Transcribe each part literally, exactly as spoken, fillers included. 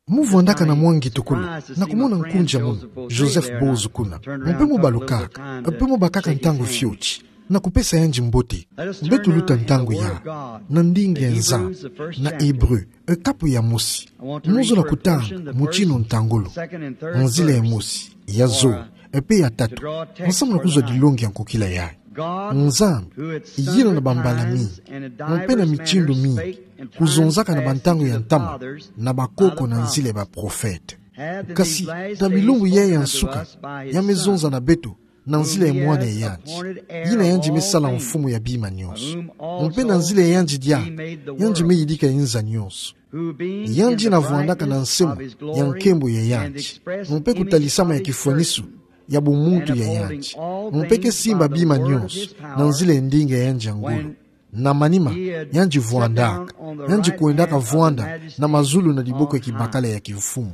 Mu vwandaka na mwa ngitukulu, na kumona nkunja munu, Joseph Bowles kuna. Mpe mu balukaka, mpe mu bakaka ntangu fioti, na kupesa yandi mbote. Beto luta ntangu ya, na ndinga Nzambi, na Hébreu, e kapu ya mosi. Mu zola kutanga mutinu ntangolo. Nzila ya mosi, ya zole, mpe ya tatu. Nsamu na kuzwa dilongi ya nkokila yayi. Nzambi, yina na bambala mingi, mpe na mitindu mingi, kuzonzaka na bantangu ya ntama, na bakoko na nzila ya baprofete. Kasi, na bilumbu yayi ya nsuka, ya me zonza na beto, na nzila ya Mwana ya yandi. Yina yandi me sala mfumu ya bima nyonso. Mpe na nzila ya yandi diaka, yandi me yidika inza nyonso. Yandi na vwandaka na nsemo ya nkembo ya yandi. Mpe kutalisama ya kifwaniso ya bumuntu ya yandi. Mpe ke simba bima nyonso, na nzila ya ndinga ya yandi ya ngolo. Na manima, yandi vwandaka, yandi kwendaka vwanda na mazulu na diboko ya kibakala ya kimfumu.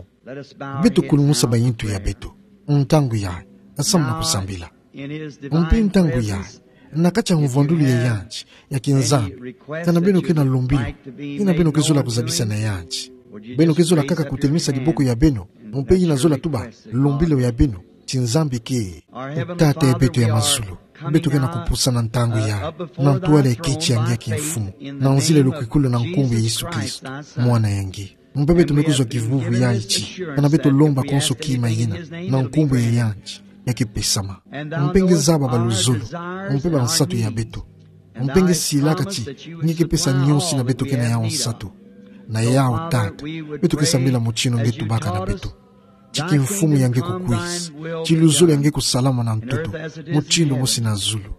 Beto kulumusa bayintu ya beto. Ntangu yayi, nsamu na kusambila. Mpe ntangu yayi, na kati ya mvwandulu ya yandi, ya kinzambi, kana beno ke na lumbilo, yina beno ke zola kuzabisa na yandi. Beno ke zola kaka kutelemisa diboko ya beno, mpe yina zola tuba, lumbilo ya beno, ti Nzambi ke. Tata ya beto ya mazulu, beto ke na kupusa na ntangu yayi, na ntwala ya kiti ya nge ya kimfumu, na nzila ya lukwikulu na nkumbu ya Yesu Kristo, Mwana ya nge. Mpe beto me kuzwa kivuvu ya iti, kana beto lomba konso kima yina, na nkumbu ya yandi, ya ke pesama. Mpe nge zaba baluzolo, mpe bansatu ya beto. Mpe nge silaka ti, nge ke pesa nyonso yina beto ke na yawu nsatu. Na yawu Tata, beto ke sambila mutinu nge tubaka na beto. Ti kimfumu ya nge kukwisa, ti luzolo ya nge kusalama na ntoto, mutinu mosi na zulu.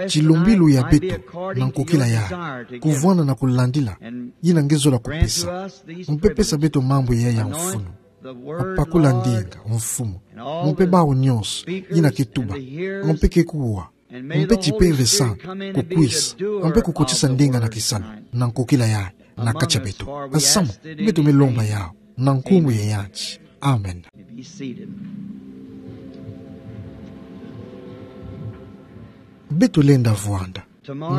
Ti lumbilo ya beto, na nkokila yayi, kuvwanda na kulandila, yina nge zola kupesa. Mpe pesa beto mambu yayi ya mfunu. Pakula ndinga, mfumu. Mpe bawu nyonso, yina ke tuba. Mpe ke kuwa. Mpe ti Pere Santu, kukwisa. Mpe kukotisa ndinga na kisalu, na nkokila yayi, na kati ya beto. Nsamu, beto me lomba yawu, na nkumbu ya yandi. Amen. Beto lenda vwanda.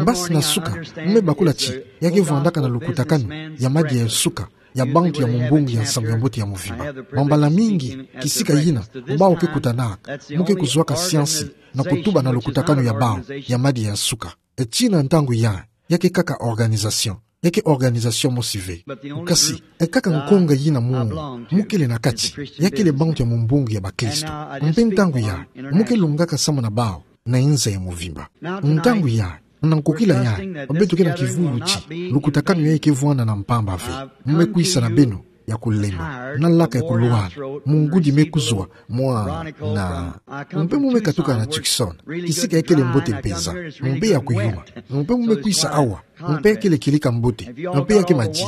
Mbasi na suka, mu me bakula ti, ya ke vwandaka na lukutakanu ya madia ya suka, ya bantu ya mumbungu ya nsangu ya mbote ya mvimba. Mambala mingi, kisika yina, bawu ke kutanaka, mu ke kuzwaka siansi, na kutuba na lukutakanu ya bawu, ya madia ya suka. E tina ntangu yayi, ya ke kaka organisation. Ya ke organisation mosi ve. Kasi, e kaka nkonga yina mu, mu kele na kati, ya kele bantu ya mumbungu ya bakristo. Mpe ntangu yayi, mu ke lungaka samu na bawu, na inza ya mvimba. Ntangu yayi, na nkokila yayi, beto ke na kivuvu ti, lukutakanu yayi ke vwanda na mpamba ve. Mu me kwisa na beno, ya kulemba, na laka ya kulwala, mungudi me kuzwa, mwa, na. Mpe mu me katuka na Tucson, kisika ya kele mbote mpenza, mpe ya kuyuma. Mpe mu me kwisa awa, mpe ya kele kieleka mbote, mpe ya ke madidi.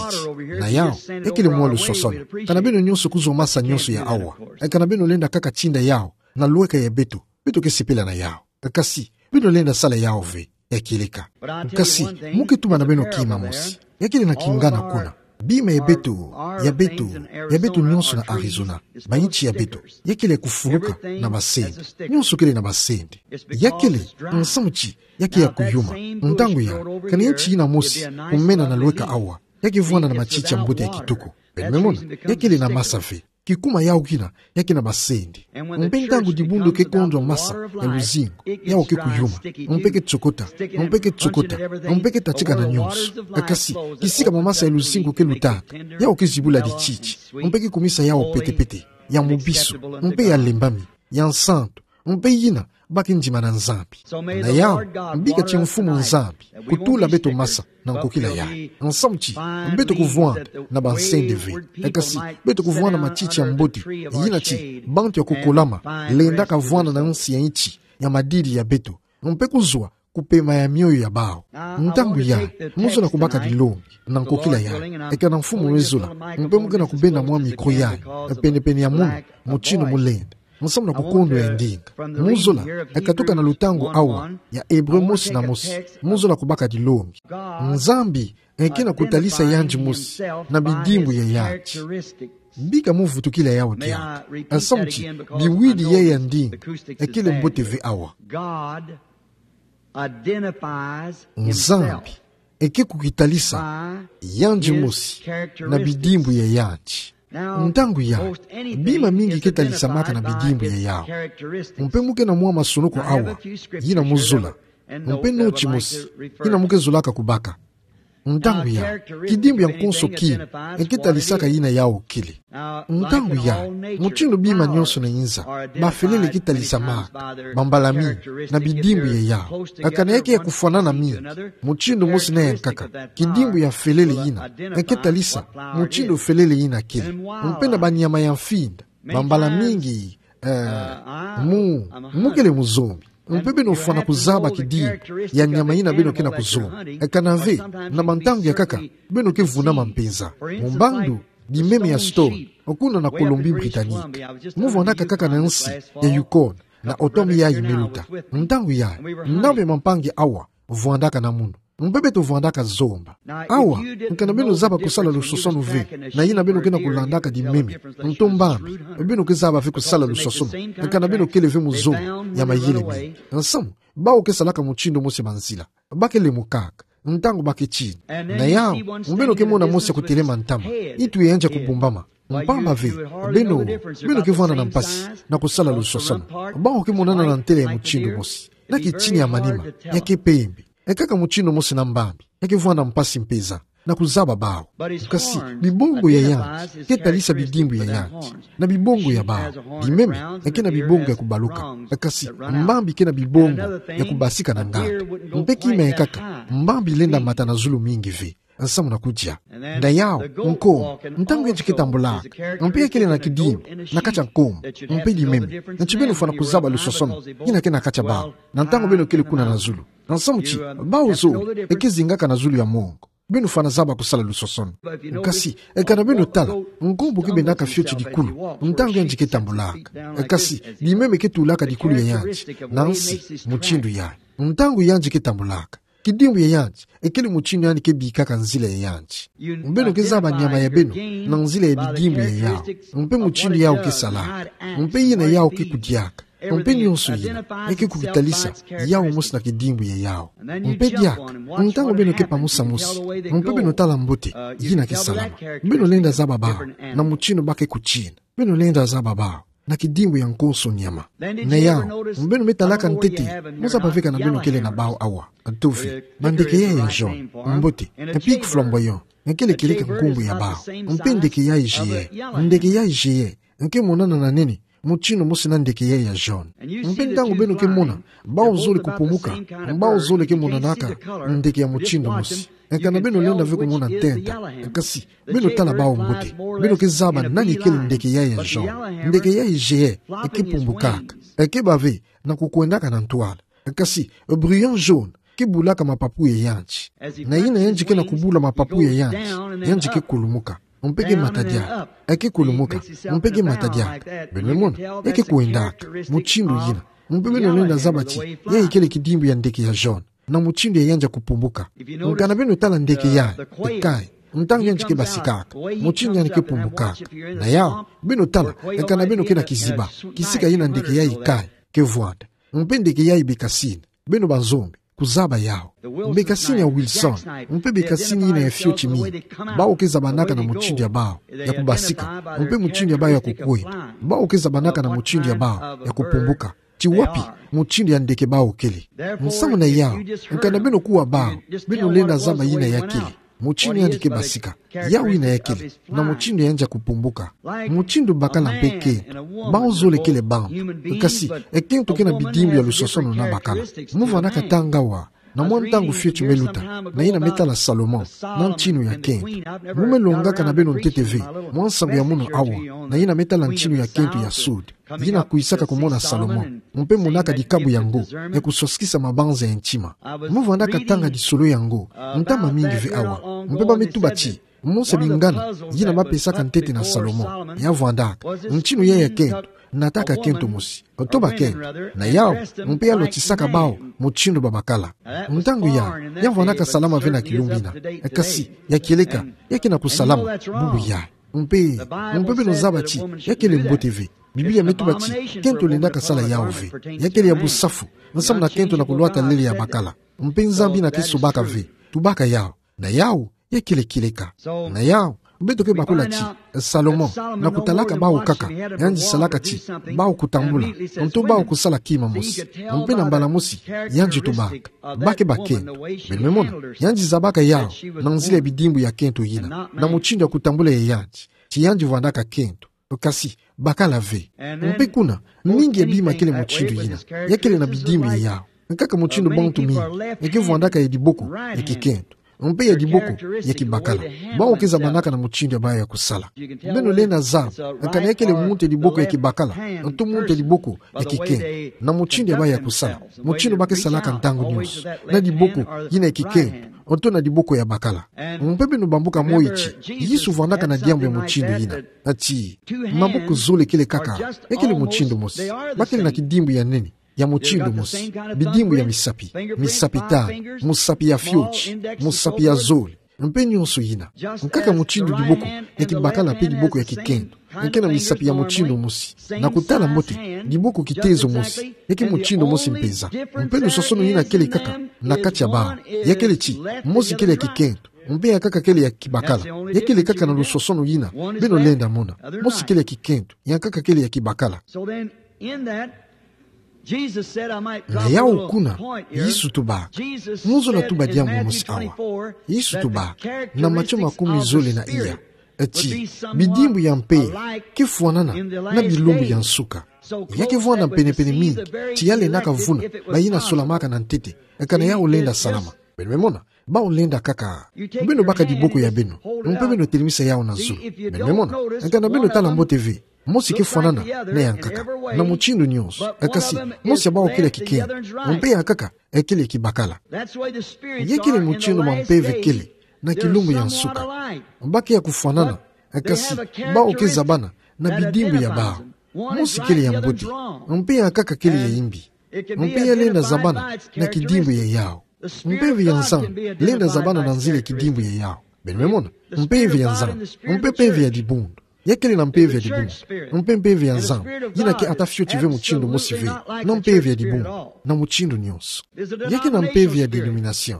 Na yawu, ya kele mwa luswaswanu. Kana beno nyonso kuzwa masa nyonso ya awa. E kana beno lenda kaka tinda yawu, na lweka ya beto, beto ke sepela na yawu. Kasi, beno lenda sala yawu ve, ya kieleka. Kasi, mu ke tuba na beno kima mosi. Ya kele na kingana kuna. Bima ya beto, ya beto, ya beto nyonso na Arizona. Ba inti ya beto. Ya kele kufuluka na basende. Nyonso kele na basende. Ya kele, nsamu ti, ya ke ya kuyuma. Ntangu yayi, kana inti yina mosi, kumena na lweka awa. Ya ke vwanda na matiti ya mbote ya kitoko. Beno me mona, ya kele na masa ve. Kikuma yawu kina, ya ke na basende. Mpe ntangu dibundu ke kondwa masa ya luzingu, yawu ke kuyuma. Mpe ke tsokota, mpe ke tsokota, mpe ke tatika na nyonso. Kasi, kisika mamasa ya luzingu ke lutaka, yawu ke zibula dititi. Mpe ke kumisa yawu petepete, ya mubisu, mpe ya lembami, ya nsantu, mpe yina, ba ke ndima na Nzambi. Na yawu, bika ti Mfumu Nzambi, kutula beto masa, na nkokila yayi. Nsamu ti, beto kuvwanda, na bansende ve. Kasi, beto kuvwanda matiti ya mbote, yina ti, bantu ya kukolama, lendaka vwanda na nsi ya inti, ya madidi ya beto. Mpe kuzwa, kupema ya mioyo ya bawu. Ntangu yayi, mu zola kubaka dilongi, na nkokila yayi. E kana Mfumu me zola, mpe mu ke na kubenda mwa micro yayi, penepene ya munu, mutinu mu lenda. Nsamu na kukondwa ya ndinga. Mu zola, e katuka na lutangu awa, ya Ebre mosi na mosi. Mu zola kubaka dilongi. Nzambi, e ke na kutalisa yandi mosi, na bidimbu ya yandi. Bika mu vutukila yawu diaka. Nsamu ti, biwidi yayi ya ndinga, e kele mbote ve awa. Nzambi, e ke kukitalisa, yandi mosi, na bidimbu ya yandi. Ntangu ya, bima mingi ke talisamaka na bidimbu ya yau. Mpe mu ke na mwa masonoko awa yina mu zola. Mpe noti mosi yina mu ke zolaka kubaka. Ntangu ya, kidimbu ya nkonso kina e ke talisaka yina yau kele. Ntangu ya, mutindu bima nionso na nza, bafelele ke talisamaka, bambala mingi, na bidimbu ya yau. Kana ya ke ya kufwanana mingi, mutindu mosi na ya nkaka, kidimbu ya felele yina e ke talisa mutindu felele yina kele. Mpe na banyama ya mfinda, bambala mingi, eh, mu, mu kele muzombi. Mpe beno fwana kuzaba kidimbu ya nyama yina beno ke na kuzomba. Kana ve, na bantangu ya nkaka, beno ke vunama mpenza. Mu mbandu, bimeme ya Stone, kuna na Colombie-Britannique. Mu vwandaka kaka na nsi ya Yukon, na otomi ya imeluta. Ntangu ya, nao bia mampangi awa vwandaka na munu. Mpe beto vwandaka zomba. Awa, kana beno zaba kusala lusosonu ve na yina beno ke na kulandaka dimeme, nto mbambi beno ke zaba ve kusala lusosonu, kana beno kele ve muzombi ya mayele mingi. Nsamu, bawu ke salaka mutindu mosi banzila, ba ke lemukaka ntangu ba ke tina. Na yau, beno ke mona mosi ya kutelema ntama, itu ya yandi ya kubumbama. Mpamba ve, beno, beno ke vwanda na mpasi na kusala lusosonu. Bawu ke monana na ntele ya mutindu mosi, na kitini ya manima, ya ke pembe. Kaka mutindu mosi na mbambi, ya ke vwanda mpasi mpenza na kuzaba bawu. Kasi bibongo ya yandi ke talisa bidimbu ya yandi na bibongo ya bawu. Bimeme ke na bibongo ya kubaluka, kasi mbambi ke na bibongo ya kubasika na nganda. Mpe kima ya nkaka, mbambi lenda mata na zulu mingi ve, nsamu na kudia. Na yau, nkombo, ntangu yandi ke tambulaka, mpe ya kele na kidimbu na kati ya nkombo, mpe dimeme, nti beno fwana kuzaba lusosonu yina ke na kati ya bawu na ntangu beno kele kuna na zulu. Nsamu ti, bawu zole e ke zingaka na zulu ya mongo. Beno fwana zaba kusala lusosonu. Kasi, kana beno tala, nkombo ke bendaka fioti dikulu ntangu yandi ke tambulaka. Kasi, dimeme ke tulaka dikulu ya yandi na nsi, mutindu ya, ntangu yandi ke tambulaka. Kidimbu ya yandi e kele mutindu yandi ke bikaka nzila ya yandi. Beno ke zaba nyama ya beno na nzila ya bidimbu ya yau, mpe mutindu yau ke salaka, mpe yina yau ke kudiaka, mpe nionso yina e ke kukitalisa yau mosi na kidimbu ya yau. Mpe diaka, ntangu beno ke pamusa mosi, mpe beno tala mbote yina ke salama, beno lenda zaba bawu na mutindu ba ke kutina. Beno lenda zaba bawu na kidimbu ya nkonso nyama. Na yau, beno me talaka ntete, mu zaba ve kana beno kele na bawu awa. Nto ve, bandeke ya ya jaune, mbote, pique flamboyant, e kele kieleka nkumbu ya bawu. Mpe ndeke ya géant, ndeke ya géant e ke monana na nene mutindu mosi na ndeke ya ya jaune. Mpe ntangu beno ke mona bawu zole kupumuka, bawu zole ke monanaka ndeke ya mutindu mosi. Kana beno lenda ve kumona ntenta, kasi beno tala bawu mbote, beno ke zaba nani kele ndeke ya ya jaune. Ndeke ya géant e ke pumbukaka, e ke bâ ve na kukwendaka na ntwala. Kasi brillant jaune ke bulaka mapapu ya yandi. Na yina yandi ke na kubula mapapu ya yandi, yandi ke kulumuka, mpe ke mata diaka. E ke kulumuka, mpe ke mata diaka. Beno mona, e ke kwendaka mutindu yina. Mpe beno lenda zaba ti, yayi kele kidimbu ya ndeke ya jaune na mutindu ya yandi ya kupumbuka. Kana beno tala ndeke ya écaille, ntangu yandi ke basikaka, mutindu yandi ke pumbukaka. Na yau, beno tala, kana beno ke na kiziba kisika yina ndeke ya écaille ke vwanda. Mpe ndeke ya bécassine, beno banzombi, kuzaba yau. Bécassine ya Wilson, mpe bécassine yina ya fioti mingi, bawu ke zabanaka na mutindu ya bawu ya kubasika, mpe mutindu ya bawu ya kukwenda. Bawu ke zabanaka na mutindu ya bawu ya kupumbuka. Ti wapi mutindu ya ndeke bawu kele? Nsamu na yau, kana beno kuwa bawu, beno lenda zaba yina ya kele, mutindu yandi ke basika, yau yina ya kele, na mutindu yandi ya kupumbuka. Mutindu bakala mpe kento, bawu zole kele bantu. Kasi, kento ke na bidimbu ya lusosonu na bakala. Mu vwandaka tanga awa, na mwa ntangu fioti me luta, na yina me tala Salomon na ntinu ya kento. Mu me longaka na beno ntete ve mwa nsangu ya munu awa, na yina me tala ntinu ya kento ya Sud, yina kwisaka kumona Salomon, mpe monaka dikabu ya ngo ya kuswasikisa mabanza ya ntima. Mu vwandaka tanga lisolo ya ngo ntama mingi ve awa, mpe ba me tuba ti, monsa bingana yina ba pesaka ntete na Salomon, ya vwandaka ntinu ya ya kento, nataka kento mosi, otoba kento, na yau, mpe ya lwatisaka bawu mutindu babakala. Ntangu ya, ya vwandaka salama ve na kilumbu ina. Kasi, ya kieleka, ya ke na kusalama bubu ya. Mpe, mpe beno zaba ti, ya kele mbote ve. Biblia me tuba ti, kento lendaka sala yau ve. Ya kele ya busafu, nsamu na kento na kulwata lele ya bakala. Mpe Nzambi na ke sobaka ve. Tubaka yau. Na yau, ya kele kieleka. Na yau, Beto ke bakula ti, Salomon, na kutalaka bawu kaka, yandi salaka ti, bawu kutambula, nto bawu kusala kima mosi, mpe na mbala mosi, yandi tubaka, bake bakento, beno me mona, yandi zabaka yawu, na nzila ya bidimbu ya kento yina, na mutindu ya kutambula ya yandi, ti yandi vwandaka kento, kasi, bakala ve. Mpe kuna, mingi ya bima kele mutindu yina, ya kele na bidimbu ya yawu. Nkaka mutindu bantu mingi, ya ke vwandaka ya diboko, ya kikento. Mpe ya diboko, ya kibakala. Bawu ke zabanaka na mutindu ya bawu ya kusala. Beno lenda zaba, kana ya kele muntu ya diboko ya kibakala, nto muntu ya diboko, ya kikento. Na mutindu ya bawu ya kusala. Mutindu ba ke salaka ntangu nionso. Na diboko, yina ya kikento. Nto na diboko ya bakala. Mpe beno bambuka moyo ti, Yesu vwandaka na diambu ya mutindu yina. Ati, maboko zole kele kaka, ya kele mutindu mosi. Ba kele na kidimbu ya nene, ya mutindu mosi. Bidimbu ya misapi, misapi tanu, musapi ya fioti, musapi ya zole. Mpe nionso yina. Nkaka mutindu diboko, ya kibakala mpe diboko ya kikento. Ya ke na misapi ya mutindu mosi. Na kutala mbote, diboko kitezo mosi. Ya ke mutindu mosi mpeza. Mpe lusosono yina kele kaka, na kati ya bawu. Ya kele ti, mosi kele ya kikento. Mpe ya nkaka kele ya kibakala. Ya kele kaka na lusosono yina. Beno lenda mona. Mosi kele ya kikento. Ya nkaka kele ya kibakala. Na yawu kuna, Yesu tubaka. Mu zola tuba diambu mosi awa. Yesu tubaka. Na Matio makumi zole na iya. Ati, bidimbu ya mpeve, ke fwanana, na bilumbu ya nsuka. Ya ke vwanda penepene mingi, ti ya lendaka vuna, ba yina solamaka na ntete, kana yawu lenda salama. Beno me mona, bawu lenda kaka. Beno baka diboko ya beno, mpe beno telemisa yawu na zulu. Beno me mona, kana beno tala mbote ve, mosi ke fwanana, na ya nkaka. Na mutindu nionso, kasi, mosi ya bawu kele ya kikento, mpe ya nkaka, kele ya kibakala. Ya kele mutindu ma mpeve kele, na kilumbu ya nsuka. Ba ke ya kufwanana, kasi, bawu ke zabana, na bidimbu ya bawu. Mosi kele ya mbote, mpe ya nkaka kele ya imbi. Mpe ya lenda zabana, na kidimbu ya yawu. Mpeve ya Nzambi, lenda zabana na nzila ya kidimbu ya yawu. Beno me mona, mpeve ya Nzambi, mpe mpeve ya dibundu. Ya kele na mpeve ya dibundu, mpe mpeve ya Nzambi, yina ke ata fioti ve mutindu mosi ve, na mpeve ya dibundu, na mutindu nionso. Ya ke na mpeve ya dénomination.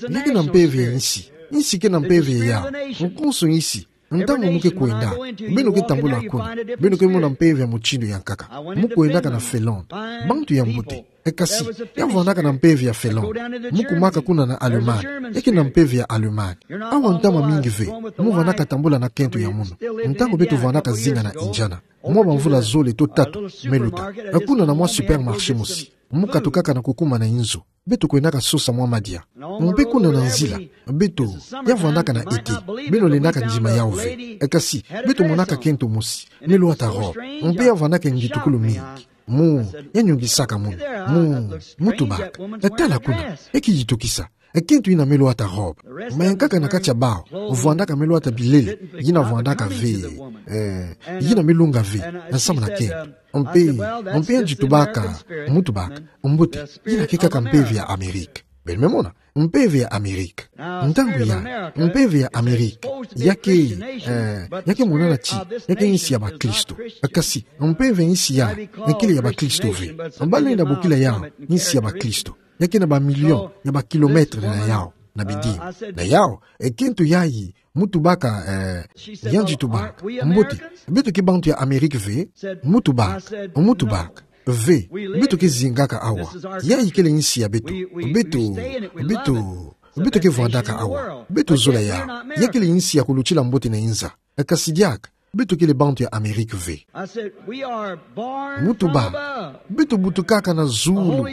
Ya ke na mpeve ya insi, insi ke na mpeve ya yawu, nkonso insi, ntangu mu ke kwenda, beno ke tambula kuna, beno ke mona mpeve ya mutindu ya nkaka, mu kwendaka na Finlande, bantu ya mbote, kasi, ya vwandaka na mpeve ya Finlande, mu kumaka kuna na Allemagne, ya ke na mpeve ya Allemagne. Awa ntama mingi ve, mu vwandaka tambula na kento ya munu. Ntangu beto vwandaka zinga na Indiana, mwa bamvula zole to tatu, me luta. Kuna na mwa supermarché mosi. Mu katukaka na kukuma na inzo. Beto kwendaka sosa mwa madia. Mpe kuna na nzila, beto, ya vwandaka na été. Beno lendaka ndima yawu ve. Kasi, beto monaka kento mosi. Melwata robe. Mpe ya vwandaka nditukulu mingi. Mu, ya nyongisaka munu. Mu, mu tubaka. Tala kuna. Ya ke yitokisa. Kento yina melwata robe. Ma ya nkaka na kati ya bawu, vwandaka melwata bilele, yina vwandaka ve, eh, yina melunga ve, nsamu na kento. Mpe, mpe ya nzitubaka, mu tubaka, mbote, yina ke kaka mpeve ya Amérique. Beno me mona, mpeve ya Amérique. Ntangu ya, mpeve ya Amérique. Ya ke, eh, ya ke monana ti, ya ke insi ya bakristo. Kasi, mpeve ya insi ya, ya kele ya bakristo ve. Ba lenda bokila yawu, insi ya bakristo. Ya ke na bamilio ya bakilometre na yawu, na bidimbu. Na yawu, kento yayi, mu tubaka, eh, ya nzitubaka. Mbote, beto ke bantu ya Amérique ve, mu tubaka, mu tubaka. Ve, beto ke zingaka awa. Yayi kele insi ya beto. Beto, beto, beto ke vwandaka awa. Beto zola yawu. Ya kele insi ya kulutila mbote na inza. Kasi diaka, beto kele bantu ya Amérique ve. Mu tubaka, beto butukaka na zulu.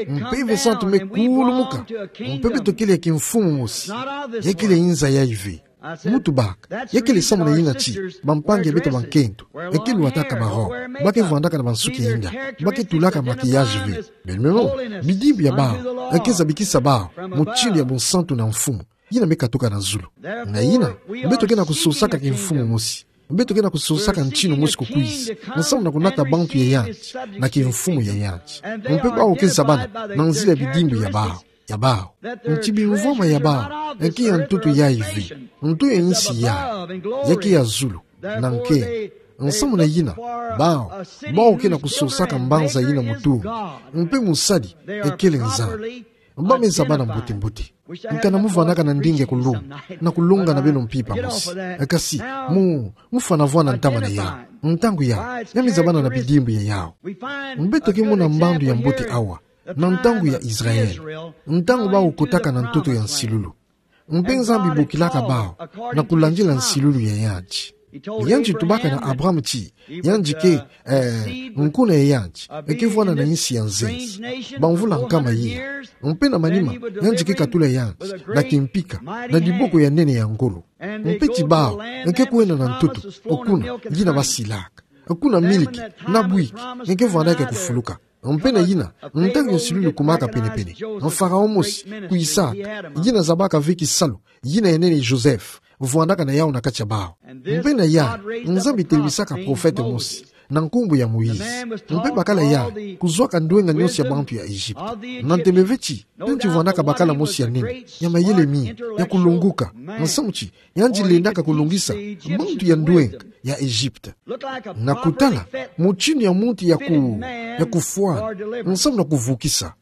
Mpeve Santu me kulumuka. Mpe beto kele ya kimfumu mosi. Ya kele inza yayi ve. Mu tubaka, ya kele samu na yina ti, bampangi ya beto bankento, ya ke lwataka barobe, ba ke vwandaka na bansuki ya inda, ba ke tulaka maquillage ve. Beno me mona, bidimbu ya bawu, ya ke zabikisa bawu, mutindu ya bonsantu na mfumu. Yina me katuka na zulu. Na yina, beto ke na kusosaka kimfumu mosi. Beto ke na kusosaka ntinu mosi kukwiza. Nsamu na kunata bantu ya yandi, na kimfumu ya yandi. Mpe bawu ke zabana, na nzila ya bidimbu ya bawu. Ya bawu. Nti bimvwama ya bawu, ya ke ya ntoto yayi ve. Nto ya insi yayi. Ya ke ya zulu. Na nkento. Nsamu na yina, bawu. Bawu ke na kusosaka mbanza yina mutu. Mpe musadi, ya kele Nzambi. Bâ me zaba na mbote-mbote. Nkana mu vwanaka na ndinga ya kulonga, na kulonga na beno mpimpa mosi. Kasi, mu, mu fana vwa na ntama na ya. Ntangu ya, ya me zaba na bidimbu ya yau. Mbe toki mona mbandu ya mbote awa, na ntangu ya Israel. Ntangu bawu kotaka na ntoto ya nsilulu. Mpe Nzambi bokilaka bawu, na kulandila nsilulu ya yandi. Yandi tubaka na Abraham ti, yandi ke, eh, nkuna ya yandi, eke vwana na insi ya nzenza. Bamvula nkama iya. Mpe na manima, yandi ke katula yandi, na kimpika, na diboko ya nene ya ngolo. Mpe ti bawu, eke kwenda na ntoto, kuna, yina basilaka. Kuna miliki, na bwiki, eke vwanaka kufuluka. Mpe na yina, ntangu ya nsilulu kumaka pene-pene. Pharaon mosi, kwisaka, yina zabaka ve kisalu, yina ya nene Joseph, vwandaka na yau na kati ya bawu. Mpe na ya, Nzambi telebisaka profete mosi, na nkumbu ya Moïse. Mpe bakala ya, kuzwaka ndwenga nyonso ya bantu ya Egypte. Na ntembe ve ti, yandi vwandaka bakala mosi ya nene, ya mayele mingi, ya kulongoka, nsamu ti, yandi lendaka kulongisa, bantu ya ndwenga, ya Egypte. Na kutala, mutindu ya muntu ya ku, ya kufwana, nsamu na kuvukisa.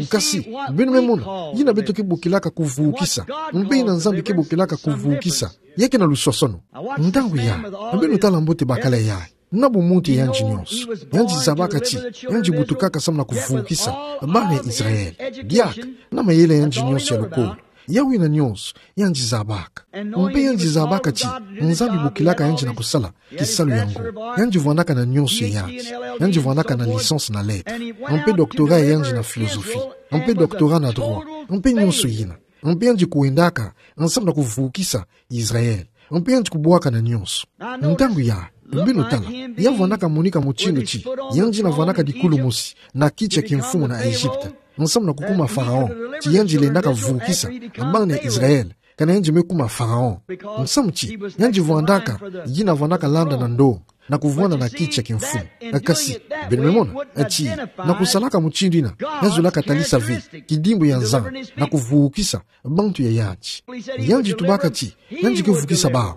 Kasi, beno me mona, yina beto ke bokilaka kuvukisa, mpe yina Nzambi ke bokilaka kuvukisa, ya ke na luswaswanu. Ntangu ya, beno tala mbote bakala ya. Na bumuntu ya yandi nyonso. Yandi zabaka ti, yandi butukaka samu na kuvukisa, bana ya Israel. Diaka, na mayele ya yandi nyonso ya lukolo. Yawu yina nyonso, yandi zabaka. Mpe yandi zabaka ti, Nzambi bokilaka yandi na kusala, kisalu yango. Yandi vwandaka na nyonso ya yandi. Yandi vwandaka na licence na lettres. Mpe doctorat ya yandi na philosophie. Mpe doctorat na droit. Mpe nyonso yina. Mpe yandi kwendaka, nsamu na kuvukisa, Israel. Mpe yandi kubwaka na nyonso. Ntangu ya, beno tala, ya vwandaka monika mutindu ti, yandi na vwandaka dikulu mosi, na kiti ya kimfumu na Egypte. Nsamu na kukuma Pharaon, ti yandi lendaka vukisa, bana ya Israel, kana yandi me kuma Pharaon. Nsamu ti, yandi vwandaka, yina vwandaka landa na ndonga, na kuvwanda na kiti ya kimfumu. Kasi, beno me mona, ti, na kusalaka mutindu yina, ya zolaka talisa ve, kidimbu ya Nzambi, na kuvukisa, bantu ya yandi. Yandi tubaka ti, yandi ke vukisa bawu.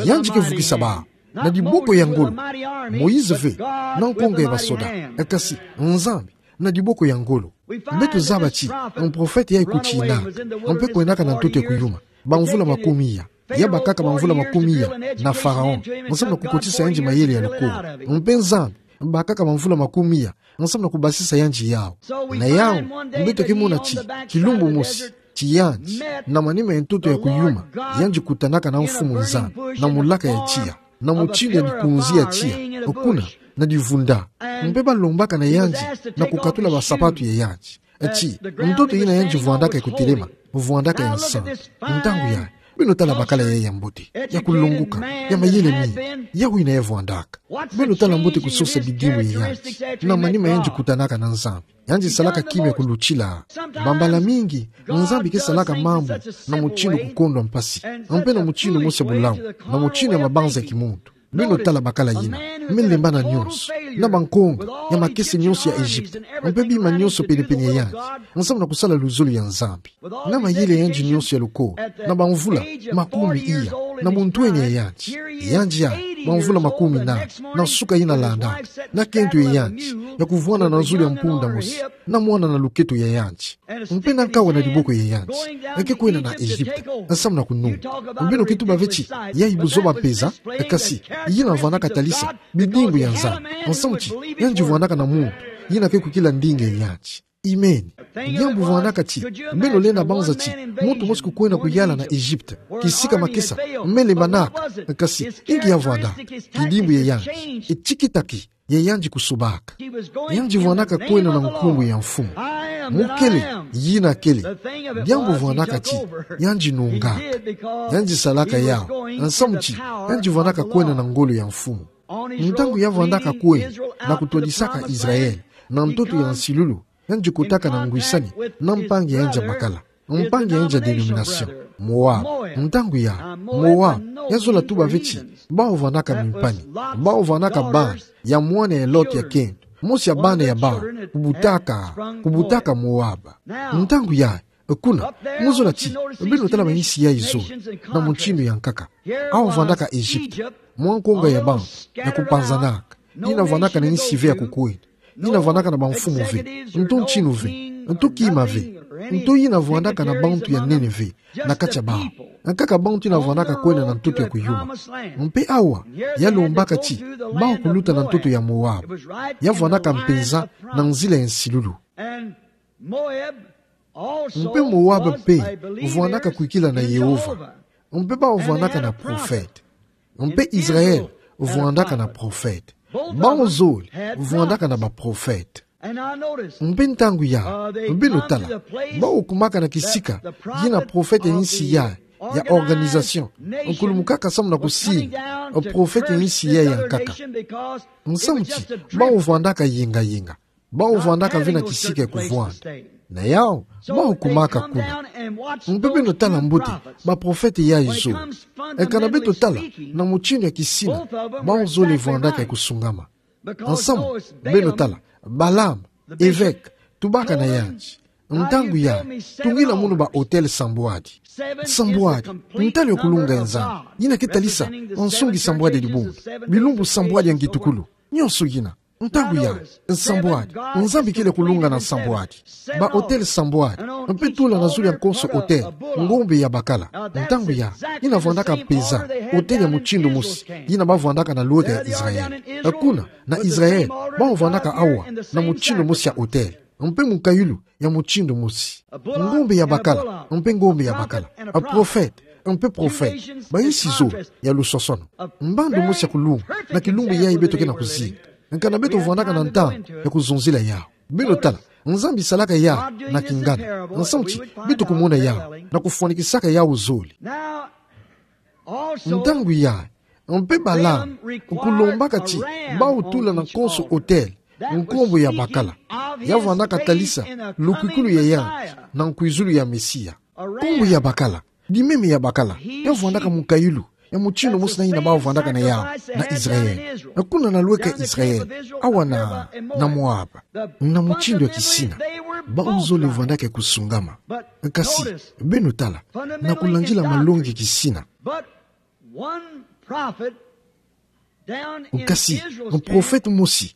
Yandi ke vukisa bawu. Na diboko ya ngolo. Moïse ve, na nkonga ya basoda. Kasi, Nzambi, na diboko ya ngolo. Beto zaba ti, mprofete yayi kutinaka. Mpe kwendaka na ntoto ya kuyuma. Bamvula makumi iya. Ya bakaka bamvula makumi iya, na Pharaon. Nsamu na kukotisa yandi mayele ya lukolo. Mpe Nzambi, bakaka bamvula makumi iya, nsamu na kubasisa yandi yawu. Na yawu, beto ke mona ti, kilumbu mosi, ti yandi, na manima ya ntoto ya kuyuma, yandi kutanaka na Mfumu Nzambi, na mulaka ya tiya, na mutindu ya dikunzi ya tiya, kuna, na divunda. Mpe balombaka na yandi, na kukatula basapatu ya yandi. Ti, ntoto yina yandi vwandaka ya kutelema, vwandaka ya nsantu. Ntangu ya, beno tala bakala ya ya mbote, ya kulongoka, ya mayele mingi, yawu yina ya vwandaka. Beno tala mbote kusosa bidimbu ya yandi, na manima yandi kutanaka na Nzambi. Yandi salaka kimia kulutila. Bambala mingi, Nzambi ke salaka mambu, na mutindu kukondwa mpasi. Mpe na mutindu mosi ya bolamu, na mutindu ya mabanza ya kimuntu. Beno tala bakala yina, me lemba na nyonso, na bankonga, ya makese nyonso ya Egypte, mpe bima nyonso pene-pene ya yandi, nsamu na kusala luzolo ya Nzambi. Na mayele ya yandi nyonso ya lukolo, na bamvula makumi iya, na buntwenia ya yandi. Yandi ya, bamvula makumi nani, na suka yina landa, na kento ya yandi, ya kuvwanda na zulu ya mpunda mosi, na mwana na luketo ya yandi. Mpe na nkawa na diboko ya yandi, eke kwenda na Egypte, nsamu na kununga. Beno ke tuba ve ti, yayi buzoba mpeza, kasi, yina vwandaka talisa, bidimbu ya Nzambi, nsamu ti, yandi vwandaka na muntu, yina ke kukila ndinga ya yandi. Amen. Diambu vwandaka ti, beno lenda banza ti, muntu mosi kukwenda kuyala na Egypte, kisika makesa, me lembanaka, kasi, inki ya vwanda, kidimbu ya yandi, e tikitaki, ya yandi kusobaka. Yandi vwandaka kwenda na nkumbu ya mfumu. Mukele, yina kele. Diambu vwandaka ti, yandi nungaka. Yandi salaka yawu, nsamu ti, yandi vwandaka kwenda na ngolo ya mfumu. Ntangu ya vwandaka kwenda, na kutwadisaka Israel, na ntoto ya nsilulu, yandi kotaka na ngwisani, na mpangi ya yandi ya bakala. Mpangi ya yandi ya dénomination, Moab. Ntangu ya, Moab, ya zola tuba ve ti, bawu vwandaka mimpani, bawu vwandaka bana, ya mwana ya Lot ya kento, mosi ya bana ya bawu, kubutaka, kubutaka Moab. Ntangu ya, kuna, mu zola ti, beno tala bansi yayi zo, na mutindu ya nkaka. Awu vwandaka Egypte, mwa nkonga ya bawu, ya kupanzanaka, yina vwandaka na nsi ve ya kukwenda. Yina vwandaka na bamfumu ve, nto ntinu ve, nto kima ve. Nto yina vwandaka na bantu ya Ninive na kati ya bawu. Nkaka bantu yina vwandaka kwenda na ntoto ya kuyuma. Mpe awa, ya lombaka ti bawu kuluta na ntoto ya Moab. Ya vwandaka mpenza na nzila ya nsilulu. Mpe Moab mpe vwandaka kwikila na Yehova. Mpe bawu vwandaka na profete. Mpe Israel vwandaka na profete. Bawu zole vwandaka na baprofete. Mpe ntangu yayi, beno tala, bawu kumaka na kisika yina profete ya insi yayi ya organisation, nkulumukaka samu na kusini profete ya insi yayi ya nkaka. Nsamu ti bawu vwandaka yenga-yenga. Bawu vwandaka ve na kisika ya kuvwanda. Na yawu, bawu kumaka kuna. Mpe beno tala mbote baprofete yayi zole. Kana beto tala na mutindu ya kisina, bawu zole vwandaka ya kusungama. Nsamu, beno tala, Balaam, evêque, tubaka na yandi. Ntangu yayi, tungila munu ba autel sambwadi. Sambwadi, ntalu ya kulunga ya Nzambi. Yina ke talisa nsungi sambwadi ya dibundu, bilumbu sambwadi ya ngitukulu. Nionso yina. Ntangu yayi, nsambwadi, Nzambi kele kulunga na nsambwadi. Ba autel sambwadi, mpe tula na zulu ya nkonso autel, ngombe ya bakala. Ntangu yayi, yina vwandaka mpenza autel ya mutindu mosi yina ba vwandaka na lweka ya Israel. Kuna, na Israel, bawu vwandaka awa na mutindu mosi ya autel, mpe mukayulu ya mutindu mosi. Ngombe ya bakala, mpe ngombe ya bakala. Profete, mpe profete. Ba insi zole ya lusosono. Mbandu mosi ya kulunga na kilumbu yayi beto ke na kuzinga. Kana beto vwandaka na ntangu ya kuzonzila yawu. Beno tala, Nzambi salaka yawu na kingana. Nsamu ti beto kumona yawu na kufwanikisaka yawu zole. Ntangu yayi, mpe Balaam kulombaka ti bawu tula na nkonso autel nkombo ya bakala. Ya vwandaka talisa lukwikulu ya yandi na nkwizulu ya Mesia. Nkombo ya bakala, dimeme ya bakala, ya vwandaka mukayulu ya mutindu mosi na yina bawu vwandaka na yawu na Israel. Kuna na lweka ya Israel, awa na, na Moab, na mutindu ya kisina, bawu zole vwandaka ya kusungama. Kasi, beno tala, na kulandila malongi ya kisina. Kasi, profete mosi,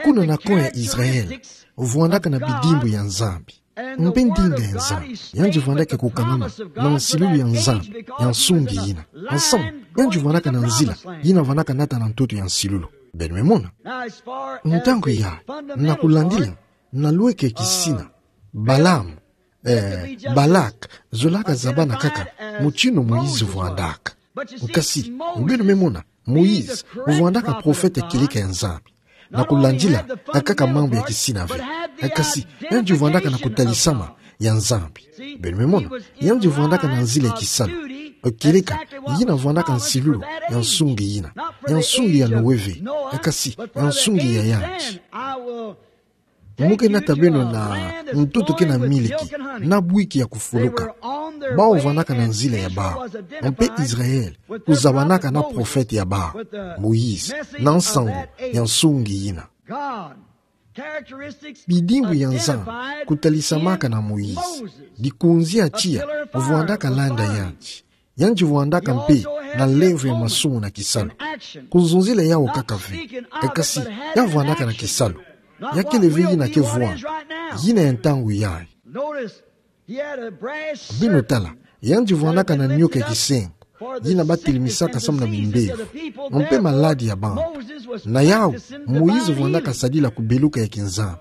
kuna na kô ya Israel, vwandaka na bidimbu ya Nzambi. Mpe ndinga ya Nzambi, yandi vwandaka kukangama na nsilulu ya Nzambi ya nsungi yina. Nsamu, yandi vwandaka na nzila yina vwandaka nata na ntoto ya nsilulu. Beno me mona. Ntangu yayi, na kulandila, na lweka ya kisina, Balaam, eh, Balak, zolaka zabana kaka mutindu Moïse vwandaka. Kasi, beno me mona, Moïse vwandaka profete kieleka ya Nzambi. Na kulandila, akaka mambu ya kisina ve. Kasi, yandi vwandaka na kutalisama ya Nzambi. Beno me mona, yandi vwandaka na nzila ya kisalu. Kieleka yina vwandaka nsilulu ya nsungi yina. Ya nsungi ya Noé ve. Kasi, ya nsungi ya yandi. Mu ke nata beno na ntoto ke na miliki, na bwiki ya kufuluka. Bawu vwandaka na nzila ya bawu. Mpe Israel kuzabanaka na profete ya bawu, Moïse, na nsangu ya nsungi yina. Bidimbu ya Nzambi kutalisamaka na Moïse, dikunzi ya tiya vwandaka landa yandi. Yandi vwandaka mpe na lemvo ya masumu na kisalu. Kuzonzila yawu kaka ve. Kasi, ya vwandaka na kisalu. Ya kele ve yina ke vwanda. Yina ya ntangu yayi. Beno tala, yandi vwandaka na nioka ya kisengo, yina ba telimisaka samu na bimbevo, mpe maladi ya bantu. Na yawu, Moïse vwandaka sadila kubeluka ya kinzambi.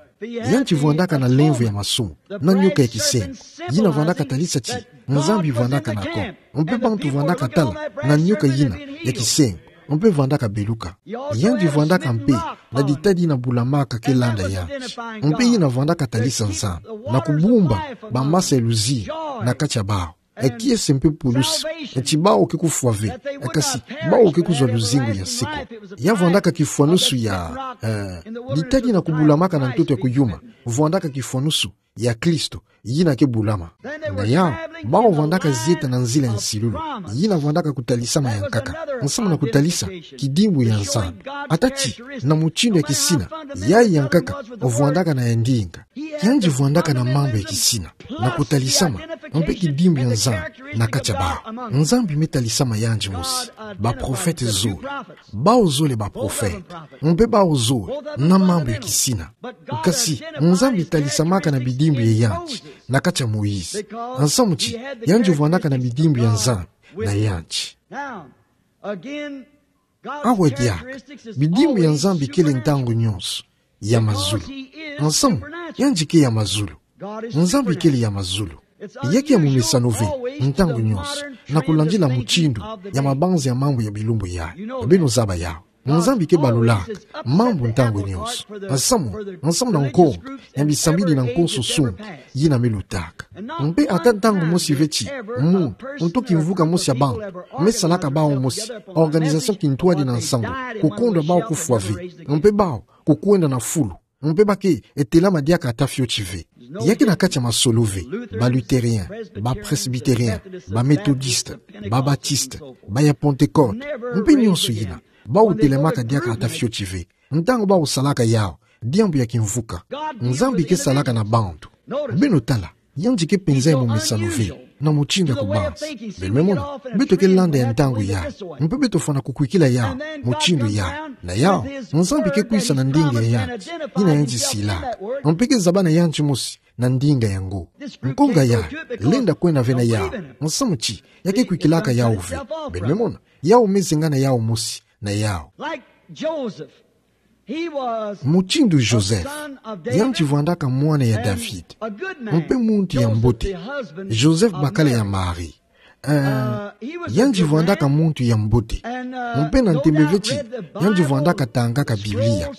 Yandi vwandaka na lemvo ya masumu, na nioka ya kisengo, yina vwandaka talisa ti Nzambi vwandaka na kô. Mpe bantu vwandaka tala na nioka yina ya kisengo, mpe vwandaka beluka. Yandi vwandaka mpe na ditadi yina bulamaka ke landa yandi, mpe yina vwandaka talisa Nzambi, na kubumba bamasa ya luzingu na kati ya bawu. E kiese mpe pulusi, ti bawu ke kufwa ve, kasi bawu ke kuzwa luzingu ya seko. Ya vwandaka kifwanusu ya, eh, ditadi yina kubulamaka na ntoto ya kuyuma, vwandaka kifwanusu ya Kristo, yina ke bulama. Na yawu, bawu vwandaka zieta na nzila ya nsilulu, yina vwandaka kutalisama ya nkaka, nsamu na kutalisa kidimbu ya Nzambi. Ata ti, na mutindu ya kisina, yayi ya nkaka vwandaka na ya ndinga. Yandi vwandaka na mambu ya kisina, na kutalisama, Mpe kidimbu ya Nzambi na kati ya bawu. Nzambi me talisama yandi mosi. Baprofete zole. Bawu zole baprofete. Mpe bawu zole na mambu ya kisina. Kasi, Nzambi talisamaka na bidimbu ya yandi na kati ya Moïse. Nsamu ti, yandi vwandaka na bidimbu ya Nzambi na yandi. Awa diaka, bidimbu ya Nzambi kele ntangu nyonso ya mazulu. Nsamu, yandi ke ya mazulu. Nzambi kele ya mazulu. Ya ke ya momesano ve, ntangu nyonso, na kulandila mutindu ya mabanza ya mambu ya bilumbu yayi. Beno zaba yawu. Nzambi ke balulaka mambu ntangu nyonso. Nsamu, nsamu na nkonga ya bisambidi na nkonso nsumu yina me lutaka. Mpe ata ntangu mosi ve ti muntu, nto kimvuka mosi ya bantu, me salaka bawu mosi, organisation kintwadi na nsangu, kukondwa bawu kufwa ve, mpe bawu kukwenda na fulu, mpe ba ke telama diaka ata fioti ve. Ya ke na kati ya masolo ve, ba luthérien, ba presbytérien, ba méthodiste, ba baptiste, ba ya Pentecôte, mpe nyonso yina, bawu telamaka diaka ata fioti ve. Ntangu bawu salaka yawu, diambu ya kimvuka. Nzambi ke salaka na bantu. Beno tala, yandi ke penza ya momesano ve na mutindu ya kubanza. Beno me mona, beto ke landa ya ntangu yayi, mpe beto fwana kukwikila yawu mutindu yayi. Na yawu, Nzambi ke kwisa na ndinga ya yandi, yina yandi silaka. Mpe ke zaba na yandi mosi na ndinga yango. Nkonga yayi, lenda kwenda ve na yawu. Nsamu ti, ya ke kwikilaka yawu ve. Beno me mona, yawu me zengana yawu mosi na yawu. Mutindu Joseph, yandi vwandaka mwana ya David, mpe muntu ya mbote. Joseph bakala ya Marie. Eh, yandi vwandaka muntu ya mbote. Mpe na ntembe ve ti, yandi vwandaka tangaka Biblia,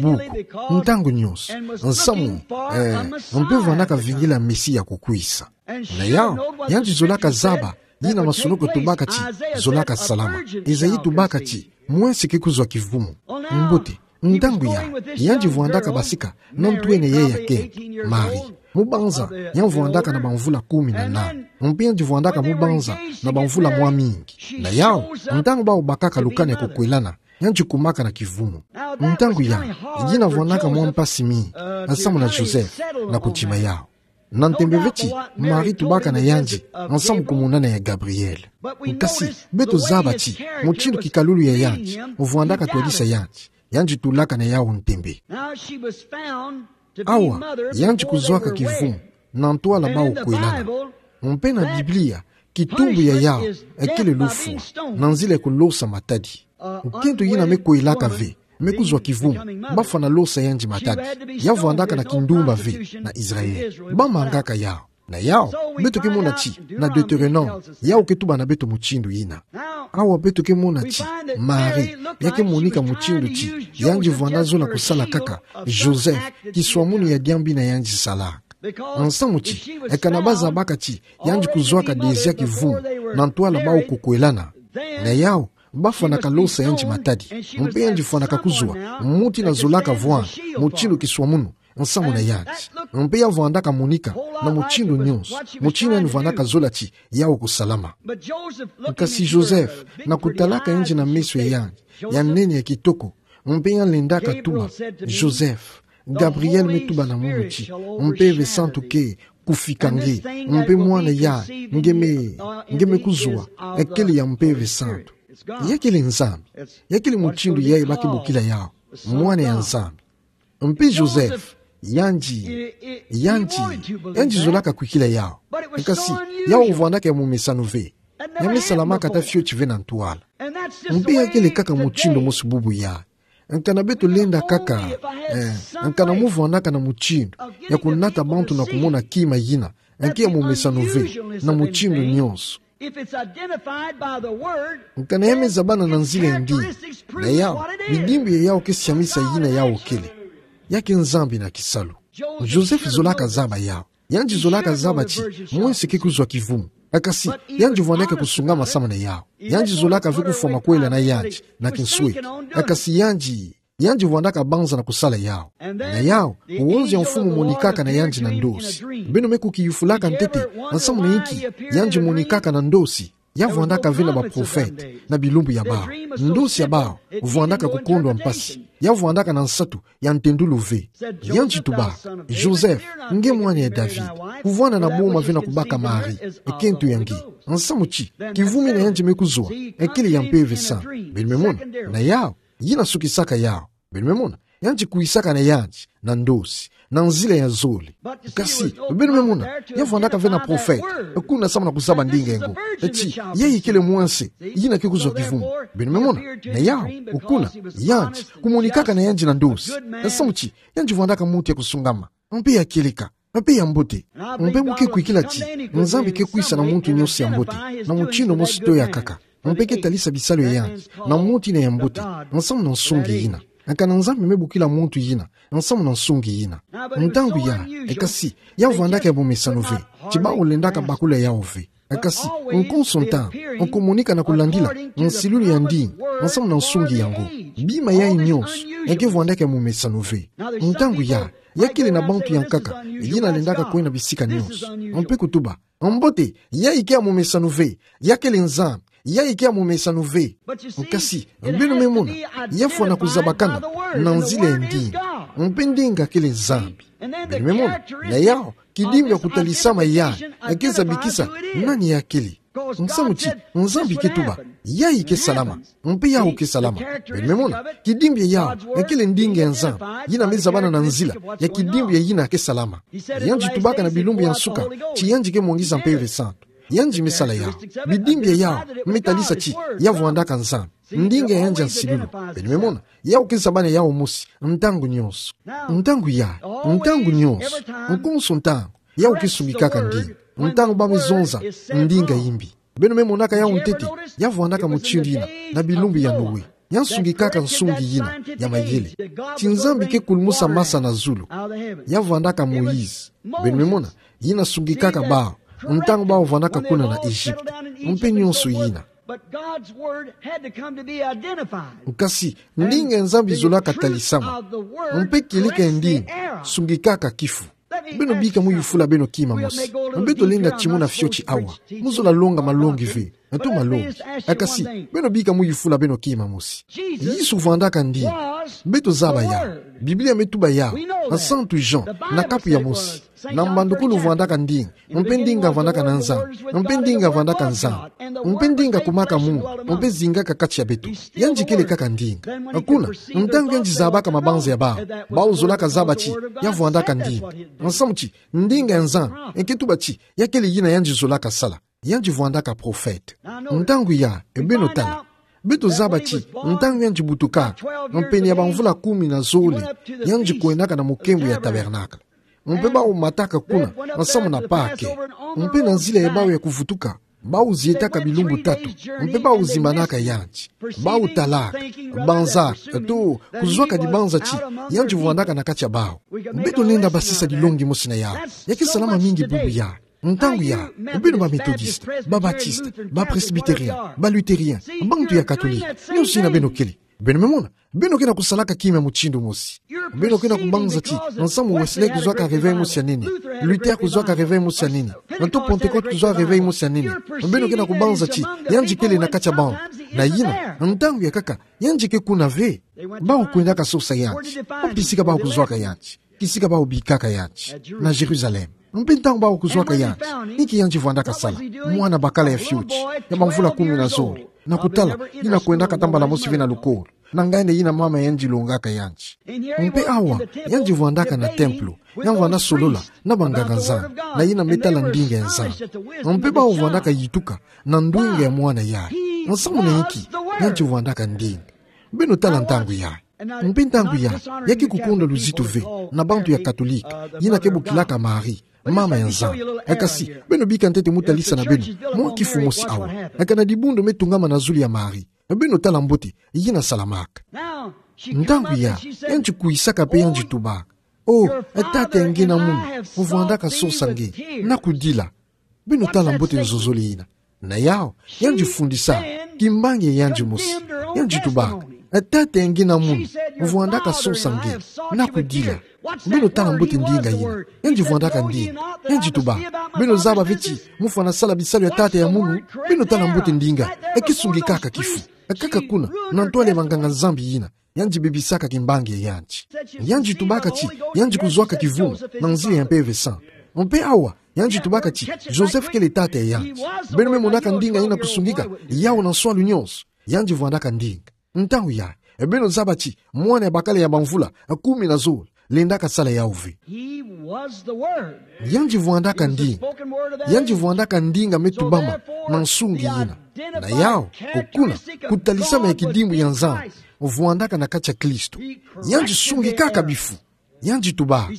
buku, ntangu nyonso. Nsamu, eh, mpe vwandaka vingila Mesia kukwisa. Na yawu, yandi zolaka zaba yina masolo ko tubaka ti zolaka salama. Esaïe tubaka ti, mwese ke kuzwa kivumu. Mbote, ntangu yayi, yandi vwandaka basika na ntwenia ya kento, Marie. Mubanza, yandi vwandaka na bamvula kumi na nana. Mpe yandi vwandaka mubanza na bamvula mwa mingi. Na yawu, ntangu bawu bakaka lukani ya kukwelana, yandi kumaka na kivumu. Ntangu yayi, yina vwandaka mwa mpasi mingi, nsamu na Joseph, na kudima yawu. Na ntembe ve ti, Marie tubaka na yandi, nsamu kumonana ya Gabriel. Kasi, beto zaba ti, mutindu kikalulu ya yandi, vwandaka twadisa yandi, yandi tulaka na yawu ntembe. Awa, yandi kuzwaka kivumu, na ntwala bawu kwelana. Mpe na Biblia, kitumbu ya yawu, ekele lufwa, na nzila ya kulosa matadi. Kento yina me kwelaka ve, me kuzwa kivumu, bafwana losa yandi matadi. Ya vwandaka na kindumba ve na Israël. Bamangaka yawu. Na yawu, beto ke mona ti, na Deutéronome, yawu ke tuba na beto mutindu yina. Awa beto ke mona ti, Marie, ya ke monika mutindu ti, yandi vwanda zola kusala kaka Joseph, kiswamunu ya diambu yina yandi salaka. Nsamu ti, kana ba zabaka ti, yandi kuzwaka dezia kivumu, na ntwala bawu kukwelana. Na yawu, bafwanaka losa yandi matadi. Mpe yandi fwanaka kuzwa, mutindu yina zolaka vwanda, mutindu kiswamunu, nsamu na yandi. Mpe ya vwandaka monika, na mutindu nyonso, mutindu yandi vwandaka zola ti, yawu kusalama. Kasi Joseph, na kutalaka yandi na meso ya yandi, ya nene ya kitoko, mpe ya lendaka tuba, Joseph, Gabriel me tuba na munu ti, Mpeve Santu ke kufika nge, mpe mwana yayi nge me, nge me kuzwa, ekele ya Mpeve Santu. Ya kele Nzambi, ya kele mutindu yayi ba ke bokila yawu, mwana ya Nzambi. Mpe Joseph, yandi, yandi, yandi zolaka kwikila yawu. Kasi, yawu vwandaka ya momesano ve. Ya me salamaka ata fioti ve na ntwala. Mpe ya kele kaka mutindu mosi bubu yayi. Kana beto lenda kaka, eh, kana mu vwandaka na mutindu ya kunata bantu na kumona kima yina, nki ya momesano ve, na mutindu nyonso. Kana ya me zabana na nzila ya ndinga, na yawu, bidimbu ya yawu ke siamisa yina yawu kele. Ya ke Nzambi na kisalu. Joseph zolaka zaba yawu. Yandi zolaka zaba ti, mwese ke kuzwa kivumu. Kasi, yandi vwandaka kusungama samu na yawu. Yandi zolaka ve kufwa makwela na yandi, na kinsweki. Kasi yandi, yandi vwandaka banza na kusala yawu. Na yawu, wonzo ya mfumu monikaka na yandi na ndosi. Beno me kukiyufulaka ntete, nsamu na inki, yandi monikaka na ndosi. Ya vwandaka ve na baprofete, na bilumbu ya bawu. Ndosi ya bawu, vwandaka kukondwa mpasi. Ya vwandaka na nsatu ya ntendulu ve. Yandi tubaka: Joseph, nge mwana ya David, kuvwanda na boma ve na kubaka Marie, ekento ya nge. Nsamu ti, kivumina yandi me kuzwa, ekele ya Mpeve Santu. Beno me mona? Na yau, yina sukisaka yau. Beno me mona? Yandi kwisaka na yandi na ndosi, na nzila ya zole. Kasi, beno me mona, ya vwandaka ve na profete, kuna samu na kuzaba ndinga yango. Ti, yayi kele mwanse yina ke kuzwa kivumbi. Beno me mona? Na yau, kuna, yandi, kumonikaka na yandi na ndosi. Nsamu ti, yandi vwandaka muntu ya kusungama, mpe ya kieleka, mpe ya mbote. Mpe mu ke kwikila ti Nzambi ke kwisa na muntu nyonso ya mbote, na mutindu mosi to ya nkaka. Mpe ke talisa bisalu ya yandi na muntu yina ya mbote, nsamu na nsungi yina. Kana Nzambi me bokila muntu yina nsamu na nsungi yina. Ntangu ya, e kasi, ya vwandaka ya momesano ve, ti bawu lendaka bakula yawu ve. E kasi, nkonso ntangu, nkomonika na kulandila nsilulu ya ndinga nsamu na nsungi yango. Bima yayi nyonso, e ke vwandaka ya momesano ve. Ntangu ya, ya kele na bantu ya nkaka yina lendaka kwenda bisika nyonso, mpe kutuba: Mbote, yayi ke ya momesano ve, ya kele Nzambi, yayi ke ya momesano ve. Kasi, beno me mona, ya fwana kuzabakana na nzila ya ndinga. Mpe ndinga kele Nzambi. Beno me mona? Na yau, kidimbu ya kutalisama yayi, e ke zabikisa nani ya kele. Nsamu ti, Nzambi ke tuba: Yayi ke salama, mpe yawu ke salama. Beno me mona? Kidimbu ya yau, e kele ndinga ya Nzambi, yina me zabana na nzila ya kidimbu ya yina ke salama. Yandi tubaka na bilumbu ya nsuka ti yandi ke mwangisa Mpeve Santu. Yandi me sala yau. Bidimbu ya yau me talisa ti ya vwandaka Nzambi. Ndinga ya yandi ya nsilulu. Beno me mona? Yawu ke zabana yawu mosi ntangu nyonso. Ntangu ya, ntangu nyonso, nkonso ntangu, yawu ke sungikaka ndinga. Ntangu ba me zonza ndinga yimbi, beno me monaka yawu ntete, ya vwandaka mutindu yina na bilumbu ya Noe. Ya sungikaka nsungi yina ya mayele. Ti Nzambi ke kulumusa masa na zulu, ya vwandaka Moïse. Beno me mona? Yina sungikaka bawu ntangu bawu vwandaka kuna na Egypte, mpe nyonso yina. But God's word had to come to be identified. Kasi, ndinga ya Nzambi zolaka talisama. Mpe kieleka ya ndinga sungikaka kifu. Beno bika mu yufula beno kima mosi. Mpe tolenda timuna fioti awa. Mu zola longa malongi ve, to malongi. E kasi, beno bika mu yufula beno kima mosi. Yesu vwandaka ndinga. Beto zaba ya. Biblia me tuba ya na Santu Jean, na kapu ya mosi. Na mbandukulu vwandaka ndinga, mpe ndinga vwandaka na Nzambi, mpe ndinga vwandaka Nzambi, mpe ndinga kumaka munu, mpe zingaka kati ya beto. Yandi kele kaka ndinga. Kuna, ntangu yandi zabaka mabanza ya bawu, bawu zolaka zaba ti ya vwandaka ndinga. Nsamu ti, ndinga ya Nzambi e ke tuba ti ya kele yina yandi zolaka sala. Yandi vwandaka profete. Ntangu ya, e beno tala. Beto zaba ti ntangu yandi butukaka, mpene ya bamvula kumi na zole, yandi kwendaka na mukembo ya tabernacle. Mpe bawu mataka kuna nsamu na Pake. Mpe na nzila ya bawu ya kuvutuka, bawu zietaka bilumbu tatu. Mpe bawu zimbanaka yandi. Bawu talaka, banzaka, to kuzwaka dibanza ti yandi vwandaka na kati ya bawu. Beto lenda basisa dilongi mosi na yawu. Ya ke salama mingi bubu ya. Ntangu ya, beno ba Methodiste, ba Batiste, ba Presbytérien, ba Luthérien, bantu ya Katolike, nyonso yina beno kele. Beno me mona, beno ke na kusalaka kima mutindu mosi. Beno ke na kubanza ti nsamu Wesley kuzwaka réveil mosi ya nene, Luther kuzwaka réveil mosi ya nene, na to Pentecôte kuzwaka réveil mosi ya nene. Beno ke na kubanza ti yandi kele na kati ya bawu. Na yina, ntangu ya nkaka, yandi ke kuna ve. Bawu kwendaka sosa yandi. Wapi kisika bawu kuzwaka yandi? Kisika bawu bikaka yandi? Na Jérusalem. Mpe ntangu bawu kuzwaka yandi, inki yandi vwandaka sala? Mwana bakala ya fioti, ya bamvula kumi na zole. Na kutala, yina kwendaka ata mbala mosi ve na lukolo. Na nganda yina mama ya yandi longaka yandi. Mpe awa, yandi vwandaka na templo, ya vwanda solola na banganga-Nzambi, na yina me tala ndinga ya Nzambi. Mpe bawu vwandaka yituka na ndwenga ya mwana yayi. Nsamu na inki? Yandi vwandaka ndinga. Beno tala ntangu yayi. Mpe ntangu yayi, ya ke kukonda luzitu ve na bantu ya Katolike, yina ke bokilaka Marie mama ya Nzambi. E kasi, beno bika ntete mu talisa na beno mwa kifu mosi awa. E kana dibundu me tungama na zulu ya Marie. Beno tala mbote yina salamaka. Ntangu yayi, yandi kwisaka mpe yandi tubaka: O, e Tata ya nge na munu, mu vwandaka sosa nge, na kudila. Beno tala mbote nzozole yina. Na yawu, yandi fundisa kimbangi ya yandi mosi. Yandi tubaka: E Tata ya nge na munu, mu vwandaka sosa nge, na kudila. Beno tala mbote ndinga yina. Yandi vwandaka ndinga. Yandi tubaka: Beno zaba ve ti mu fwana sala bisalu ya tata ya munu? Beno tala mbote ndinga. E ke sungikaka kifu. E kaka kuna, na ntwala ya banganga-Nzambi yina. yandi bebisaka kimbangi ya yandi. Yandi tubaka ti yandi kuzwaka kivunu na nzila ya Mpeve Santu. Mpe awa, yandi tubaka ti Joseph kele tata ya yandi. Beno me monaka ndinga yina kusungika yau na nswalu nyonso. Yandi vwandaka ndinga. Ntangu yayi, beno zaba ti mwana ya bakala ya bamvula kumi na zole lendaka sala yau ve. He was the Word. Yandi vwandaka ndinga. Yandi vwandaka ndinga me tubama na nsungi yina. Na yau, okuna, kutalisama ya kidimbu ya Nzambi vwandaka na kati ya Kristo. Yandi sungikaka bifu. Yandi tubaka.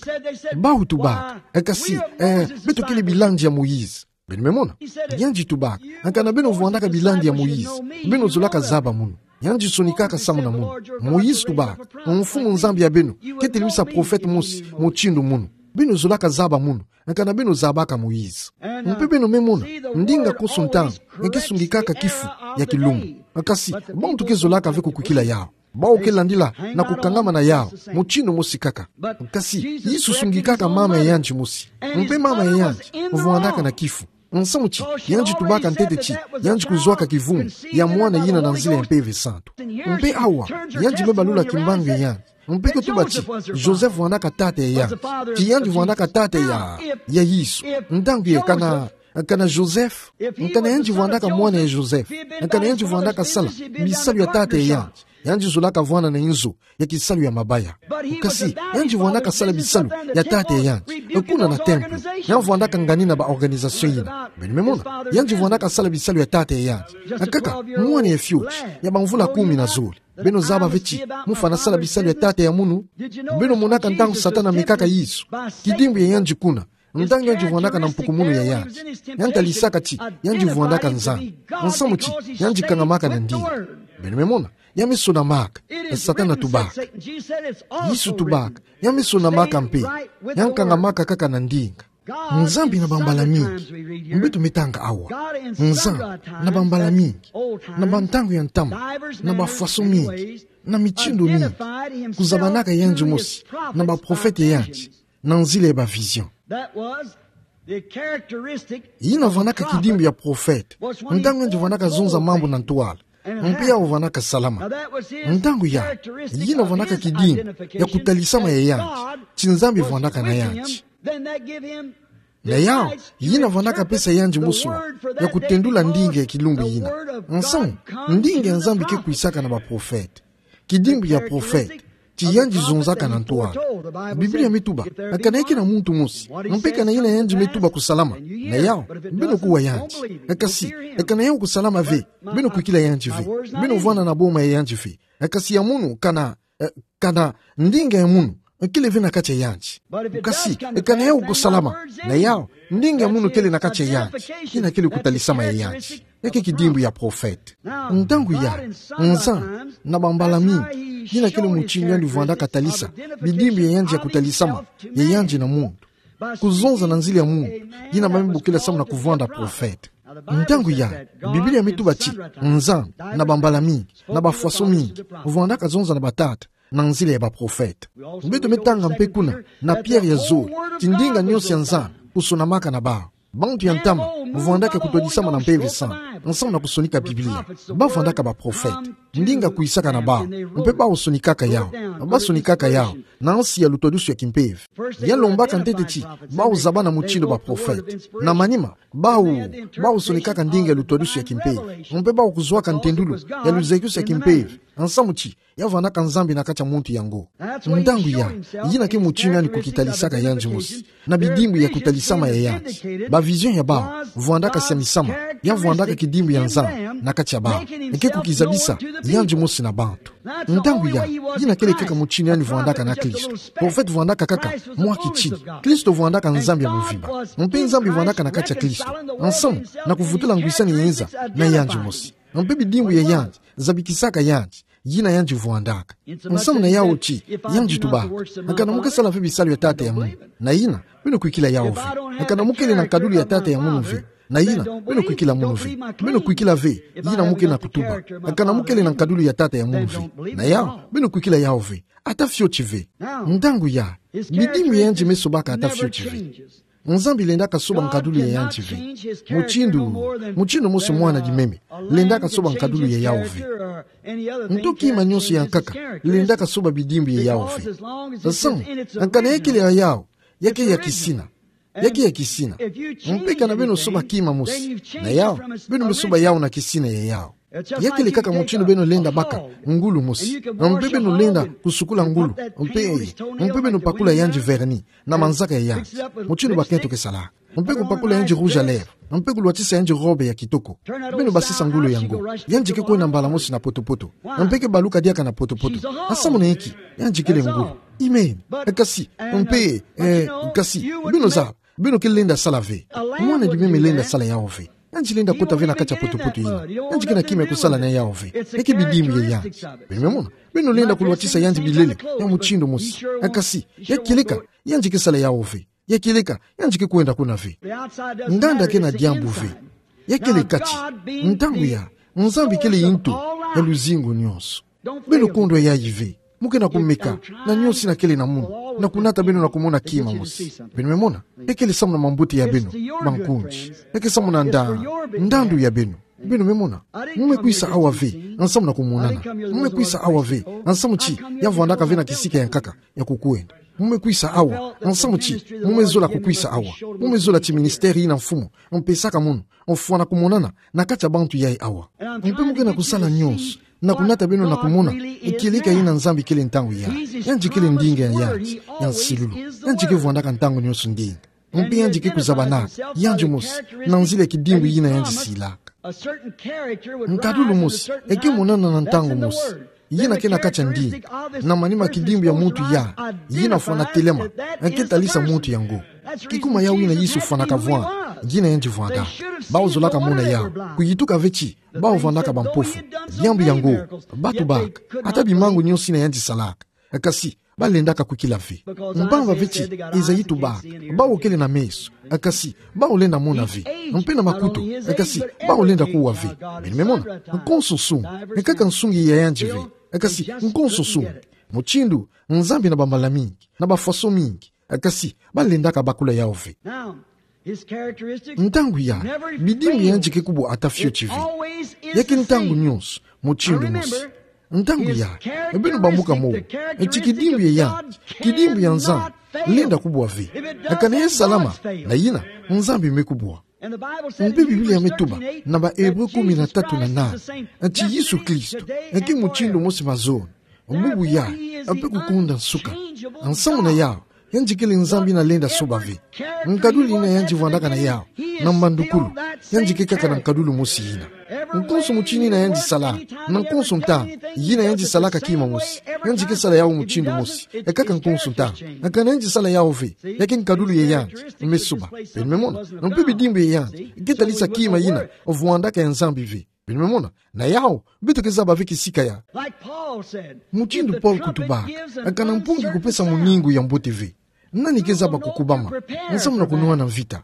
Bau tubaka: E, kasi, e, beto kele bilandi ya Moïse. Beno me mona? Yandi tubaka: Kana beno vwandaka bilandi ya Moïse, beno zolaka zaba munu. Yandi sonikaka samu na munu. Moïse tubaka: Mfumu Nzambi ya beno katelemisa profete mosi mutindu munu. Beno zolaka zaba munu, kana beno zabaka Moïse. Mpe beno me mona, ndinga konso ntangu ke sungikaka kifu ya kilumbu. Kasi bantu ke zolaka ve kukwikila yau. Bau ke landila na kukangama na yau mutindu mosi kaka. Kasi Yesu sungikaka mama ya yandi mosi. Mpe mama ya yandi vwandaka na kifu. Nsamu ti yandi tubaka ntete ti yandi kuzwaka kivunu ya mwana yina na nzila ya Mpeve Santu. Mpe awa, yandi me balula kimbangi ya yandi. Mpe kutuba ti Joseph vwandaka tata ya yandi. Ti yandi vwandaka tata ya, ya Yesu. Ntangu ye kana, kana Joseph, kana yandi vwandaka mwana ya Joseph, kana yandi vwandaka sala bisalu ya tata ya yandi, yandi zolaka vwanda na inzo ya kisalu ya mabaya. Kasi yandi vwandaka sala bisalu ya tata ya yandi kuna na temple. Yandi vwandaka ngani na ba organisation yina. Beno me mona? Yandi vwandaka sala bisalu ya tata ya yandi. Kaka mwana ya fioti ya bamvula kumi na zole. Beno zaba ve ti mufana sala bisalu ya tata ya munu? Beno monaka ntangu Satana amekaka Yesu, kidimbu ya yandi kuna, ntangu yandi vwandaka na mpukumunu ya yandi, yandi talisaka ti yandi vwandaka Nzambi. Nsamu ti yandi kangamaka na ndinga. Beno me mona? Ya me sonamaka Satana tubaka. Yesu tubaka: Ya me sonamaka mpe, ya kangamaka kaka na ndinga. Nzambi na bambala mingi, beto me tanga awa. Nzambi na bambala mingi, na bantangu ya ntama, na bafwaso mingi, na mitindu mingi, kuzabanaka yandi mosi na baprofete ya yandi na nzila ya ba vision. That was the characteristic. Yina vwandaka kidimbu ya profete. Ntangu yandi vwandaka zonza mambu na ntwala, mpe yau vwandaka salama. Ntangu ya, yina vwandaka kidimbu ya kutalisama ya yandi ti Nzambi vwandaka na yandi. Na yau, yina vwandaka pesa yandi musula ya kutendula ndinga ya kilumbu yina. Nsamu, ndinga ya Nzambi ke kwisaka na baprofete. Kidimbu ya profete ti yandi zonzaka na ntwala. Biblia me tuba: Kana ke na muntu mosi, mpe kana yina yandi me tuba kusalama, na yau, beno kuwa yandi. Kasi kana yau kusalama ve, beno kwikila yandi ve. Beno vwanda na boma ya yandi ve. Kasi ya munu kana, e, kana ndinga ya munu kele ve na kati ya yandi. Kasi kana yau kusalama, na yau, ndinga ya munu kele na kati ya yandi, yina kele kutalisama ya yandi. Ya ke kidimbu ya profete. Ntangu ya, Nzambi na bambala mingi, yina kele mutindu yandi vwandaka talisa bidimbu ya yandi ya kutalisama ya yandi na muntu, kuzonza na nzila ya muntu yina ba me bokila samu na kuvwanda profete. Ntangu ya, Biblia me tuba ti Nzambi na bambala mingi, na bafwaso mingi, vwandaka zonza na batata na nzila ya baprofete. Beto me tanga mpe kuna na Pierre ya zole ti ndinga nyonso ya Nzambi kusonamaka na bau. Bantu ya ntama vwandaka kutodisama na Mpeve Santu nsamu na kusonika Biblia. Ba vwandaka baprofete. Ndinga kwisaka na bau, mpe bau sonikaka yau. Ba sonikaka yau na nsi ya lutwadusu ya kimpeve. Ya lombaka ntete ti bau zabana mutindu baprofete. Na manima, bau, bau sonikaka ndinga ya lutwadusu ya kimpeve, mpe bau kuzwaka ntendulu ya luzekisi ya kimpeve, nsamu ti ya vwandaka Nzambi na kati ya muntu yango. Ntangu ya, yina ke mutindu yandi kukitalisaka yandi mosi na bidimbu ya kutalisama ya yandi. Ba vision ya bau vwandaka siamisama, ya vwandaka kidimbu ya Nzambi na kati ya bau, ke kukizabisa yandi mosi na bantu. Ntangu ya, yina kele kaka mutindu yandi vwandaka na Kristo. Profete vwandaka kaka mwa kitini. Kristo vwandaka Nzambi ya mvimba. Mpe Nzambi vwandaka na kati ya Kristo, nsamu na kuvutula ngwisani ya inza na yandi mosi. Mpe bidimbu ya yandi zabikisaka yandi yina yandi vwandaka. Nsamu na yau ti yandi tubaka: Kana mu ke sala ve bisalu ya tata ya munu, na yina, beno kwikila yau ve. Kana mu kele na nkadulu ya tata ya munu ve, na yina, beno kwikila munu ve. Beno kwikila ve yina mu ke na kutuba. Kana mu kele na nkadulu ya tata ya munu ve, na yau, beno kwikila yau ve. Ata fioti ve. Ntangu ya, bidimbu ya yandi me sobaka ata fioti ve. Nzambi lendaka soba nkadulu ya yandi ve. Mutindu, mutindu mosi mwana kimeme lendaka soba nkadulu ya yawu ve. Nto kima nionso ya nkaka lendaka soba bidimbu ya yawu ve. Samu, kana ya kele ya yawu, ya ke ya kisina. Ya ke ya kisina. Mpe kana beno soba kima mosi na yawu, beno me soba yawu na kisina ya yawu. Ya kele kaka mutindu beno lenda baka ngulu mosi. Mpe beno lenda kusukula ngulu. Mpe, mpe beno pakula yandi vernis na manzaka ya yandi, mutindu bakento ke salaka. Mpe kupakula yandi rouge à lèvres. Mpe kulwatisa yandi robe ya kitoko. Beno basisa ngulu yango. Yandi ke kwenda mbala mosi na poto-poto. Mpe ke baluka diaka na poto-poto. Samu na inki? Yandi kele ngulu. Amen. Kasi, mpe, eh, kasi, beno zaba, beno ke lenda sala ve. Mwana kimeme lenda sala yawu ve. Yandi lenda kota ve na kati ya poto-poto yina. Yandi ke na kima ya kusala na yawu ve. Ya ke bidimbu ya yandi. Beno me mona, beno lenda kulwatisa yandi bilele ya mutindu mosi. Kasi, ya kieleka, yandi ke sala yawu ve. Ya kieleka, yandi ke kwenda kuna ve. Nganda ke na diambu ve. Ya kele kati. Ntangu ya, Nzambi kele yintu ya luzingu nionso. Beno kondwa yayi ve. Mu ke na kumeka na nionso ina kele na munu, na kunata beno na kumona kima mosi. Beno me mona, ya kele samu na mambote ya beno bankundi. Ya ke samu na nda, ndandu ya beno. Beno me mona, mu me kwisa awa ve nsamu na kumonana. Mu me kwisa awa ve nsamu ti ya vwandaka ve na kisika ya nkaka ya kukwenda. Mu me kwisa awa nsamu ti mu me zola kukwisa awa. Mu me zola ti ministère yina Mfumu a mpesaka munu, ofwana kumonana na kati ya bantu yayi awa. Mpe mu ke na kusala nionso na kunata beno na kumona kieleka yina Nzambi kele ntangu ya. Yandi kele ndinga ya yandi ya nsilulu. Yandi ke vwandaka ntangu nionso ndinga. Mpe yandi ke kuzabanaka yandi mosi na nzila ya kidimbu yina yandi silaka. Nkadulu mosi e ke monana na ntangu mosi, yina ke na kati ya ndinga, na manima kidimbu ya muntu ya, yina fwana telema, e ke talisa muntu yango. Kikuma yawu yina Yesu fwanaka vwanda, yina yandi vwandaka. Bawu zolaka mona yawu, kuyituka ve ti bawu vwandaka bampofu. Diambu yango, batu baka, ata bimangu nionso yina yandi salaka, kasi ba lendaka kwikila ve. Mpamba ve ti Ezayi tubaka, bawu kele na meso, kasi bawu lenda mona ve. Mpe na makutu, kasi bawu lenda kuwa ve. Beno me mona, nkonso nsungi, kaka nsungi ya yandi ve. Kasi nkonso nsungi. Mutindu Nzambi na bambala mingi, na bafaso mingi, kasi ba lendaka bakula yawu ve. Ntangu ya, bidimbu ya yandi ke kubwa ata fioti ve. Ya ke ntangu nionso mutindu mosi. Ntangu ya, beno bambuka mowo ti kidimbu ya yandi, kidimbu ya Nzambi, lenda kubwa ve. Kana ya salama na yina, Nzambi me kubwa. Mpe Biblia me tuba na ba Ebre kumi na tatu na nani, ti Yesu Kristo e ke mutindu mosi mazono, bubu yayi, mpe kukonda nsuka. Nsamu na yawu, yandi kele Nzambi yina lenda soba ve. Nkadulu yina yandi vwandaka na yawu na mbandukulu, yandi ke kaka na nkadulu mosi yina. Nkonso mutindu yina yandi salaka, na nkonso ntangu yina yandi salaka kima mosi, yandi ke sala yawu mutindu mosi, kaka nkonso ntangu. Kana yandi sala yawu ve, ya ke nkadulu ya yandi me soba. Beno me mona, mpe bidimbu ya yandi ke talisa kima yina vwandaka ya Nzambi ve. Beno me mona, na yawu, beto ke zaba ve kisika ya. Mutindu Paul kutubaka, kana mpungi kupesa muningu ya mbote ve, nani ke zaba kukubama nsamu na kunwana mvita?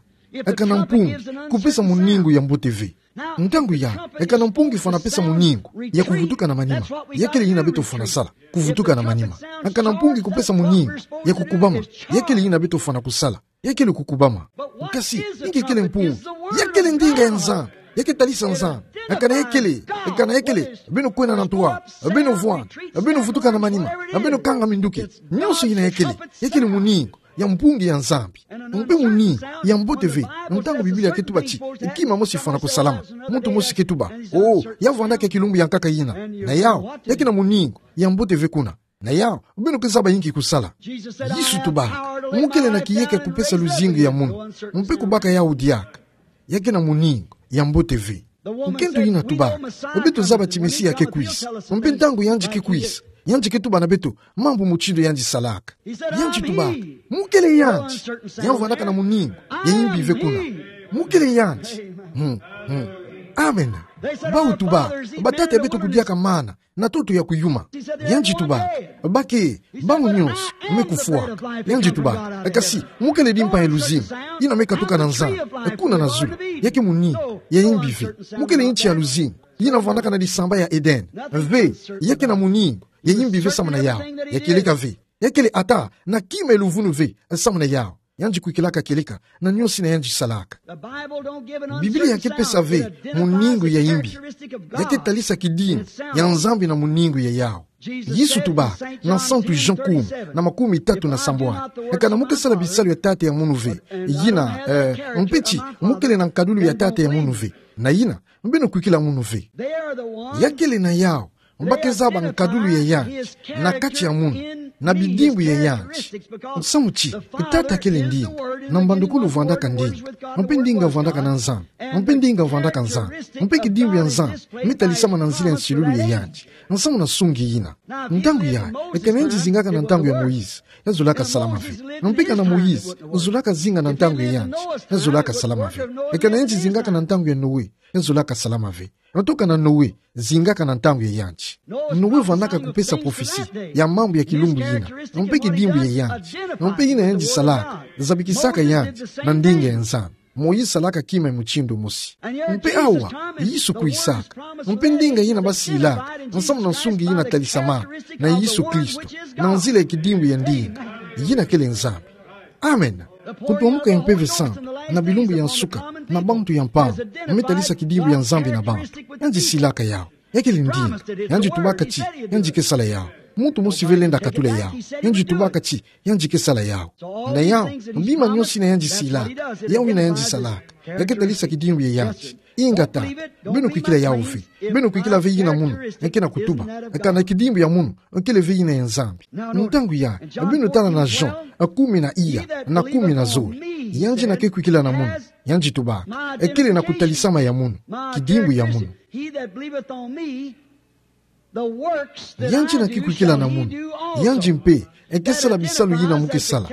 Kana mpungi kupesa muningu ya mbote ve. Ntangu ya, kana mpungi fwana pesa muningu ya kuvutuka na manima. Ya kele yina beto fwana sala, kuvutuka na manima. Kana mpungi kupesa muningu ya kukubama. Ya kele yina beto fwana kusala, ya kele kukubama. Kasi inki kele mpungi? Ya kele ndinga ya Nzambi. Ya ke talisa Nzambi. Kana ya kele, kana ya kele, beno kwenda na ntoa, beno vwanda, beno vutuka na manima, beno kanga minduki. Nionso yina ya kele, ya kele muningu ya mpungi ya Nzambi. Mpe muningu ya mbote ve, ntangu Biblia ke tuba ti kima mosi fwana kusalama, muntu mosi ke tuba: "Oh, ya vwandaka kilumbu ya nkaka yina." Na yawu, ya ke na muningu ya mbote ve kuna. Na yawu, beno ke zaba inki kusala? Yesu tubaka: "Mu kele na kiyeke kupesa luzingu ya munu, mpe kubaka yawu diaka." Ya ke na muningu ya mbote ve. Nkento yina tubaka: "Beto zaba ti Mesia ke kwisa, mpe ntangu yandi ke kwisa, yandi ke tuba na beto mambu mutindu yandi salaka." Yandi tubaka: "Mu kele yandi." Ya vwandaka na muningu ya yimbi ve kuna. "Mu kele yandi." Hmm, hmm. Amen. Bawu tubaka: "Batata ya beto kudiaka mana na ntoto ya kuyuma." Yandi tubaka: "Ba ke, bawu nionso me kufwaka." Yandi tubaka: "Kasi mu kele dimpa ya luzingu yina me katuka na Nzambi kuna na zulu." Ya ke muningu ya yimbi ve. Mu kele nti ya luzingu yina vwandaka na disamba ya Eden ve. Ya ke na muningu ya yimbi ve samu na yawu. Ya kieleka ve. Ya kele ata na kima ya luvunu ve samu na yawu. Yandi kwikilaka kieleka na niosi yina yandi salaka. Biblia ya ke pesa ve muningu ya imbi. Ya ke talisa kidimbu ya Nzambi na muningu ya yawu. Yesu tuba na Santu Jean kumi na makumi tatu na sambwani: Kana mu ke sala bisalu ya tata ya munu ve, yina, eh, mpe ti mu kele na nkadulu ya tata ya munu ve. Na yina, beno kwikila munu ve. Ya kele na yawu ba ke zaba nkadulu ya yandi na kati ya munu, na bidimbu ya yandi. Musamu ti Tata kele ndinga, na mbandukulu vwandaka ndinga, mpe ndinga vwandaka na Nzambi, mpe ndinga vwandaka Nzambi, mpe kidimbu ya Nzambi me talisama na nzila ya nsilulu ya yandi. Musamu na nsungi yina. Ntangu yayi, kana yandi zingaka na ntangu ya Moïse, ya zolaka salama ve. Mpe kana Moïse zolaka zinga na ntangu ya yandi, ya zolaka salama ve. Kana yandi zingaka na ntangu ya Noé, ya zolaka salama ve. Nto kana Noé zingaka na ntangu ya yandi. Noé vwandaka kupesa prophetie ya mambu ya kilumbu yina, mpe kidimbu ya yandi, mpe yina yandi salaka, zabikisaka yandi na ndinga ya Nzambi. Moïse salaka kima ya mutindu mosi. Mpe awa, Yesu kwisaka. Mpe ndinga yina ba silaka, musamu na nsungi yina talisamaka na Yesu Kristo, na nzila ya kidimbu ya ndinga, yina kele Nzambi. Amen. Kutumuka ya Mpeve Santu na bilumbu ya nsuka na bantu ya mpangu me talisa kidimbu ya Nzambi na bantu. Yandi silaka yawu. Ya kele ndinga. Yandi tubaka ti yandi ke sala yawu. Muntu mosi ve lenda katula yawu. Yandi tubaka ti yandi ke sala yawu. Na yawu, bima niosi yina yandi silaka, yawu yina yandi salaka, ya ke talisa kidimbu ya yandi. Ingeta, beno kwikila yawu ve. Beno kwikila ve yina munu ya ke na kutuba. Kana kidimbu ya munu kele ve yina ya Nzambi. Ntangu yayi, beno tala na Jean kumi na iya na kumi na zole. Yandi yina ke kwikila na munu, yandi tubaka, kele na kutalisama ya munu, kidimbu ya munu. Yandi yina ke kwikila na munu, yandi mpe ke sala bisalu yina mu ke sala.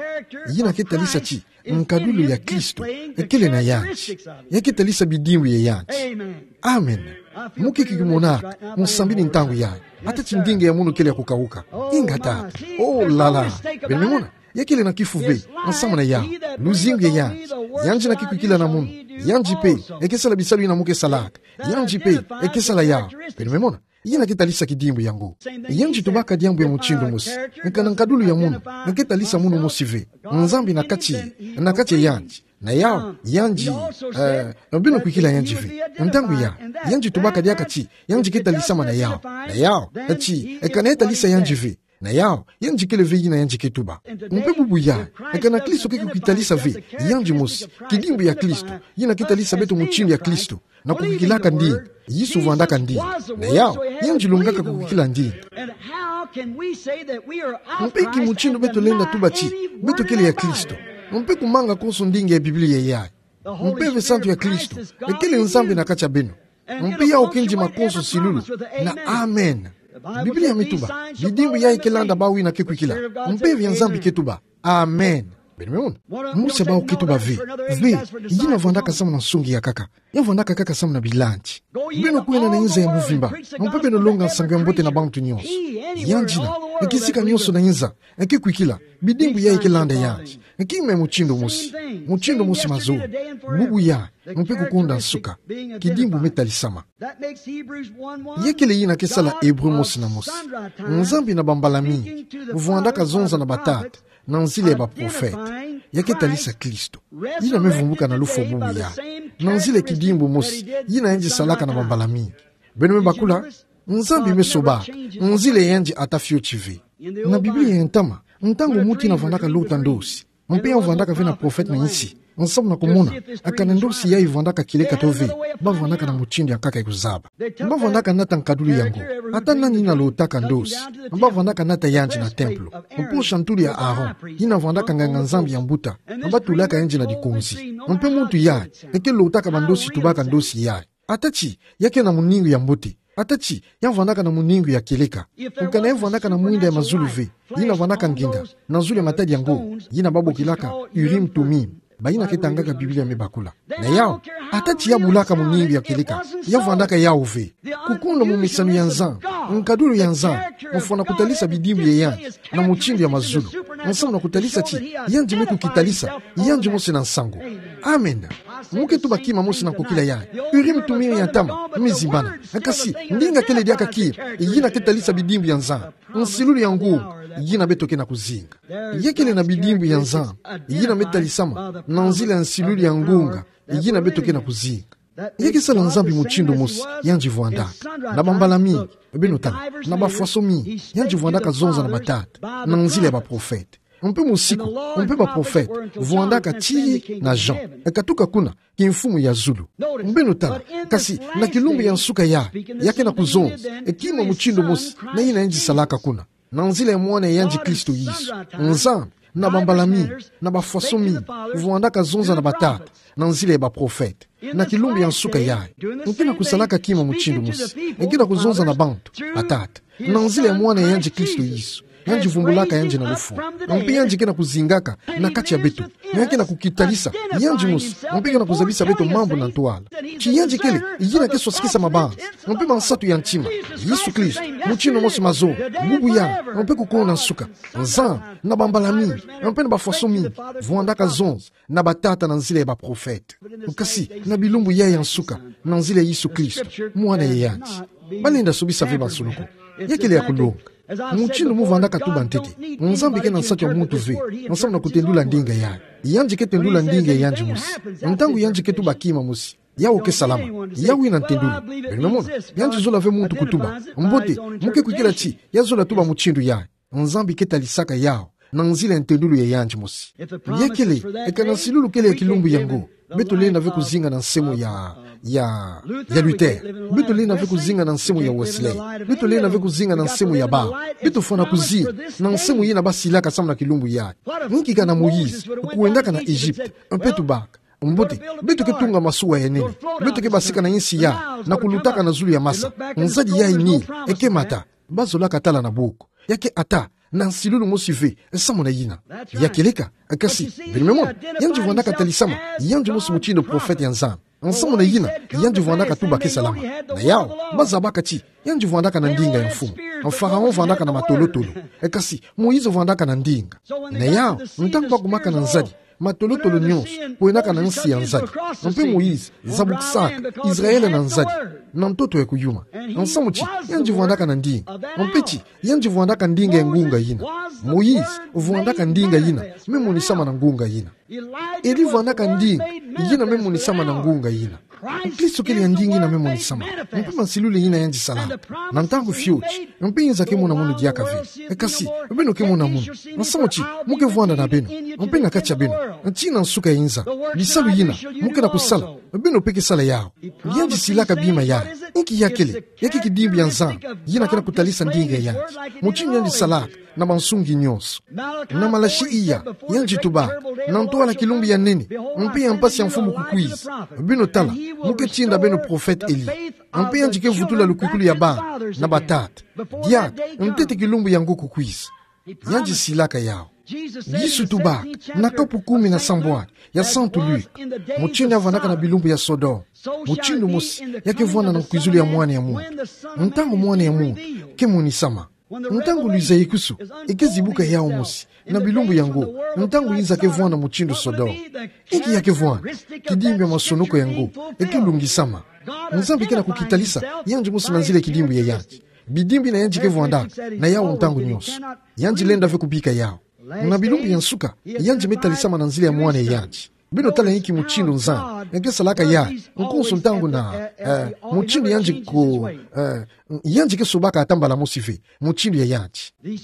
Yina ke talisa ti nkadulu ya Kristo kele na yandi. Ya ke talisa bidimbu ya yandi. Amen. Mu ke kimonaka mu sambidi ntangu yayi. Ata ti ndinga ya munu kele ya kukawuka. Ingeta. Oh la la. Beno me mona. Ya kele na kifu ve musamu na yawu. Luzingu ya yandi. Yandi yina ke kwikila na munu, yandi mpe ke sala bisalu yina mu ke salaka. Yandi mpe ke sala yawu. Beno me mona. Yina ke talisa kidimbu yango. Yandi tubaka diambu ya mutindu mosi. Kana nkadulu ya munu ke talisa munu mosi ve. Nzambi na kati, na kati ya yandi. Na yawu, yandi, eh, beno kwikila yandi ve. Ntangu yayi, yandi tubaka diaka ti yandi ke talisama na yawu. Na yawu, ti, kana ya talisa yandi ve. Na yawu, yandi kele ve yina yandi ke tuba. Mpe bubu yayi, kana Kristo ke kukitalisa ve yandi mosi, kidimbu ya Kristo, yina ke talisa beto mutindu ya Kristo, na kukwikilaka ndinga. Yesu vwandaka ndinga. Na yawu, yandi longaka kukwikila ndinga. Mpe ki mutindu beto lenda tuba ti beto kele ya Kristo, mpe kumanga konso ndinga ya Biblia yayi? Mpeve santu ya Kristo kele Nzambi na kati ya beno. Mpe yawu ke ndima konso nsilulu na amen. Biblia me tuba, bidimbu yayi ke landa bawu yina ke kwikila. Mpeve ya Nzambi ke tuba, amen. Beno me mona? Mosi ya bawu ke tuba ve, ve, yina vwandaka samu na nsungi ya nkaka. Ya vwandaka kaka samu na bilandi. Beno kwenda na inza ya mvimba, mpe beno longa nsangu ya mbote na bantu nyonso. Yandi yina, kisika nyonso na inza, ke kwikila, bidimbu yayi ke landa yandi. Kima ya mutindu mosi, mutindu mosi mazono. Bubu yayi, mpe kukonda nsuka, kidimbu me talisama. Ya kele yina ke sala Hébreu mosi na mosi. Nzambi na bambala mingi vwandaka zonza na batata na nzila ya baprofete, ya ke talisa Kristo. Yina me vumbuka na lufwa bubu yayi, na nzila ya kidimbu mosi yina yandi salaka na bambala mingi. Beno me bakula, Nzambi me sobaka nzila ya yandi ata fioti ve. Na Biblia ya ntama, ntangu muntu yina vwandaka lota ndosi, mpe ya vwandaka ve na profete na insi, samu na kumona kana ndosi yayi vwandaka kieleka to ve, ba vwandaka na mutindu ya nkaka ya kuzaba. Ba vwandaka nata nkadulu yango. Ata nani yina lotaka ndosi, ba vwandaka nata yandi na templo, mpo shantulu ya Aaron, yina vwandaka nganga-Nzambi ya mbuta, ba tulaka yandi na dikonzi. Mpe muntu yayi ke lotaka bandosi tubaka ndosi yayi. Ata ti ya ke na muningu ya mbote, ata ti ya vwandaka na muningu ya kieleka, kana ya vwandaka na mwinda ya mazulu ve, yina vwandaka nginda na zulu ya matadi yango, yina ba bokilaka Urim Tumim. Bayina ke tangaka Biblia me bakula. Na yawu, ata ti ya bulaka muningu ya kieleka, ya vwandaka yawu ve. Kukonda momesano ya Nzambi, nkadulu ya Nzambi, mfwana kutalisa bidimbu ya yandi na mutindu ya mazulu, samu na kutalisa ti yandi me kukitalisa, yandi mosi na nsangu. Amen. Mu ke tuba kima mosi na nkokila yayi. Urim Tumim ya ntama me zimbana. Kasi ndinga kele diaka kima yina ke talisa bidimbu ya Nzambi. Nsilulu ya ngunga, yina beto ke na kuzinga. Ya kele na bidimbu ya Nzambi yina me talisama na nzila ya nsilulu ya ngunga yina beto ke na kuzinga. Ya ke sala Nzambi mutindu mosi, yandi vwandaka na bambala mingi, beno tala, na bafwaso mingi, yandi vwandaka zonza na batata na nzila ya baprofete. Mpe mosiku, mpe baprofete vwandaka tii na Jean, e katuka kuna kimfumu ya zulu. Beno tala, kasi na kilumbu ya nsuka yayi, ya ke na kuzonza e kima mutindu mosi na yina yandi salaka kuna, na nzila ya Mwana ya yandi Kristo Yesu. Nzambi, na bambala mingi, na bafwaso mingi, vwandaka zonza na batata na nzila ya baprofete. Na kilumbu ya nsuka yayi, e ke na kusalaka kima mutindu mosi, e ke na kuzonza na bantu, batata, na nzila ya Mwana ya yandi Kristo Yesu. Yandi vumbulaka yandi na lufwa, mpe yandi ke na kuzingaka na kati ya beto. Ya ke na kukitalisa yandi mosi, mpe ke na kuzabisa beto mambu na ntwala. Ti yandi kele yina ke swasikisa mabanza mpe mansatu ya ntima. Yesu Kristo, mutindu mosi mazoba, bubu yayi, mpe kukuna nsuka. Nzambi, na bambala mingi, mpe na bafwaso mingi, vwandaka zonza na batata na nzila ya baprofete. Kasi na bilumbu yayi ya nsuka, na nzila ya Yesu Kristo, Mwana ya yandi. Balenda sobisa ve bansoni ko. Ya kele ya kulonga. Mutindu mu vwandaka tuba ntete, Nzambi ke na nsatu ya muntu ve, nsamu na kutendula ndinga yayi. Yandi ke tendula ndinga ya yandi mosi. Ntangu yandi ke tuba kima mosi, yawu ke salama. Yawu yina ntendulu. Beno me mona, yandi zola ve muntu kutuba: Mbote, mu ke kwikila ti ya zola tuba mutindu yayi. Nzambi ke talisaka yawu na nzila ya ntendulu ya yandi mosi. Ya kele, e ka na nsilulu kele ya kilumbu yango, beto lenda ve kuzinga na nsemu'ya, ya, ya Luther. Beto lenda ve kuzinga na nsemu'ya Wesley. Beto lenda ve kuzinga na nsemu'ya Barth. Beto fwana kuzinga na nsemu yina basilaka samu na kilumbu yayi. Nki kana Moïse, kwendaka na Egypte, mpe tubaka: Mbote, beto ke tunga masuwa ya nene. Beto ke basika na insi yayi, na kulutaka na zulu ya masa. Nzadi yayi Nil, e ke mata. Bazolaka tala na boku. Ya ke ata na nsilulu mosi ve samu na yina. Ya kele ka, kasi, beno me mona, yandi vwandaka talisama yandi mosi mutindu profete ya Nzambi. Samu na yina, yandi vwandaka tuba ke salama. Na yawu, bazabaka ti yandi vwandaka na ndinga ya mfumu. Pharaon vwandaka na matolotolo. Kasi, Moïse vwandaka na ndinga. Na yawu, ntangu bakumaka na nzadi, matolotolo nyonso kwendaka na nsi ya nzadi. Mpe Moïse zabukisaka Israele na nzadi, na ntoto ya kuyuma. Samu ti yandi vwandaka na ndinga. Mpe ti yandi vwandaka ndinga ya ngunga yina. Moïse vwandaka ndinga yina me monisama na ngunga yina. Elie vwandaka ndinga yina me monisama na ngunga yina. Kristo kele ya ndinga yina me monisama. Mpe mansilulu yina yandi sala na ntangu fioti, mpe inza ke mona munu diaka ve. Kasi, beno ke mona munu. Samu ti mu ke vwanda na beno, mpe na kati ya beno, tii na nsuka ya inza. Bisalu yina mu ke na kusala, beno mpe ke sala yawu. Yandi silaka bima yayi. Nki ya kele? Ya ke kidimbu ya Nzambi yina ke na kutalisa ndinga ya yandi. Mutindu yandi salaka na bansungi nyonso. Na Malaki iya, yandi tubaka: Na ntwala kilumbu ya nene mpe ya mpasi ya mfumu kukwiza. Beno tala, mu ke tinda beno profete Elie. Mpe yandi ke vutula lukwikulu ya bana na batata diaka ntete kilumbu yango kukwiza. Yandi silaka yawu. Yesu tubaka na kapu kumi na sambwadi ya Santu Luka: Mutindu ya vwandaka na bilumbu ya Sodome, mutindu mosi ya ke vwanda na nkwizulu ya Mwana ya muntu, ntangu Mwana ya muntu ke monisama. Ntangu luzayikusu e ke zibuka yawu mosi na bilumbu yango, ntangu inza ke vwanda mutindu Sodome. Nki ya ke vwanda? Kidimbu ya masonoko yango e ke lungisama. Nzambi ke na kukitalisa yandi mosi na nzila ya kidimbu ya yandi. Bidimbu yina yandi ke vwandaka na yawu ntangu nyonso. Yandi lenda ve kubika yawu. Na bilumbu ya nsuka, yandi me talisama na nzila ya Mwana ya yandi. Beno tala inki mutindu Nzambi ya ke salaka yayi, nkonso ntangu na, eh, mutindu yandi ko, eh, yandi ke sobaka ata mbala mosi ve mutindu ya yandi.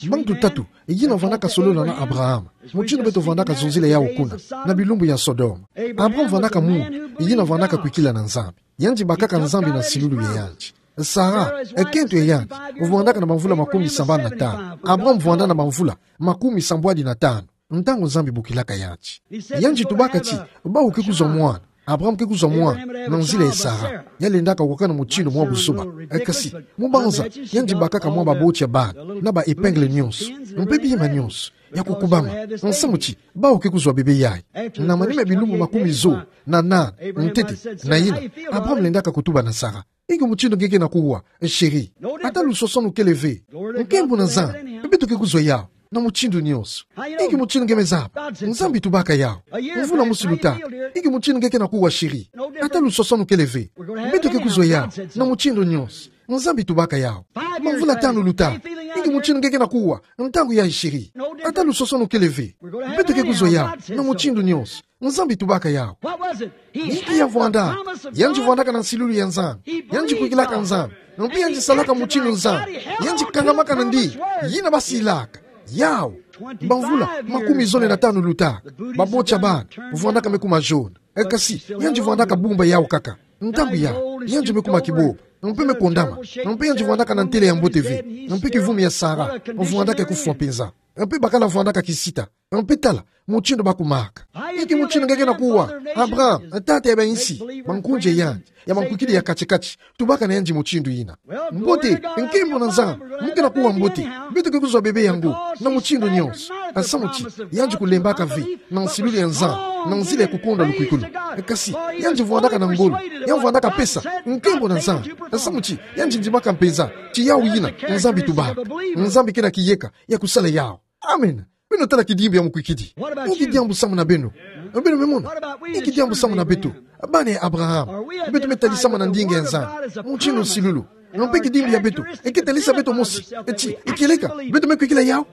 Bantu tatu yina vwandaka solola na Abraham, mutindu beto vwandaka zonzila yawu kuna, na bilumbu ya Sodome. Abraham vwandaka muntu yina vwandaka kwikila na Nzambi. Yandi bakaka Nzambi na nsilulu ya yandi. Sara, nkento ya yandi, vwandaka na bamvula makumi sambanu na tanu. Abraham vwanda na bamvula makumi sambwadi na tanu ntangu Nzambi bokilaka yandi. Yandi tubaka ti bawu ke kuzwa mwana. Abraham ke kuzwa mwana na nzila ya Sara. Ya lendaka wakana mutindu mwa buzoba. Kasi, mu banza, yandi bakaka mwa baboti ya bana na ba épingle nyonso, mpe bima nyonso ya kukubama, nsamu ti bawu ke kuzwa bebe yayi. Na manima ya bilumbu makumi zole na nana, ntete na yina, Abraham lendaka kutuba na Sara: Inki mutindu nge ke na kuwa, chérie? Ata luswaswanu kele ve. Nkembo na Nzambi, beto ke kuzwa yawu na mutindu nyonso. Inki mutindu nge me zaba? Nzambi tubaka yawu. Mvula mosi luta. Inki mutindu nge ke na kuwa, chérie? Ata luswaswanu kele ve. Beto ke kuzwa yawu na mutindu nyonso. Nzambi tubaka yawu. Bamvula tanu luta. Inki Inki mutindu nge ke na kuwa, ntangu yayi siri. Ata lusosonu kele ve. Beto ke kuzwa yawu, na mutindu nyonso. Nzambi tubaka yawu. Inki ya vwanda? Yandi vwandaka na nsilulu ya Nzambi. Yandi kwikilaka Nzambi. Mpe yandi salaka mutindu Nzambi. Yandi kangamaka na ndi. Yina basilaka. Yawu. Bamvula makumi zole na tanu lutaka. Baboti ya bana. Vwandaka me kuma jaune. E kasi, yandi vwandaka bumba yawu kaka. Ntangu yayi, yandi me kuma kibobo. Mpe me kondama. Mpe yandi vwandaka na ntele ya mbote ve. Mpe kivumi ya Sara. Vwandaka kufwa mpenza. Mpe bakala vwandaka kisita. Mpe tala, mutindu bakumaka. Inki mutindu nge ke na kuwa, Abraham, tata ya bayinsi, bankunzi ya yandi, ya bankwikidi ya kati-kati, tubaka na yandi mutindu yina. Mbote, nkembo na Nzambi, mu ke na kuwa mbote, beto ke kuzwa bebe yango, na mutindu nyonso. Samu ti, yandi kulembaka ve, na nsilulu ya Nzambi, na nzila ya kukonda lukwikulu. Kasi, yandi vwandaka na ngolo, yandi vwandaka pesa, nkembo na Nzambi. Samu ti, yandi ndimaka mpenza, ti yawu yina, Nzambi tubaka. Nzambi ke na kiyeka, ya kusala yawu. Amen. Beno tala kidimbu ya mukwikidi. Inki diambu samu na beno? Beno me mona. Inki diambu samu na beto? Bana ya Abraham. Beto me talisama na ndinga ya Nzambi. Mutindu nsilulu. Mpe kidimbu ya beto. E ke talisa beto mosi. Eti, e kieleka. Beto me kwikila yawu.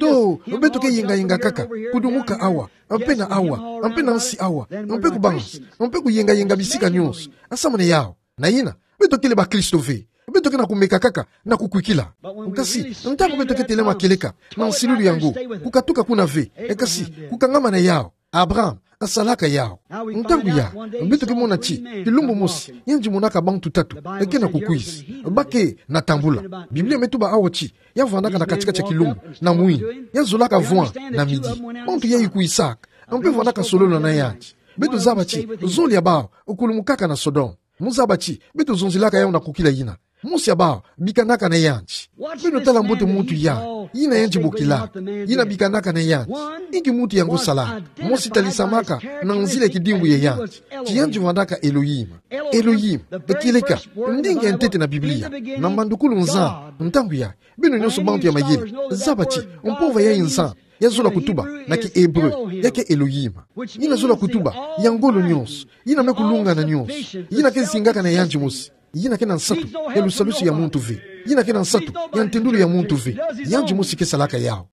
To, beto ke yenga-yenga kaka. Kudumuka awa. Mpe na awa. Mpe na nsi awa. Mpe kubanza. Mpe kuyenga-yenga bisika nyonso. Samu na yawu. Na yina, beto kele bakristo ve. Beto ke na kumeka kaka na kukwikila. Kasi, ntangu beto ke telama kieleka, na nsilulu yango, kukatuka kuna ve, e kasi, kukangama na yawu. Abraham, asalaka yawu. Ntangu yayi, beto ke mona ti, kilumbu mosi, yandi monaka bantu tatu, e ke na kukwiza. Ba ke na tambula. Biblia me tuba awa ti, ya vwandaka na kati-kati ya kilumbu, na mwini, ya zolaka vwa, na midi. Bantu yayi kwisaka, mpe vwandaka solola na yandi. Beto zaba ti, zole ya bawu, kulumukaka na Sodome. Mu zaba ti, beto zonzilaka yawu na kukila yina. Mosi ya bawu, bikanaka na yandi. Beno tala mbote muntu yayi, yina yandi bokilaka, yina bikanaka na yandi. Inki muntu yango salaka? Mosi talisamaka, na nzila ya kidimbu ya yandi. Ti yandi vwandaka Elohim. Elohim, e kieleka, ndinga ya ntete na Biblia. Na mbandukulu Nzambi, ntangu yayi. Beno nyonso bantu ya mayele, zaba ti, mpova yayi Nzambi. Ya zola kutuba, na ki-Hébreu, ya ke Elohim. Yina zola kutuba, ya ngolo nyonso, yina me kulungana nyonso, yina ke zingaka na yandi mosi, yina ke na nsatu, ya lusalusu ya muntu ve, yina ke na nsatu, ya ntendulu ya muntu ve, yandi mosi ke salaka yawu.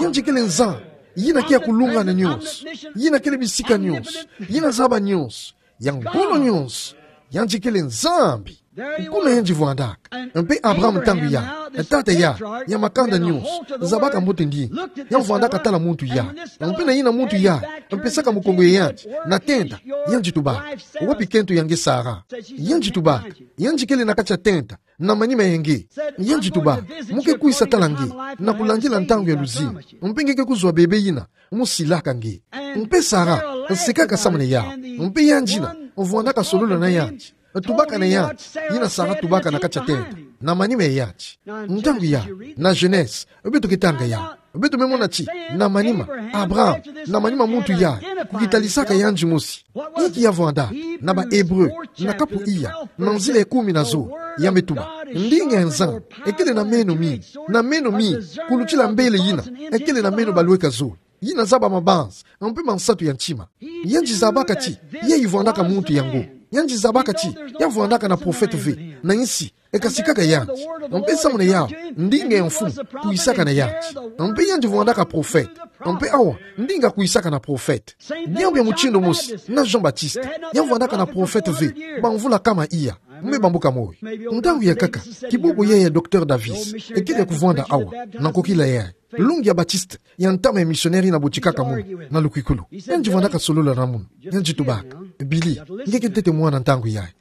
Yandi kele Nzambi, yina ke ya kulungana nyonso, yina kele bisika nyonso, yina zaba nyonso, ya ngolo nyonso, yandi kele Nzambi. Kuna yandi vwandaka. Mpe Abraham ntangu yayi, tata yayi, ya makanda nyonso, zabaka mbote ndinga. Ya vwandaka tala muntu yayi. Mpe na yina muntu yayi, mpe saka mukongo ya yandi, na tenta, yandi tubaka. Wapi kento ya nge Sara? Yandi tubaka. Yandi kele na kati ya tenta, na manima ya nge. Yandi tubaka. Mu ke kwisa tala nge, na kulandila ntangu ya luzimi. Mpe nge ke kuzwa bebe yina, mu silaka nge. Mpe Sara, sekaka samu na yawu. Mpe yandi yina, vwandaka solola na yandi. Tubaka na yandi, yina Sara tubaka na kati ya tenta, na manima ya yandi. Ntangu yayi, na Genèse, beto ke tanga yawu. Beto me mona ti, na manima, Abraham, na manima muntu yayi, kukitalisaka yandi mosi. Inki ya vwanda, na ba Hébreu, na kapu iya, na nzila ya kumi na zole, ya me tuba. Ndinga ya Nzambi, e kele na meno mingi, na meno mingi, kulutila mbele yina, e kele na meno balweka zole. Yina zaba mabanza, mpe mansatu ya ntima. Yandi zabaka ti, yayi vwandaka muntu yango. Yandi zabaka ti, ya vwandaka na prophète ve, na insi, e kasi kaka yandi. Mpe samu na yawu, ndinga ya mfumu, kwisaka na yandi. Mpe yandi vwandaka prophète. Mpe awa, ndinga kwisaka na prophète. Diambu ya mutindu mosi, na Jean-Baptiste. Ya vwandaka na prophète ve, bamvula kama iya. Mu me bambuka moyo. Ntangu ya nkaka, kibobo ya ya Docteur Davis, e kele ya kuvwanda awa, na nkokila yayi. Longi ya Baptiste, ya ntama ya missionnaire yina botikaka munu, na lukwikulu. Yandi vwandaka solola na munu, yandi tubaka. Billy, nge ke ntete mwana ntangu yayi.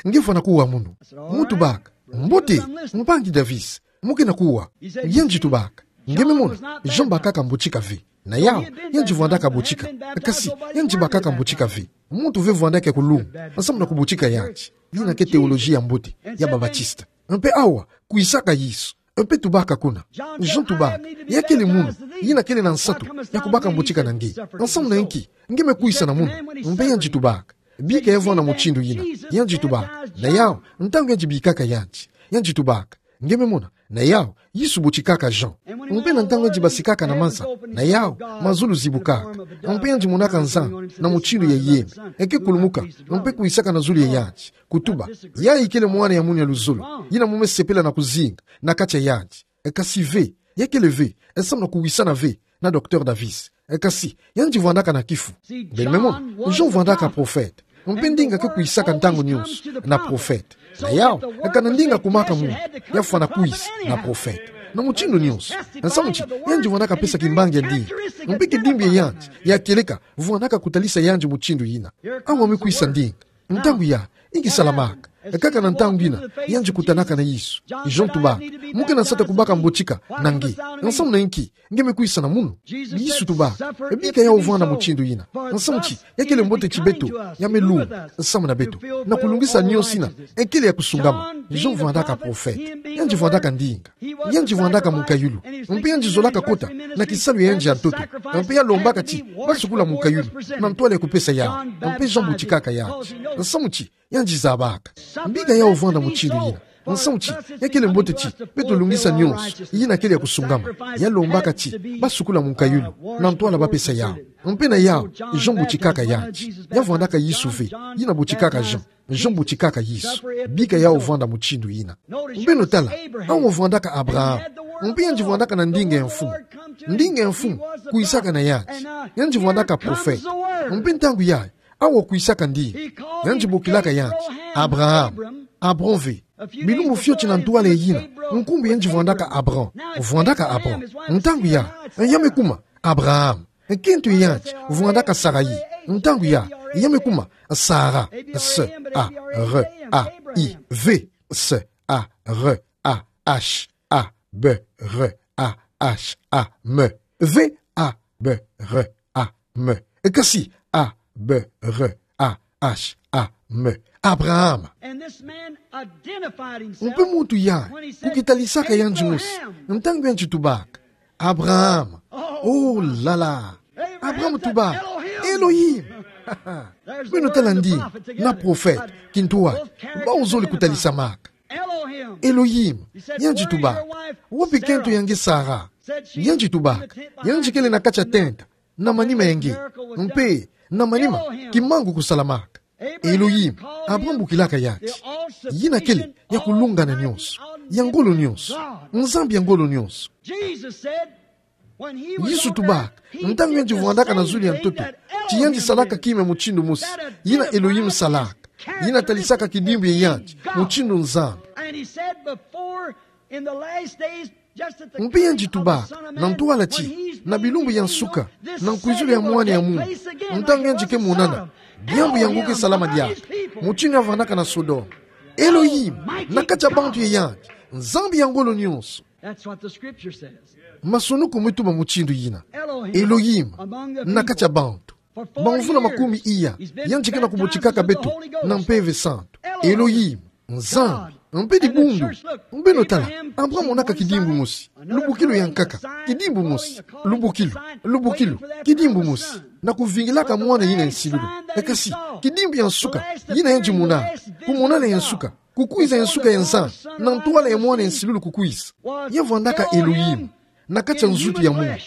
Nge fwana kuwa munu. Mu tubaka. Mbote, mpangi Davis, mu ke na kuwa. Yandi tubaka. Nge me mona, Jean bakaka mbotika ve. Na yawu, yandi vwandaka botika. Kasi, yandi bakaka mbotika ve. Muntu ve vwandaka kulunga, samu na kubotika yandi. Yina ke théologie ya mbote, ya ba Baptiste. Mpe awa, kwisaka Yesu. Mpe tubaka kuna. Jean tubaka. Ya kele munu. Yina kele na nsatu. Ya kubaka mbotika na nge. Samu na inki. Nge me kwisa na munu. Mpe yandi tubaka. Bika ya vwanda mutindu yina. Yandi tubaka. Na yawu. Ntangu yandi bikaka yandi. Yandi tubaka. Nge me mona. Na yawu. Yesu botikaka Jean. Mpe na ntangu yandi basikaka na mansa. Na yawu. Mazulu zibukaka. Mpe yandi monaka nzan na mutindu ya yeme. E ke kulumuka, mpe kwisaka na zulu ya yandi. Kutuba, yayi kele mwana ya munu ya luzolo. Yina mu me sepela na kuzinga na kati ya yandi. E kasi ve, ya kele ve, e samu na kuwisana ve na Docteur Davis. E kasi, yandi vwandaka na kifu. Beno me mona, Jean vwandaka profete. Mpe ndinga ke kwisaka ntangu nionso na profete. Na yau, e kana ndinga kumaka munu, ya fwana kwisa na profete. Na mutindu nionso. Nsamu ti, yandi vwandaka pesa kimbangi ya ndinga. Mpe kidimbu ya yandi, ya kieleka, vwandaka kutalisa yandi mutindu yina. Awa me kwisa ndinga. Ntangu yayi, nki salamaka? Kaka na ntangu yina, yandi kutanaka na Yesu. Jean tubaka, mu ke na nsatu ya kubaka mbotika na nge. Nsamu na nki nge me kwisa na munu? Yesu tubaka, bika yau vwanda mutindu yina. Nsamu ti, ya kele mbote ti beto, ya me lunga samu na beto, na kulungisa nionso yina e kele ya kusungama. Jean vwandaka profete. Yandi vwandaka ndinga. Yandi vwandaka mukayulu. Mpe yandi zolaka kota na kisalu ya yandi ya ntoto. Mpe ya lombaka ti basukula mukayulu na ntwala ya kupesa yandi. Mpe Jean butikaka yandi. Nsamu ti, yandi zabaka. Bika yau vwanda mutindu yina. Nsamu ti, ya kele mbote ti beto lungisa nionso yina kele ya kusungama. Ya lombaka ti basukula mukayulu na ntwala bapesa yandi. Mpe na yau, Jean butikaka yandi. Ya vwandaka Yesu ve, yina butikaka Jean. Jean butikaka Yesu. Bika yau vwanda mutindu yina. Beno tala, awa vwandaka Abraham. Mpe yandi vwandaka na ndinga ya mfumu. Ndinga ya mfumu kwisaka na yandi. Yandi vwandaka profete. Mpe ntangu yayi, awa kwisaka ndinga. Yandi bokilaka yandi Abraham. Abram ve. Bilumbu fioti na ntwala yina, nkumbu yandi vwandaka Abram. Vwandaka Abram. Ntangu yayi, ya me kuma Abraham. Nkento ya yandi vwandaka Sarai. Ntangu yayi, ya me kuma Sara. S A R A I V. S A R A H A B R A H A M. V A B R A M. Kasi A B R A H A M. Abraham. Mpe muntu yayi, ku kitalisaka yandi mosi, ntangu yandi tubaka Abraham. Oh là là. Abraham tubaka Elohim. Beno tala ndinga na profete, kintwari, bawu zole kutalisamaka. Elohim. Yandi tubaka, wapi nkento ya nge Sara? Yandi tubaka, yandi kele na kati ya tenta na manima ya nge. Mpe na manima, kimangu kusalamaka. Elohim. Abraham bokilaka yandi yina kele ya kulungana nionso, ya ngolo nionso, Nzambi ya ngolo nionso. Yesu tubaka, ntangu yandi vwandaka na zulu ya ntoto, ti yandi salaka kima ya mutindu mosi yina Elohim salaka, yina talisaka kidimbu ya yandi mutindu Nzambi. Mpe yandi tubaka na ntwala ti, na bilumbu ya nsuka, na nkwizulu ya Mwana ya muntu, ntangu yandi ke monana, diambu yango ke salama diaka, mutindu ya vandaka na Sodome. Elohim, na kati ya bantu ya yandi, Nzambi ya ngolo nionso. That's what the scripture says. Masumunuko me tuba mutindu yina. Elohim, na kati ya bantu. Bamvula makumi iya, yandi ke na kubotikaka beto na Mpeve Santu. Elohim, Nzambi, mpe dibundu. Beno tala, Abraham monaka kidimbu mosi, lubukilu ya nkaka, kidimbu mosi, lubukilu, lubukilu, kidimbu mosi, na kuvingilaka mwana yina ya nsilulu. Kasi, kidimbu ya nsuka yina yandi monaka, kumonana ya nsuka, kukwiza ya nsuka ya Nzambi, na ntwala ya mwana ya nsilulu kukwiza. Ya vandaka Elohim na kati ya nzutu ya muntu.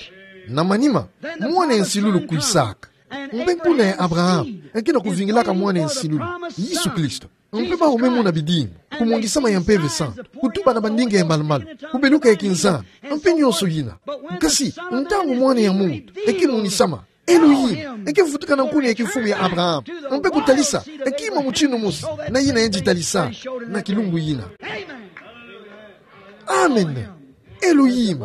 Na manima, mwana ya nsilulu kwisaka. Mpe nkuna ya Abraham, e ke na kuvingilaka mwana ya nsilulu, Yesu Kristo. Mpe bawu me mona bidimbu, kumongisama ya Mpeve Santu, kutuba na bandinga ya malu-malu, kubeluka ya kinzambi, mpe nionso yina. Kasi, ntangu mwana ya muntu e ke monisama, Elohim e ke vutuka na nkuna ya kimfumu ya Abraham, mpe kutalisa kima mutindu mosi na yina yandi talisaka na kilumbu yina. Amen. Elohim,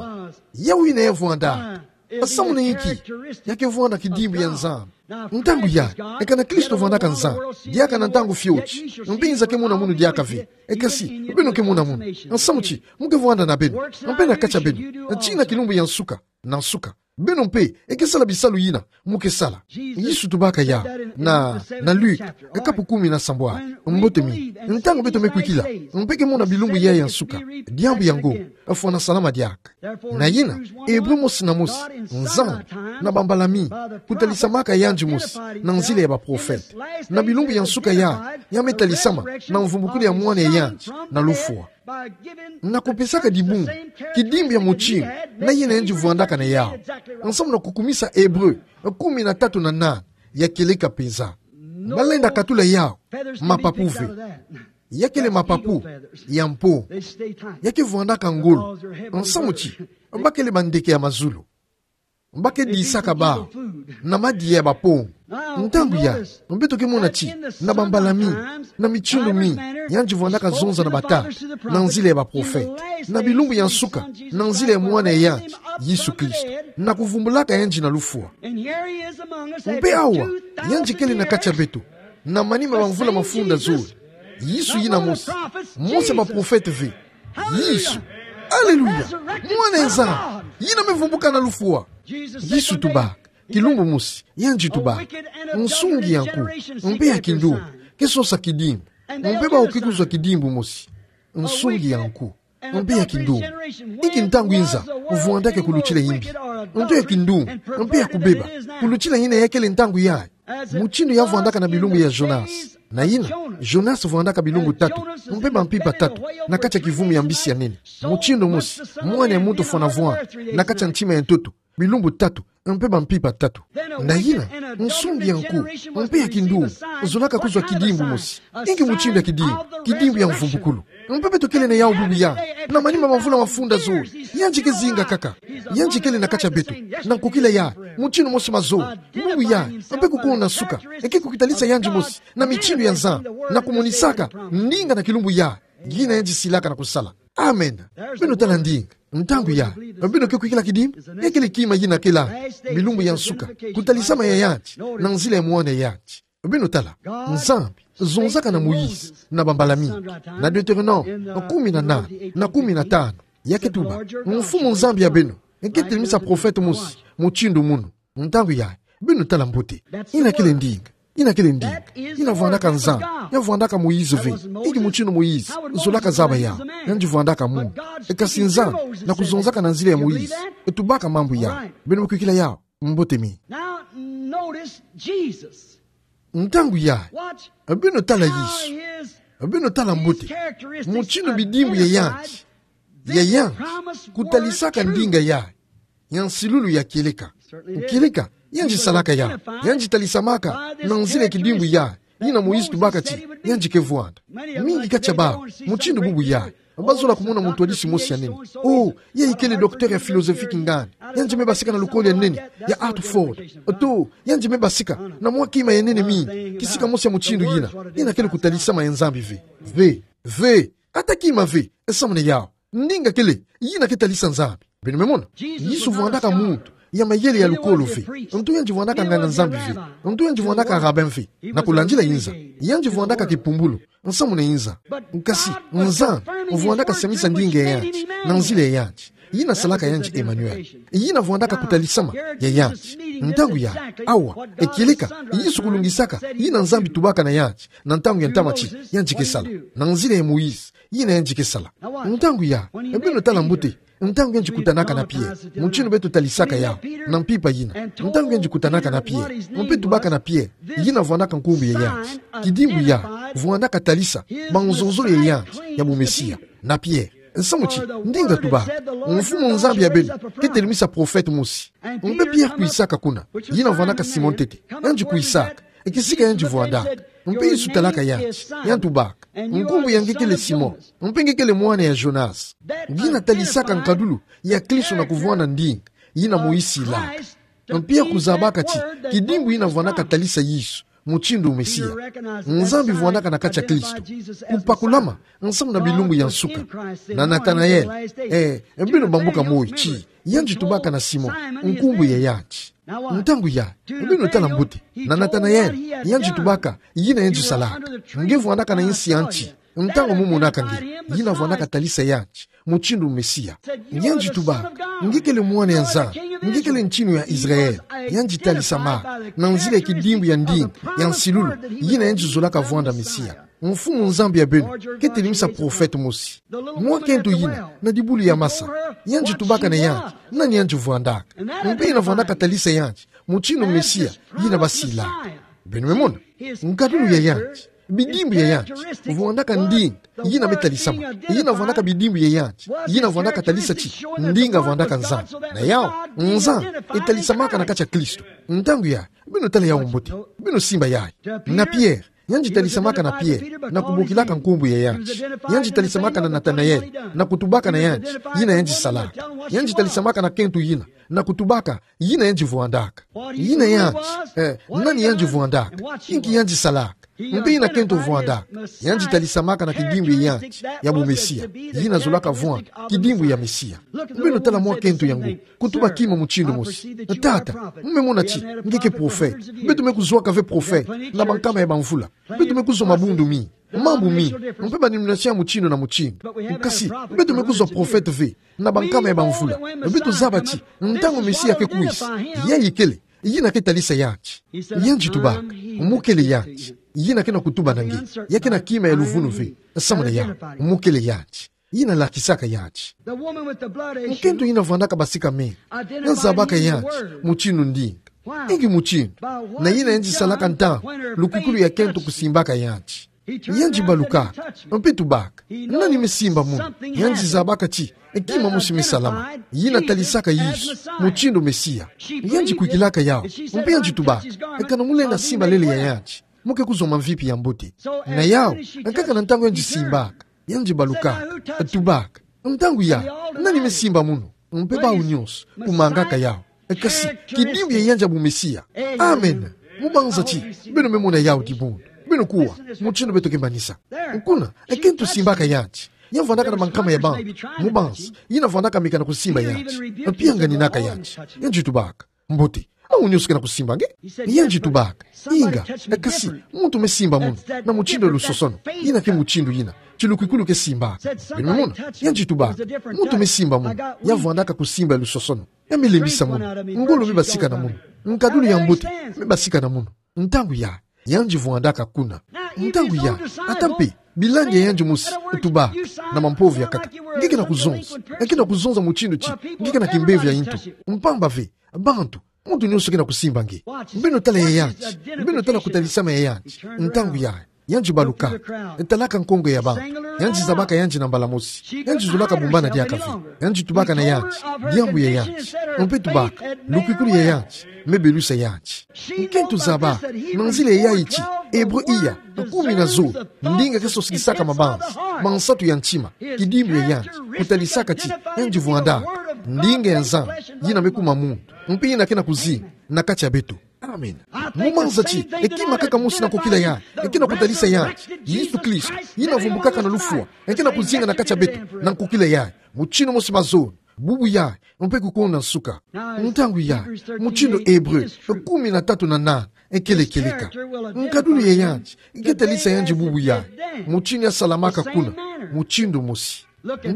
yawu yina ya vwanda. Samu na inki? Ya ke vwanda kidimbu ya Nzambi. Ntangu ya, ekana Kristo vandaka Nzambi, diaka na ntangu fioti, mpe nza ke mona munu diaka ve. Kasi, beno ke mona munu. Samu ti, mu ke vwanda na beno, mpe na kati ya beno, tii na kilumbu ya nsuka na nsuka. Beno mpe, e ke sala bisalu yina mu ke sala. Yesu tubaka yawu na, na Luke, kapu kumi na sambwadi. Mbote mingi. Ntangu beto me kwikila, mpe ke mona bilumbu yayi ya nsuka, diambu yango fwana salama diaka. Na yina, Ebre mosi na mosi, Nzambi, na bambala mingi, kutalisamaka yandi mosi, na nzila ya baprofete. Na bilumbu ya nsuka ya, ya me talisama, na mvumbukulu ya mwana ya yandi, na lufwa. Na kupesaka dibungu, kidimbu ya mutinu, na yina yandi vwandaka na yawu. Nsamu na kukumisa Ebre, kumi na tatu na nani, ya kieleka penza. Balenda katula yawu, mapapu ve. Ya kele mapapu ya mpo. Ya ke vwandaka ngolo. Nsamu ti, ba kele bandeke ya mazulu. Ba ke disaka bawu na madiya ya bampongo. Ntangu yayi, beto ke mona ti, na bambala mingi, na mitsonga mingi, yandi vwandaka zonza na batata, na nzila ya baprofete, na bilumbu ya nsuka, na nzila ya mwana ya yandi, Yesu Kristo, na kuvumbulaka yandi na lufwa. Mpe awa, yandi kele na kati ya beto, na manima ma mvula mafunda zole. Yesu yina mosi, mosi ya baprofete ve. Yesu. Aleluya. Mwana ya Nzambi. Yina me vumbuka na lufwa. Yesu tubaka. Kilumbu mosi, yandi tubaka: Nsungi ya nku, mpe ya kindumbu, ke sosa kidimbu, mpe bawu ke kuzwa kidimbu mosi. Nsungi ya nku, mpe ya kindumbu. Inki ntangu inza vwandaka ya kulutila imbi, nto ya kindumbu, mpe ya kubeba, kulutila yina ya kele ntangu yayi? Mutindu ya vwandaka na bilumbu ya Jonas. Na yina, Jonas vwandaka bilumbu tatu, mpe bampimpa tatu, na kati ya kivumu ya mbisi ya nene. Mutindu mosi, mwana ya muntu fwana vwanda, na kati ya ntima ya ntoto, bilumbu tatu, mpe bampimpa tatu. Na yina, nsungi ya nku, mpe ya kindumbu, zolaka kuzwa kidimbu mosi. Inki mutindu ya kidimbu? Kidimbu ya mvumbukulu. Mpe beto kele na yawu bubu yayi, na manima ma mvula mafunda zole. Yandi ke zinga kaka. Yandi kele na kati ya beto, na nkokila yayi, mutindu mosi mazono, bubu yayi, mpe kukuna nsuka, e ke kukitalisa yandi mosi, na mitindu ya Nzambi, na kumonisaka ndinga na kilumbu yayi, yina yandi silaka na kusala. Amen. Beno tala ndinga. Ntangu yayi, beno ke kwikila kidimbu? Ya kele kima yina kela bilumbu ya nsuka, kutalisama ya yandi, na nzila ya mwana ya yandi. Beno tala, Nzambi zonzaka na Moïse, na bambala mingi, na Deutéronome kumi na nana, na kumi na tanu, ya ke tuba: Mfumu Nzambi ya beno ke telemisa profete mosi mutindu munu. Ntangu yayi, beno tala mbote. Yina kele ndinga. Yina kele ndinga. Yina vwandaka Nzambi. Ya vwandaka Moïse ve. Inki mutindu Moïse zolaka zaba yawu? Yandi vwandaka muntu. E kasi Nzambi, na kuzonzaka na nzila ya Moïse, e tubaka mambu yayi. Beno me kwikila yawu? Mbote mingi. Now notice Jesus. Ntangu yayi, beno tala Yesu. Beno tala mbote mutindu bidimbu ya yandi, ya yandi kutalisaka ndinga yayi ya nsilulu ya kieleka. Kieleka, yandi salaka yawu. Yandi talisamaka na nzila ya kidimbu yayi, yina Moïse tubaka ti yandi ke vwanda. Mingi kati ya bawu, mutindu bubu yayi, bazola kumona mutwadisi mosi ya nene. Oh, yayi kele docteur ya philosophie kingandi. Yandi me basika na lukolo ya nene ya Harvard. To, yandi me basika na mwa kima ya nene mingi, kisika mosi ya mutindu yina. Yina kele kutalisama ya Nzambi ve. Ve, ve, ata kima ve, e samu na yawu. Ndinga kele, yina ke talisa Nzambi. Beno me mona? Yesu vwandaka muntu ya mayele ya lukolo ve. Nto yandi vwandaka nganga-Nzambi ve. Nto yandi vwandaka rabbin ve. Na kulandila inza, yandi vwandaka kipumbulu. Nsamu na inza. Nkasi, Nzambi vwandaka semisa ndinga ya yandi na nzila ya yandi. Yina salaka yandi Emmanuel. Yina vwandaka kutalisama ya yandi. Ntangu yayi, awa, e kieleka, Yesu kulungisaka yina Nzambi tubaka na yandi na ntangu ya ntama ti yandi ke sala, na nzila ya Moïse, yina yandi ke sala. Ntangu yayi, beno tala mbote, ntangu yandi kutanaka na Pierre, mutindu beto talisaka yawu na mpimpa yina. Ntangu yandi kutanaka na Pierre, mpe tubaka na Pierre, yina vwandaka nkumbu ya yandi. Kidimbu yayi vwandaka talisa banzonzolo ya yandi ya bumesia na Pierre. Nsamu ti, ndinga tubaka: Mfumu Nzambi ya beno ke telemisa profete mosi. Mpe Pierre kwisaka kuna, yina vwandaka Simon ntete. Yandi kwisaka, e kisika yandi vwandaka. Mpe Yesu talaka yandi, yandi tubaka: Nkumbu ya nge kele Simon, mpe nge kele mwana ya Jonas. Yina talisaka nkadulu ya Kristo na kuvwanda ndinga yina Moïse ilaka. Mpe Pierre kuzabaka ti kidimbu yina vwandaka talisa Yesu mutindu Mesia. Nzambi vwandaka na kati ya Kristo. Kupakulama nsamu na bilumbu ya nsuka. Na Nathanael, eh, beno bambuka moyo ti yandi tubaka na Simon nkumbu ya yandi. Ntangu yayi, beno tala mbote, na Nathanael, yandi tubaka yina yandi salaka: Nge vwandaka na insi ya nti, ntangu mo monaka nge? Yina vwandaka talisa yandi mutindu Mesia. Yandi tubaka: Nge kele mwana ya Nzambi, nge kele ntinu ya Israël. Yandi talisamaka na nzila ya kidimbu ya ndinga ya nsilulu yina yandi zolaka vwanda Mesia. Mfumu Nzambi ya beno ke telimisa profete mosi. Mwa kento yina na dibulu ya masa, yandi tubaka na yandi nani yandi vwandaka. Mpe yina vwandaka talisa yandi mutindu Mesia yina basila. Beno me mona nkadulu ya yandi, bidimbu ya yandi, vwandaka ndinga yina me talisama. Yina vwandaka bidimbu ya yandi, yina vwandaka talisa ti ndinga vwandaka Nzambi. Na yawu, Nzambi e talisamaka na kati ya Kristo. Ntangu yayi, beno tala yawu mbote, beno simba yayi. Na Pierre, yandi talisamaka na Pierre na kubokilaka nkumbu ya yandi. Yandi talisamaka na Nathanaël na kutubaka na yandi yina yandi salaka. Yandi talisamaka na kento yina na kutubaka yina yandi vwandaka. Yina yandi, eh, nani yandi vwandaka, inki yandi salaka, mpe yina kento vwandaka. Yandi talisamaka na kidimbu ya yandi ya bumesia, yina zolaka vwanda kidimbu ya Mesia. Beno tala mwa kento yango, kutuba kima mutindu mosi. Tata, mu me mona ti nge ke profete. Beto me kuzwaka ve profete na bankama ya bamvula. Beto me kuzwa mabundu mingi, mambu mingi, mpe ba denomination ya mutindu na mutindu. Kasi beto me kuzwa profete ve na bankama ya bamvula. Beto zaba ti ntangu Mesia ke kwisa, yayi kele yina ke talisa yandi. Yandi tubaka mu kele yandi yina ke na kutuba na nge. Ya ke na kima ya luvunu ve, samu na yawu, mu kele yandi yina lakisaka yandi. Nkento yina vwandaka basika menga, ya zabaka yandi mutindu ndinga. Inki mutindu? Na yina yandi salaka ntangu lukwikulu ya kento kusimbaka yandi. Yandi balukaka mpe tubaka: Nani me simba munu? Yandi zabaka ti kima mosi me salama yina talisaka Yesu mutindu Mesia. Yandi kwikilaka yawu mpe yandi tubaka: Kana mu lenda simba lele ya yandi, mu ke kuzwa mamvipi ya mbote. Na yawu, nkaka na ntangu yandi simbaka, yandi balukaka, tubaka: Ntangu yayi, nani me simba munu? Mpe bawu nyonso kumangaka yawu. Kasi kidimbu ya yandi ya bumesia. Amen. Mu banza ti beno me mona yawu dibundu. Beno kuwa mutindu beto ke manisa. Kuna, kento simbaka yandi. Ya vwandaka na bankama ya bantu. Mu banza yina vwandaka meka na kusimba yandi, mpe yanganinaka yandi. Yandi tubaka: Mbote, awu nyonso ke na kusimba nge? Yandi tubaka: Inga, kasi muntu me simba munu na mutindu ya lusosono. Yina ke mutindu yina ti lukwikulu ke simbaka. Beno me mona? Yandi tubaka: Muntu me simba munu, ya vwandaka kusimba ya lusosono. Ya me lembisa munu. Ngolo me basika na munu. Nkadulu ya mbote me basika na munu. Ntangu yayi, yandi vwandaka kuna. Ntangu yayi, ata mpe bilandi ya yandi mosi tubaka na mampovo ya nkaka: Nge ke na kuzonza, nge ke na kuzonza mutindu ti nge ke na kimbevo ya ntu. Mpamba ve, bantu, muntu nyonso ke na kusimba nge. Beno tala ya yandi. Beno tala kutalisama ya yandi. Ntangu yayi, yandi balukaka, talaka nkongo ya bantu. Yandi zabaka yandi na mbala mosi. Yandi zolaka bumbana diaka ve. Yandi tubaka na yandi diambu ya yandi, mpe tubaka lukwikulu ya yandi me belusa yandi. Nkento zabaka na nzila ya yayi ti Ebre iya, kumi na zole, ndinga ke sosikisaka mabanza mansatu ya ntima, kidimbu ya yandi, kutalisaka ti yandi vwandaka ndinga ya Nzambi yina me kuma muntu, mpe yina ke na kuzinga na kati ya beto. Amen. Mu banza ti kima kaka mosi na nkokila yayi ke na kutalisa yandi, Yesu Kristo, yina vumbukaka na lufwa, ke na kuzinga na kati ya beto na nkokila yayi, mutindu mosi mazono, bubu yayi, mpe kukona nsuka. Ntangu yayi, mutindu Ebre kumi na tatu na nana kele kieleka, nkadulu ya yandi ke talisa yandi bubu yayi, mutindu ya salamaka kuna, mutindu mosi.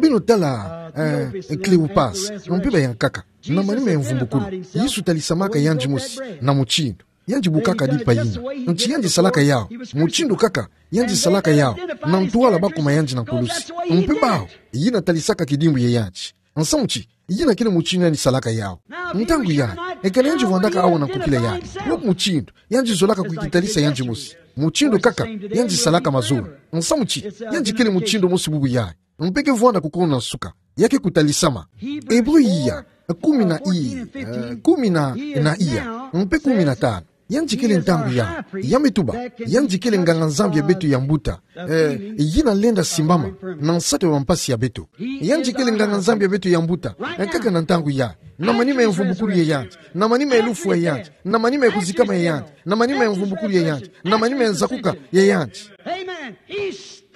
Beno tala, eh, Cleopas, mpe bayankaka. Na manima ya mvumbukulu, Yesu talisamaka yandi mosi na mutindu. Yandi bukaka limpa yina. Nti yandi salaka yawu, mutindu kaka yandi salaka yawu na ntwala ba kuma yandi na nkulusi. Mpe bawu, yina talisaka kidimbu ya yandi. Nsamu ti, yina kele mutindu yandi salaka yawu. Ntangu yayi, kana yandi vwandaka awa na nkokila yayi, wo mutindu yandi zolaka kwikitalisa yandi mosi, mutindu kaka yandi salaka mazono. Nsamu ti, yandi kele mutindu mosi bubu yayi, mpe ke vwanda kukona nsuka, ya ke kutalisama. Ebre iya, kumi na i-, eh, kumi na, na iya, mpe kumi na tanu. Yandi kele ntangu yawu, ya me tuba, yandi kele nganga-Nzambi ya beto ya mbuta, eh, yina lenda simbama na nsatu ya bampasi ya beto. Yandi kele nganga-Nzambi ya beto ya mbuta, eh, kaka na ntangu yayi, na manima ya mvumbukulu ya yandi, na manima ya lufwa ya yandi, na manima ya kuzikama ya yandi, na manima ya mvumbukulu ya yandi, na manima ya nzakuka ya yandi.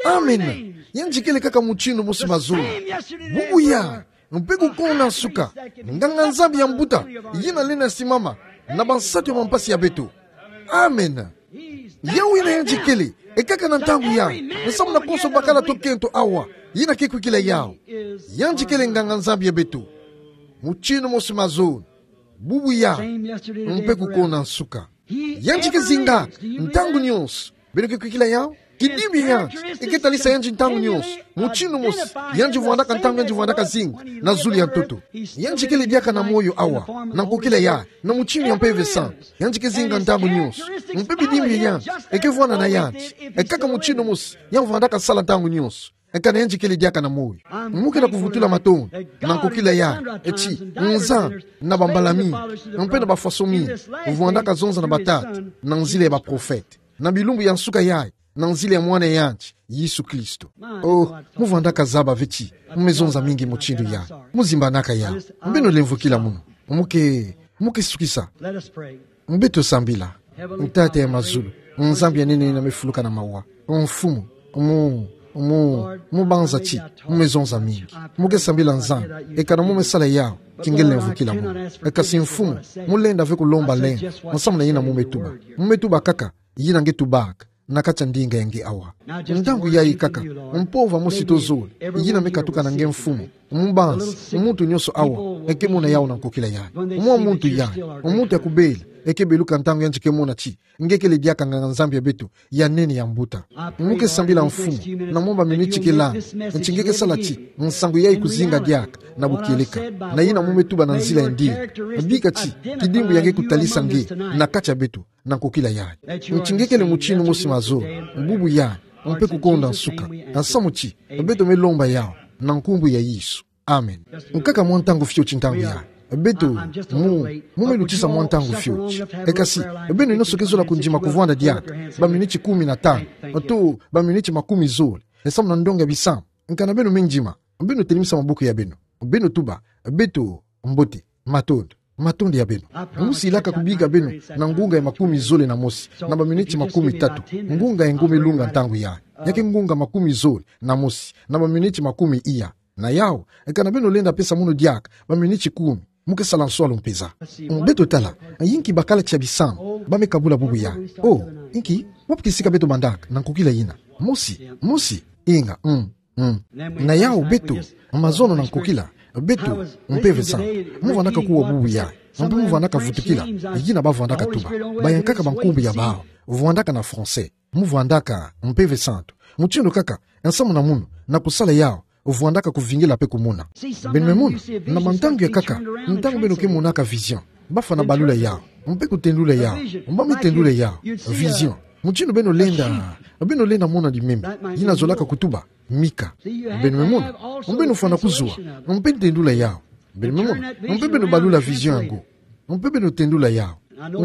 Amen. Yandi kele kaka mutindu mosi mazono, bubu yayi, mpe kukona nsuka, nganga-Nzambi ya mbuta, yina lenda simbama na bansatu ya bampasi ya beto. Amen. Yawu yina yandi kele, kaka na ntangu yayi, nsamu na konso bakala to kento awa, yina ke kwikila yawu. Yandi kele nganga-Nzambi ya beto, mutindu mosi mazono, bubu yayi, mpe kukona nsuka. Yandi ke zingaka ntangu nyonso. Beno ke kwikila yawu? Kidimbi ya yandi eke talisa yandi ntangu nyonso, mutindu mosi yandi vwandaka ntangu yandi vwandaka zinga na zulu ya ntoto. Yandi kele diaka na moyo awa, na nkokila ya, na mutindu ya Mpeve Santu. Yandi ke zinga ntangu nyonso. Mpe bidimbi ya yandi eke vwanda na yandi. E kaka mutindu mosi yandi vwandaka sala ntangu nyonso. Eka na yandi kele diaka na moyo. Mu ke na kuvutula matondo na nkokila ya, eti Nzambi, na bambala mingi, mpe na bafaso mingi, vwandaka zonza na batata na nzila ya baprofete, na bilumbu ya nsuka yayi, na nzila ya Mwana ya yandi, Yesu Kristo. Oh, mu vwandaka zaba ve ti mu me zonza mingi mutindu ya. Mu zimbanaka ya. Beno lemvokila munu. Mu ke, mu ke sukisa. Beto sambila. Tata ya mazulu, Nzambi ya nene yina me fuluka na mawa. Mfumu, mu, mu, mu banza ti mu me zonza mingi. Mu ke sambila Nzambi, eka na mu me sala yawu, ti nge lemvokila munu. Eka si Mfumu, mu lenda ve kulomba lengo, nsamu na yina mu me tuba. Mu me tuba kaka yina nge tubaka na kati ya ndinga ya nge awa. Ntangu yayi kaka, mpova mosi to zole yina me katuka na nge Mfumu. Mu banza, muntu nyonso awa eke mona yawu na nkokila yayi. Mwa muntu yayi, muntu ya kubela, eke beluka ntangu yandi ke mona ti nge kele diaka nganga-Nzambi ya beto ya nene ya mbuta. Mu ke sambila Mfumu, na mwa baminiti ke landa, ti nge ke sala ti nsangu yayi kuzinga diaka na bukieleka, na yina mu me tuba na nzila ya ndinga. Bika ti kidimbu ya nge kutalisa nge na kati ya beto na nkokila yayi. Ti nge kele mutindu mosi mazo, bubu yayi, mpe kukonda nsuka. Nsamu ti beto me lomba yawu na nkumbu ya Yesu. Amen. Nkaka mwa ntangu fioti ntangu yayi. Beto, mu, mu me lutisa mwa ntangu fioti. Eka si beno nyonso ke zola kundima kuvwanda diaka baminiti kumi na tanu, to baminiti makumi zole, nsamu na ndonga ya bisambu. Eka na beno me ndima, beno telemisa maboko ya beno. Beno tuba: Beto, mbote, matondo, matondo ya beno. Mu silaka kubika beno na ngunga ya makumi zole na mosi na baminiti makumi tatu. Ngunga ya nge me lunga ntangu yayi. Ya ke ngunga makumi zole na mosi na baminiti makumi iya. Na yawu, eka na beno lenda pesa munu diaka baminiti kumi, mu ke sala nswalu mpeza. Beto tala inki bakala tia bisambu ba me kabula bubu yayi. Oh, inki, wapi kisika beto bandaka na nkokila yina? Mosi, mosi, inga, mm, mm. Na yawu beto, mazono na nkokila, beto, Mpeve Santu, mu vwandaka kuwa bubu yayi. Mpe mu vwandaka vutukila yina ba vwandaka tuba. Bayankaka bankumbu ya bawu, vwandaka na français. Mu vwandaka Mpeve Santu. Mutindu kaka, nsamu na munu, na kusala yawu, vwandaka kuvingila mpe kumona. Beno me mona, na bantangu ya nkaka, ntangu beno ke monaka vision, ba fana balula yawu, mpe kutendula yawu, ba me tendula yawu. Vision. Mutindu beno lenda, beno lenda mona limembe, yina zolaka kutuba mika. Beno me mona, beno fana kuzwa, mpe tendula yawu. Beno me mona, mpe beno balula vision yango. Mpe beno tendula yawu.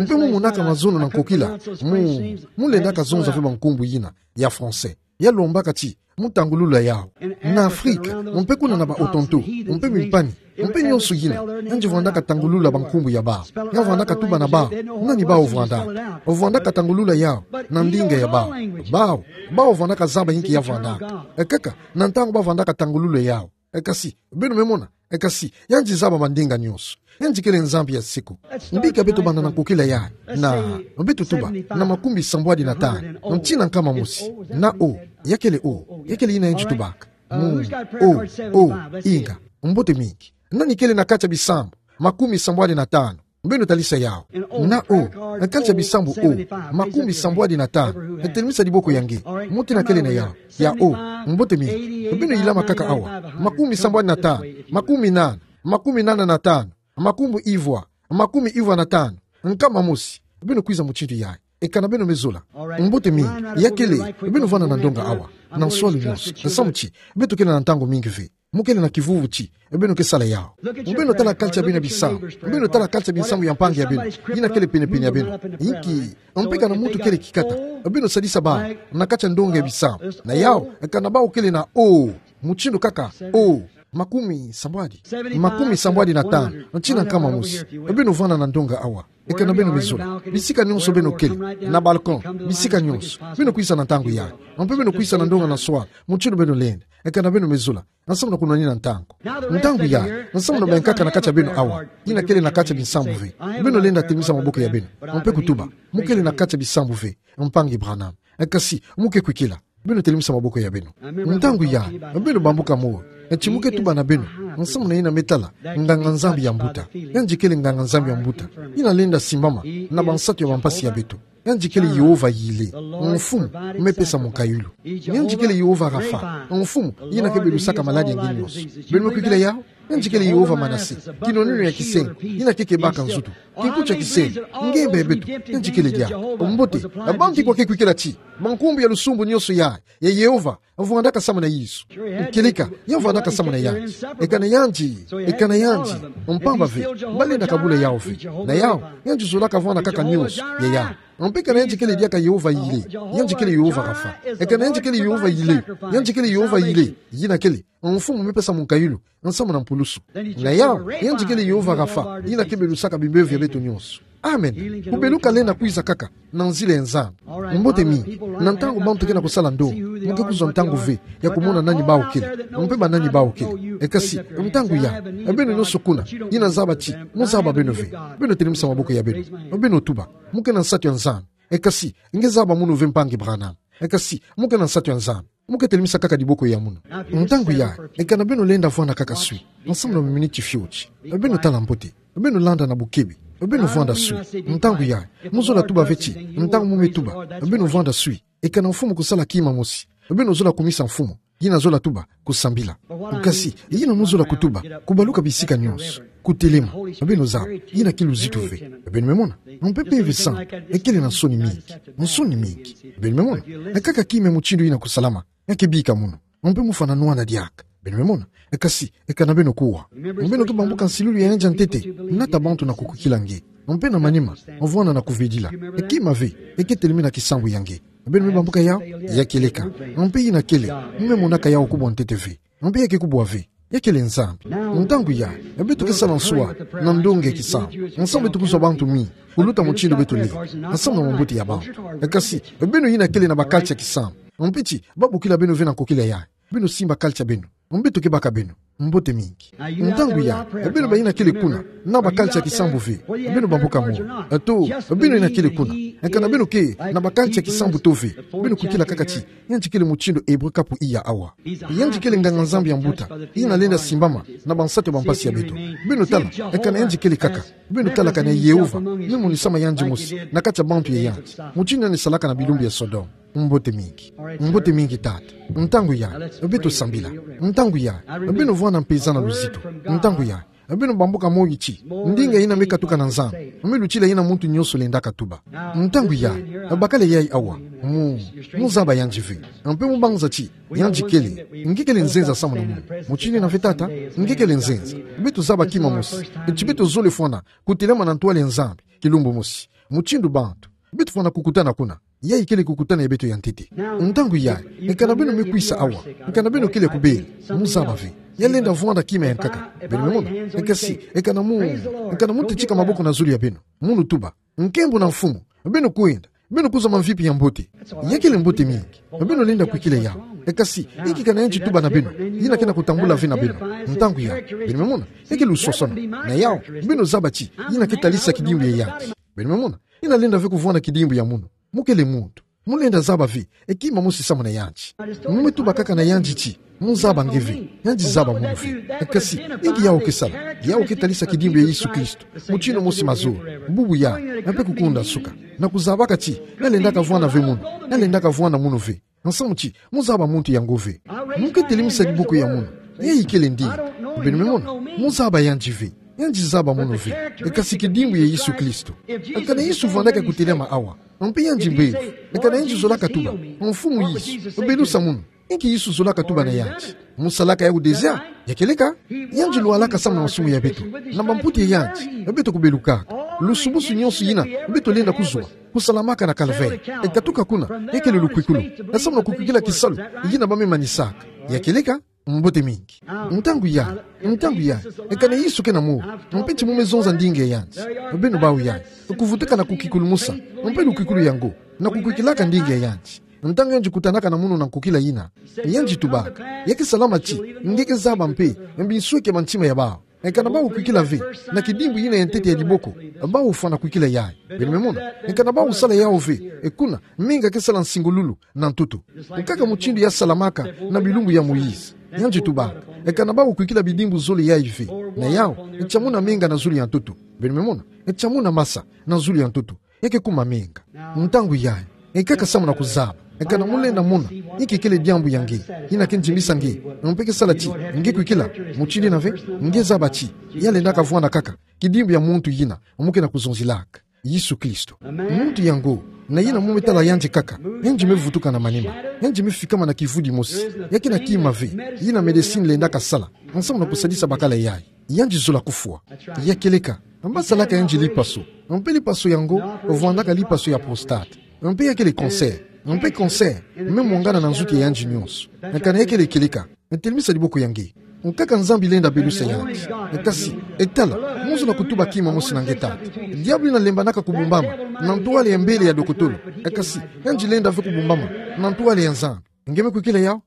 Mpe mu monaka mazono na nkokila, mu, mu lendaka zonza ve bankumbu yina ya français ya lombaka ti mu tangulula yawu. Na Afrika, mpe kuna na ba Otonto, mpe Mimpani, mpe nyonso yina, yandi vwandaka tangulula bankumbu ya bawu. Ya vwandaka tuba na bawu nani bawu vwandaka. Vwandaka tangulula yawu na ndinga ya bawu. Bawu, bawu vwandaka zaba inki ya vwandaka. Kaka, na ntangu ba vwandaka tangulula yawu. Eka si beno me mona, eka si yandi zaba mandinga nyonso. Yandi kele Nzambi ya seko. Bika beto banda na nkokila yayi, na beto tuba na makumi sambwadi na tanu, tii na nkama mosi. Na O, ya kele O, ya kele yina yandi tubaka. Mu, O, O, inga, mbote mingi. Nani kele na kati ya bisambu makumi sambwadi na tanu? Beno talisa yawu. Na O, na kati ya bisambu O, makumi sambwadi na tanu. Telemisa diboko ya nge, mu tii na kele na yawu. Ya O, mbote mingi. Beno yilama kaka awa. Makumi sambwadi na tanu, makumi nana, makumi nana na tanu, makumbu ivwa, makumi ivwa na tanu, nkama mosi. Beno kwiza mutindu yayi. Eka na beno me zola. Mbote mingi. Ya kele, beno vwanda na ndonga awa na nswalu nyonso. Nsamu ti beto kele na ntangu mingi ve. Mu kele na kivuvu ti beno ke sala yawu. Beno tala kati ya beno bisambu. Beno tala kati ya bisambu ya mpangi ya beno, yina kele penepene ya beno. Inki, mpe eka na muntu kele kikata, beno sadisa bawu na kati ya ndonga ya bisambu. Na yawu, eka na bawu kele na O, mutindu kaka O, makumi sambwadi, makumi sambwadi na tanu, tii na nkama mosi. Beno vwanda na ndonga awa. Eka na beno me zola, bisika nyonso beno kele, na balcon, bisika nyonso, beno kwiza na ntangu yayi. Mpe beno kwiza na ndonga na nswalu, mutindu beno lenda. Eka na beno me zola, nsamu na kunwanina ntangu. Ntangu yayi, nsamu na bayankaka na kati ya beno awa, yina kele na kati ya bisambu ve, beno lenda telemisa maboko ya beno, mpe kutuba: Mu kele na kati ya bisambu ve, mpangi Branham. Eka si mu ke kwikila, beno telemisa maboko ya beno. Ntangu yayi, beno bambuka moyo. Ti mu ke tuba na beno, nsamu na yina me tala nganga-Nzambi ya mbuta. Yandi kele nganga-Nzambi ya mbuta, yina lenda simbama na bansatu ya bampasi ya beto. Yandi kele Yehova Yire, mfumu me pesa mukayulu. Yandi kele Yehova Rapha, mfumu yina ke belusaka maladi ya nge nyonso. Beno me kwikila yawu? Yandi kele Yehova Manase, kinoneno ya kisengo, yina ke kebaka nzutu. Kinkuti ya kisengo, ngembe ya beto, yandi kele diaka. Mbote, bantu kwa ke kwikila ti bankumbu ya lusumbu nyonso ya, ya Yehova vwandaka samu na Yesu. Kieleka, ya vwandaka samu na yandi. Eka na yandi, eka na yandi, mpamba ve, balenda kabula yawu ve. Na yawu, yandi zolaka vwanda kaka nyonso ya yawu. Mpe eka na yandi kele diaka Yehova Yire, yandi kele Yehova Rapha. Eka na yandi kele Yehova Yire, yandi kele Yehova Yire, yina kele mfumu me pesa mukayulu, nsamu na mpulusu. Na yawu, yandi kele Yehova Rapha, yina ke belusaka bimbevo ya beto nyonso. Amen. Kubeluka lenda kwiza kaka na nzila ya Nzambi. Mbote mingi. Na ntangu bantu ke na kusala ndonga, mu ke kuzwa ntangu ve ya kumona nani bawu kele, mpe banani bawu kele. Eka si, ntangu yayi, beno nyonso kuna, yina zaba ti mu zaba beno ve, beno telemisa maboko ya beno. Beno tuba. Mu ke na nsatu ya Nzambi. Eka si, nge zaba munu ve, mpangi Branham. Eka si, mu ke na nsatu ya Nzambi, mu ke telemisa kaka diboko ya munu. Ntangu yayi, eka na beno lenda vwanda kaka swi, nsamu na miniti fioti, beno tala mbote, beno landa na bukebe, beno vwanda swi. Ntangu yayi, mu zola tuba ve ti, ntangu mu me tuba, beno vwanda swi, eka na mfumu kusala kima mosi, beno zola kumisa mfumu, yina zola tuba kusambila. Kasi, yina mu zola kutuba, kubaluka bisika nyonso, kutelema, beno zaba, yina ke luzitu ve. Beno me mona, mpe Mpeve Santu ekele na nsoni mingi, nsoni mingi. Beno me mona, kaka kima mutindu yina kusalama, ya ke bika munu, mpe mu fwana nwana diaka. Beno me mona, kasi, eka na beno kuwa, beno ke bambuka nsilulu ya yandi ya ntete, nata bantu na kukwikila nge, mpe na manima, vwanda na kuvedila, kima ve, ke telemena kisambu ya nge. Beno me bambuka yawu? Ya kieleka. Mpe yina kele, mu me monaka yawu kubwa ntete ve. Mpe ya ke kubwa ve. Ya kele Nzambi. Ntangu yayi, beto ke sala nswa na ndonga ya kisambu, nsamu beto kuzwa bantu mingi kuluta mutindu beto lenda, nsamu na mambote ya bantu. Kasi, beno yina kele na ba carte ya kisambu, mpe ti babokila beno ve na nkokila yayi, beno simba carte ya beno, mpe beto ke baka beno. Mbote mingi. Ntangu yayi, beno bayina kele kuna na ba carte ya kisambu ve, beno bambuka molo. To, beno yina kele kuna, eka na beno ke na ba carte ya kisambu to ve, beno kwikila kaka ti, yandi kele mutindu Hébreu kapu iya awa. Yandi kele nganga-Nzambi ya mbuta, yina lenda simbama na bansatu ya bampasi ya beto. Beno tala, eka na yandi kele kaka, beno tala kani Yehova me monisama yandi mosi na kati ya bantu ya yandi, mutindu yandi salaka na bilumbu ya Sodome. Mbote mingi. Mbote mingi, tata. Ntangu yayi, beto sambila. Ntangu yayi, beno vwanda mpeza na luzitu. Ntangu yayi, beno bambuka moyo ti, ndinga yina me katuka na Nzambi, me lutila yina muntu nyonso lendaka tuba. Ntangu yayi, bakala yayi awa, mu, mu zaba yandi ve. Mpe mu banza ti, yandi kele, nge kele nzenza samu na munu. Mutindu yina ve, tata, nge kele nzenza. Beto zaba kima mosi ti beto zole fwana kutelama na ntwala ya Nzambi kilumbu mosi, mutindu bantu. Beto fwana kukutana kuna. Yayi kele kukutana ya beto ya ntete. Ntangu yayi, eka na beno me kwisa awa, eka na beno kele kubela, mu zaba ve. Ya lenda vwanda kima ya nkaka. Beno me mona, eka si, eka na mu, eka na mu tetika maboko na zulu ya beno, munu tuba: Nkembo na Mfumu, beno kwenda, beno kuzwa mamvipi ya mbote. Ya kele mbote mingi. Beno lenda kwikila yawu. Eka si, inki kana yandi tuba na beno, yina ke na kutambula ve na beno. Ntangu yayi, beno me mona, ya ke luswaswanu. Na yawu, beno zaba ti, yina ke talisa kidimbu ya yandi. Beno me mona, yina lenda ve kuvwanda kidimbu ya munu. Mu kele muntu. Mu lenda zaba ve, kima mosi samu na yandi. Mu me tuba kaka na yandi ti, mu zaba nge ve, yandi zaba munu ve. Kasi, inki yawu ke sala, yawu ke talisa kidimbu ya Yesu Kristo, mutindu mosi mazolo, bubu yayi, mpe kukunda suka. Na kuzabaka ti, ya lendaka vwanda ve munu, ya lendaka vwanda munu ve. Nsamu ti, mu zaba muntu yango ve. Mu ke telemisa diboko ya munu. Yayi kele ndinga. Beno me mona, mu zaba yandi ve. Yandi zaba munu ve. Kasi kidimbu ya Yesu Kristo. Eka na Yesu vwandaka kutelama awa, mpe yandi mbevo. Eka na yandi zolaka tuba: Mfumu Yesu, belusa munu. Inki Yesu zolaka tuba na yandi? Mu salaka yawu déjà? Ya kieleka. Yandi lwalaka samu na masumu ya beto, na bamputa ya yandi, beto kubelukaka. Lusumusu nyonso yina beto lenda kuzwa, kusalamaka na Calvaire, katuka kuna, ya kele lukwikulu, samu na kukwikila kisalu yina ba me manisaka. Ya kieleka. Mbote mingi. Ntangu yayi, ntangu yayi, eka na Yesu ke na molo, mpe ti mu me zonza ndinga ya yandi, beno bawu yayi, kuvutuka na kukikulumusa, mpe lukwikulu yango, na kukwikilaka ndinga ya yandi. Ntangu yandi kutanaka na munu na nkokila yina, yandi tubaka: Ya ke salama ti nge ke zaba mpe binsweki ya bantima ya bawu. Eka na bawu kwikila ve na kidimbu yina ya ntete ya diboko, bawu fwana kwikila yayi. Beno me mona, eka na bawu sala yawu ve, kuna, menga ke sala nsingululu na ntoto. Kaka mutindu ya salamaka na bilumbu ya Moïse. Yandi tubaka: Eka na bawu kwikila bidimbu zole yayi ve, na yawu, tia muna menga na zulu ya ntoto. Beno me mona, tia muna masa na zulu ya ntoto. ya ke kuma menga. Ntangu yayi, e kaka samu na kuzaba, e kana mu lenda mona inki kele diambu ya nge, ina ke ndimisa nge, mpe ke sala ti nge kwikila mutindu ina ve. Nge zaba ti ya lenda kavwanda kaka kidimbu ya muntu yina mu ke na kuzonzilaka, Yesu Kristo. Muntu yango, na yina mu me tala yandi kaka, yandi me vutuka na manima, yandi me fikama na kivudi mosi. Ya ke na kima ve yina médecine lenda kasala samu na kusadisa bakala yayi. Yandi zola kufwa. Ya kieleka, mba salaka yandi lipaso, mpe lipaso yango vwandaka lipaso ya prostate, mpe ya kele cancer, mpe cancer me mwangana na nzuki ya yandi nyonso. Kana ya kele kieleka, telemisa diboko ya nge. Nkaka Nzambi lenda belusa yandi. Kasi, e tala, mu zola kutuba kima mosi na nge, tata. Diabulu yina lembanaka kubumbama na ntwala ya mbele ya dokotolo. Kasi, yandi lenda ve kubumbama na ntwala ya Nzambi. Nge me kwikila yawu?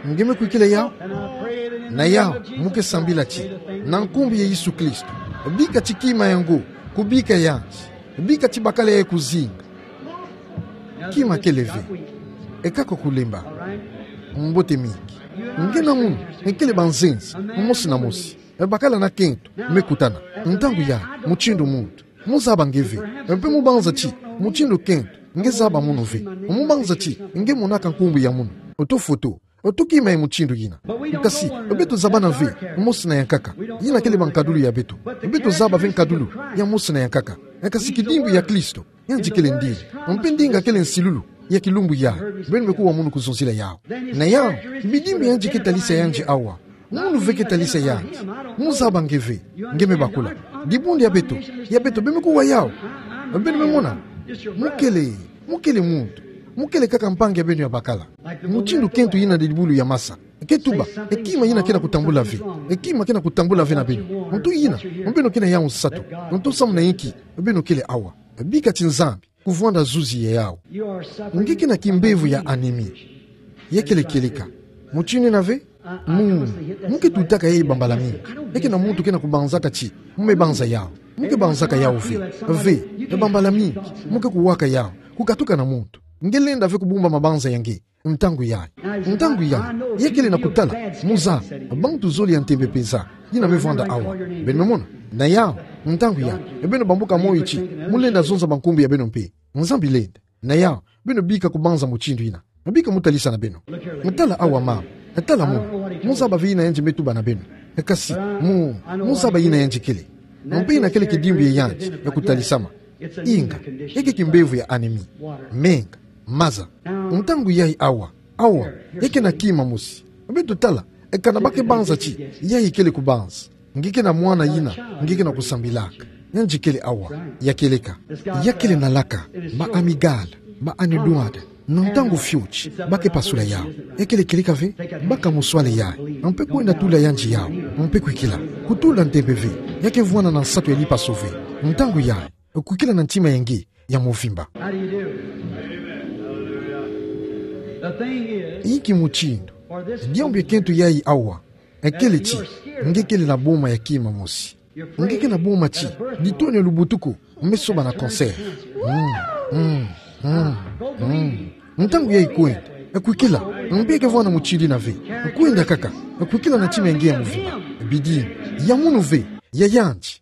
Nge me kwikila yawu? Na yawu, mu ke sambila ti, na nkumbu ya Yesu Kristo, bika ti kima yango kubika yandi. Bika ti bakala yayi kuzinga. Kima kele ve. E kaka kulemba. Mbote mingi. Nge na munu, e kele banzenza mosi na mosi. E bakala na kento me kutana. Ntangu yayi, mutindu muntu, mu zaba nge ve. Mpe mu banza ti mutindu kento nge zaba munu ve, mu banza ti nge monaka nkumbu ya munu, oto foto, oto kima ya mutindu yina. Kasi, beto zabana ve mosi na yankaka. Yina kele ba nkadulu ya beto. Beto zaba ve nkadulu ya mosi na yankaka. Kasi kidimbu ya Kristo, yandi kele ndinga. Mpe ndinga kele nsilulu ya kilumbu yayi. Beno me kuwa munu kuzonzila yawu. Na yawu, bidimbu yandi ke talisa yandi awa, munu ve ke talisa yandi. Mu zaba nge ve. Nge me bakula. Dibundu ya beto, ya beto, beno me kuwa yawu. Beno me mona. Mu kele, mu kele muntu. Mu kele kaka mpangi ya beno ya bakala. Mutindu kento yina dibulu ya masa ke tuba, e kima yina ke na kutambula ve. E kima ke na kutambula ve na beno. Ntu yina, beno ke na yawu nsatu. Ntu samu na inki beno kele awa. Bika ti Nzambi kuvwanda zuzi ya yawu. Nge ke na kimbevo ya anémie. Ya kele kieleka. Mutindu ina ve. Mu, mu ke tutaka yayi bambala mingi. Ya ke na muntu ke na kubanzaka ti mu me banza yawu. Mu ke banzaka yawu ve. Ve, e bambala mingi mu ke kuwaka yawu, kukatuka na muntu. Nge lenda ve kubumba mabanza ya nge ntangu yayi. Ntangu yayi, ya kele na kutala, mu zaba, bantu zole ya ntembe mpenza yina me vwanda awa. Beno me mona. Na yawu, ntangu yayi, e beno bambuka moyo ti mu lenda zonza bankumbu ya beno mpe. Nzambi lenda. Na yawu, beno bika kubanza mutindu yina. Bika mu talisa na beno. Tala awa mama. Tala munu. Mu zaba ve yina yandi me tuba na beno. Kasi, mu, mu zaba yina yandi kele. Mpe yina kele kidimbu ya yandi ya kutalisama. Inga, ya ke kimbevo ya anémie. Menga, maza. Ntangu yayi awa, awa, ya ke na kima mosi. Beto tala, e kana ba ke banza ti yayi kele kubanza. Nge ke na mwana yina nge ke na kusambilaka. Yandi kele awa. Ya kieleka. Ya kele na laka, ba amygdale, ba anedote. Na ntangu fioti, ba ke pasula yawu. Ya kele kieleka ve. Baka muswale yayi, mpe kwenda tula yandi yawu, mpe kwikila. Kutula ntembe ve. Ya ke vwanda na nsatu ya lipaso ve. Ntangu yayi, kwikila na ntima ya nge ya muvimba. Inki mutindu? Diambu ya kento yayi awa, e kele ti nge kele na boma ya kima mosi. Nge ke na boma ti ditoni ya lubutuku me soba na cancer. Mm, mm, mm, mm. Ntangu yayi kwenda, e kwikila. Mpe ke vwanda mutindu ina ve. Kwenda kaka. E kwikila na ntima ya nge ya muvimba. Bidimbu ya munu ve, ya yandi.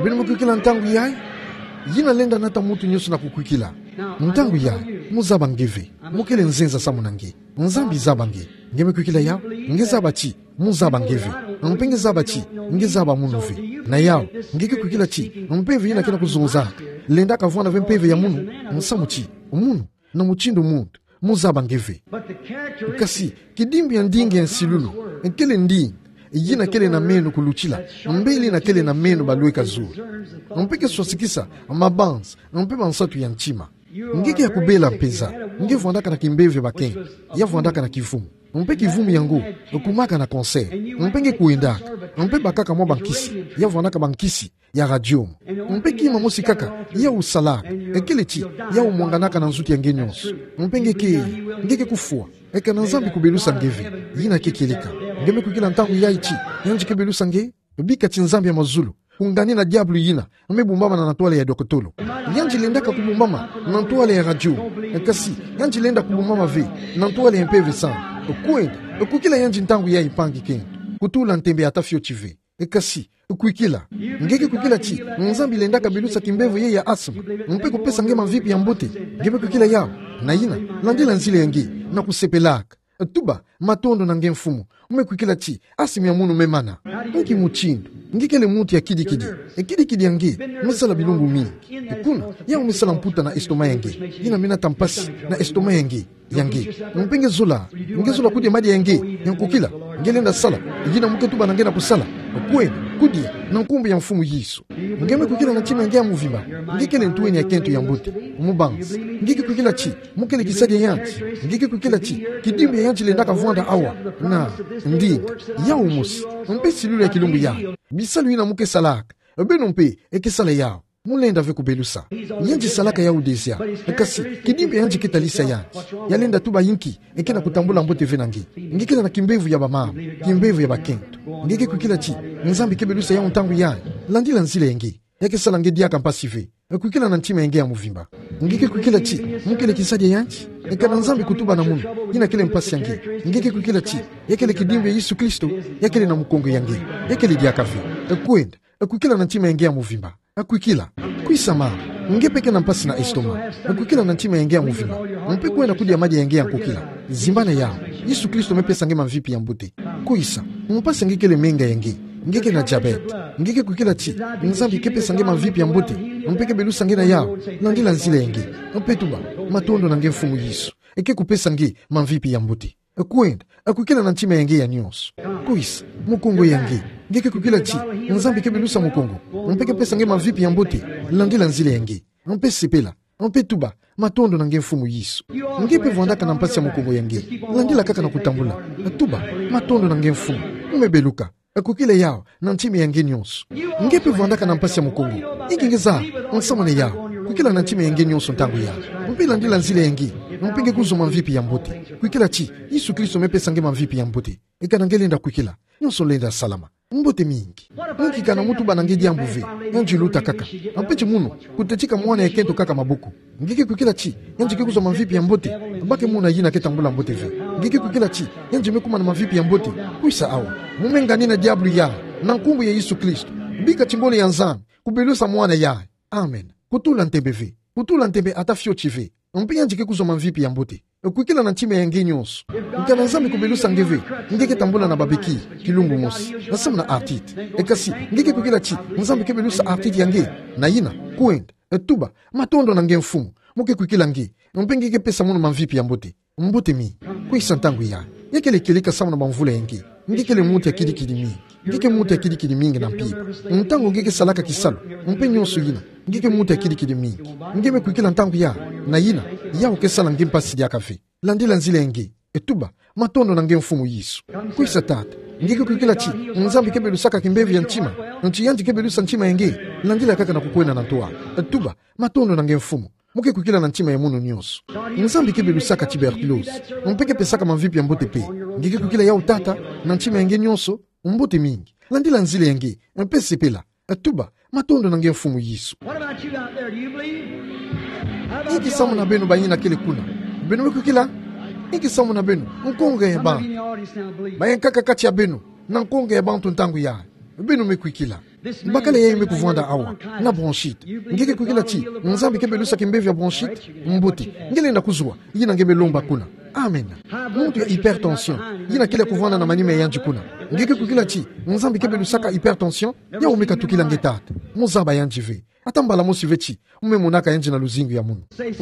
Beno me kwikila ntangu yayi? Yina lenda nata muntu nyonso na kukwikila. Ntangu yayi, mu zaba nge ve. Mu kele nzenza samu na nge. Nzambi zaba nge. Nge me kwikila yawu? Nge zaba ti mu zaba nge ve. Mpe nge zaba ti nge zaba munu ve. Na yawu, nge ke kwikila ti mpeve yina ke na kuzonzaka lenda kavwanda ve mpeve ya munu, samu ti munu, na mutindu muntu, mu zaba nge ve. Kasi kidimbu ya ndinga ya nsilulu, e kele ndinga yina kele na meno kulutila mbeli yina kele na meno balweka zulu. Mpe ke swasikisa mabanza mpe bansatu ya ntima. Nge ke ya kubela mpenza. Nge vwandaka na kimpeve bakento ya vwandaka na kivumu. Mpe kivumu yango e kumaka na cancer. Mpe nge kwendaka, mpe bakaka mwa bankisi ya vwandaka bankisi ya radium. Mpe kima mosi kaka yawu salaka, e kele ti yawu mwanganaka na nzuki ya nge nyonso. Mpe nge ke, nge ke kufwa. E kana Nzambi kubelusa nge ve. Yina ke kieleka. Nge me kwikila ntangu yayi ti yandi ke belusa nge? Bika ti Nzambi ya mazulu kungani na diabulu yina me bumbama na ntwala ya dokotolo. Yandi lendaka kubumbama na ntwala ya radio. Kasi yandi lenda kubumbama ve na ntwala ya Mpeve Santu. Kwenda, kwikila yandi ntangu yayi, mpangi kento. Kutula ntembe ata fioti ve. Kasi, kwikila. Nge ke kwikila ti Nzambi lendaka belusa kimbevo ye ya asma, mpe kupesa nge mamvipi ya mbote? Nge me kwikila yau? Na yina, landila nzila ya nge, na kusepelaka. Tuba, matondo na nge Mfumu. Nge me kwikila ti asma ya munu me mana. Nki mutindu? Nge kele muntu ya kidikidi. E kidikidi ya nge me sala bilumbu mingi. Kuna, yau me sala mputa na estomac ya nge. Yina me nata mpasi na estomac ya nge. Ya nge. Mpe nge zola. Nge zola kudia madia ya nge ya nkokila. Nge lenda sala. Yina mu ke tuba na nge na kusala. Kwenda, kudia, na nkumbu ya Mfumu Yesu. Nge me kwikila na ntima ya nge ya muvimba. Nge kele ntweni ya kento ya mbote. Mubanzi. Nge ke kwikila ti mu kele kisadi ya anti. Nge ke kwikila ti kidimbi ya anti lendaka vwanda awa. Na, ndinga. Yau mosi. Mpe silulu ya kilumbu ya. Bisalu yina mu ke salaka. Beno mpe, e ke sala yau. Mu lenda ve kubelusa. Yandi salaka yau déjà. Kasi, kidimbi ya yandi ke talisa yandi. Ya lenda tuba inki, e ke na kutambula mbote ve na nge. Nge kele na kimbevo ya bamama, kimbevo ya bakento. Nge ke kwikila ti Nzambi ke belusa yau ntangu yayi. Landila nzila ya nge. Ya ke sala nge diaka mpasi ve. Kwikila na ntima ya nge ya muvimba. Nge ke kwikila ti mu kele kisadi ya yandi. Kana Nzambi kutuba na munu. Yina kele mpasi ya nge. Nge ke kwikila ti ya kele kidimbi ya Yesu Kristo. Ya kele na mukongo ya nge. Ya kele diaka ve. Kwenda. Kwikila na ntima ya nge ya muvimba. Kwikila. Kwisa mama. Nge mpe ke na mpasi na estomac. Kwikila na ntima ya nge ya muvimba. Mpe kwenda kudia madia ya nge ya nkokila. Zimbana yau. Yesu Kristo me pesa nge mamvipi ya mbote. Kwisa. Mpasi nge kele menga ya nge. Nge ke na diabète. Nge ke kwikila ti Nzambi ke pesa nge mamvipi ya mbote. Mpe ke belusa nge na yau. Landila nzila ya nge. Mpe tuba, matondo na nge Mfumu Yesu. E ke kupesa nge mamvipi ya mbote. Kwenda, kwikila na ntima ya nge ya nionso. Kwisa, mukongo ya nge. Nge ke kwikila ti Nzambi ke belusa mukongo. Mpe ke pesa nge mamvipi ya mbote. Landila nzila ya nge. Mpe sepela. Mpe tuba, matondo na nge Mfumu Yesu. Nge mpe vwandaka na mpasi ya mukongo ya nge. Landila kaka na kutambula. Tuba, matondo na nge Mfumu. Mu me beluka. Kwikila yau na ntima ya nge nionso. Nge mpe vwandaka na mpasi ya mukongo. Inki nge zaba nsamu na yau? Kwikila na ntima ya nge nionso ntangu yayi. Mpe landila nzila ya nge. Mpe nge kuzwa mamvipi ya mbote. Kwikila ti Yesu Kristo me pesa nge mamvipi ya mbote. Kana nge lenda kwikila, nionso lenda salama. Mbote mingi. Inki kana mu tuba na nge diambu ve, yandi luta kaka. Mpe ti munu, kutetika mwana ya kento kaka maboko. Nge ke kwikila ti yandi ke kuzwa mamvipi ya mbote? Bake muna yina ke tambula mbote ve. Nge ke kwikila ti yandi me kuma na mamvipi ya mbote? Kwisa awa. Mu me nganina diabulu yayi na nkumbu ya Yesu Kristo. Bika ti ngolo ya Nzambi kubelusa mwana yayi. Amen. Kutula ntembe ve. Kutula ntembe ata fioti ve. Mpe yandi ke kuzwa mamvipi ya mbote. Kwikila na ntima ya nge nionso. Kana Nzambi kubelusa nge ve, nge ke tambula na babekile kilumbu mosi, nsamu na arthrite. Kasi nge ke kwikila ti Nzambi ke belusa arthrite ya nge. Na yina, kwenda, tuba, matondo na nge Mfumu. Mu ke kwikila nge. Mpe nge ke pesa munu mamvipi ya mbote. Mbote mingi. Kwisa ntangu yayi. Ya kele kieleka samu na bamvula ya nge. Nge kele muntu ya kidikidi mingi. Nge ke muntu ya kidikidi mingi na mpimpa. Ntangu nge ke salaka kisalu, mpe nionso yina, nge ke muntu ya kidikidi mingi. Nge me kwikila ntangu yayi? Na yina, yau ke sala nge mpasi diaka ve. Landila nzila ya nge. Tuba, matondo na nge Mfumu Yesu. Kwisa tata. Nge ke kwikila ti Nzambi ke belusaka kimbevo ya ntima. Nti yandi ke belusa ntima ya nge. Landila kaka na kukwenda na ntwala. Tuba, matondo na nge Mfumu. Mu ke kwikila na ntima ya munu nionso. Nzambi ke belusaka tuberculose. Mpe ke pesaka mamvipi ya mbote mpe. Nge ke kwikila yau tata, na ntima ya nge nionso? Mbote mingi. Landila nzila ya nge. Mpe sepela. Tuba, matondo na nge Mfumu Yesu. What about you out there? Do you believe? How about inki samu na beno bayina kele kuna? Beno me kwikila? Inki samu na beno? Nkongo ya bantu. Some of you in the audience now believe. Bayankaka kati ya beno na nkongo ya bantu ntangu yayi. Beno me kwikila. Bakala yayi me kuvwanda awa na bronchite. Nge ke kwikila ti Nzambi ke belusa kimbevo ya bronchite? Mbote. Nge lenda kuzwa yina nge me lomba kuna. Amen. Muntu ya hypertension, yina kele kuvwanda na manima ya yandi kuna. Nge ke kwikila ti Nzambi ke belusaka hypertension? Yau me katukila nge tata. Mu zaba yandi ve. Ata mbala mosi ve ti mu me monaka yandi na luzingu ya munu.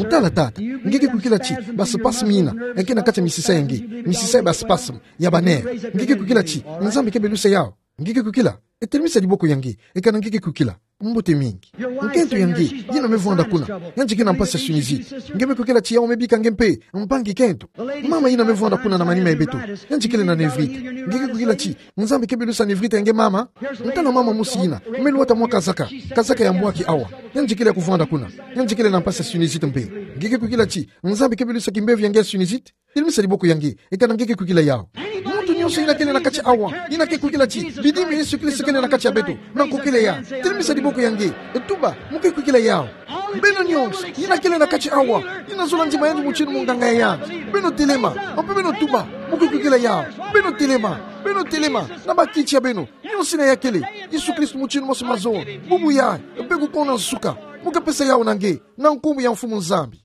Tala tata, nge ke kwikila ti baspasme yina ke na kati ya misisa ya nge, misisa ya baspasme ya banerf. Nge ke kwikila ti Nzambi ke belusa yau? Nge ke kwikila? Telemisa diboko ya nge, kana nge ke kwikila. Mbote mingi. Nkento ya nge, yina me vwanda kuna, yandi ke na mpasi ya sinusite. Nge me kwikila ti yau me bika nge mpe, mpangi kento? Mama yina me vwanda kuna na manima ya beto, yandi kele na névrite. Nge ke kwikila ti Nzambi ke belusa névrite ya nge mama? Ntala mama mosi yina me lwata mwa kazaka, kazaka ya mbwaki awa. Yandi kele kuvwanda kuna, yandi kele na mpasi ya sinusite mpe. Nge ke kwikila ti Nzambi ke belusa kimbevo ya nge ya sinusite? Telemisa diboko ya nge, kana nge ke kwikila yau? Muntu nionso yina kele na kati awa, yina ke kwikila ti bidimbi ya Yesu Kristo kele na kati ya beto, na nkokila yayi, telemisa diboko ya nge. Tuba, mu ke kwikila yau? Beno nyonso, yina kele na kati awa, yina zola ndima yandi motini monganga yandi. Beno telema, mpe beno tuba, mo kwe kukila yawo. Beno telema, beno telema, na bakiti ya beno, nyonso yina ya kele. Yesu Kristo motini mosi mazono, bubu yayi, mpe kuko na nsuka, mo kapesa yawo na nge, na nkumbu ya Mfumu Nzambi.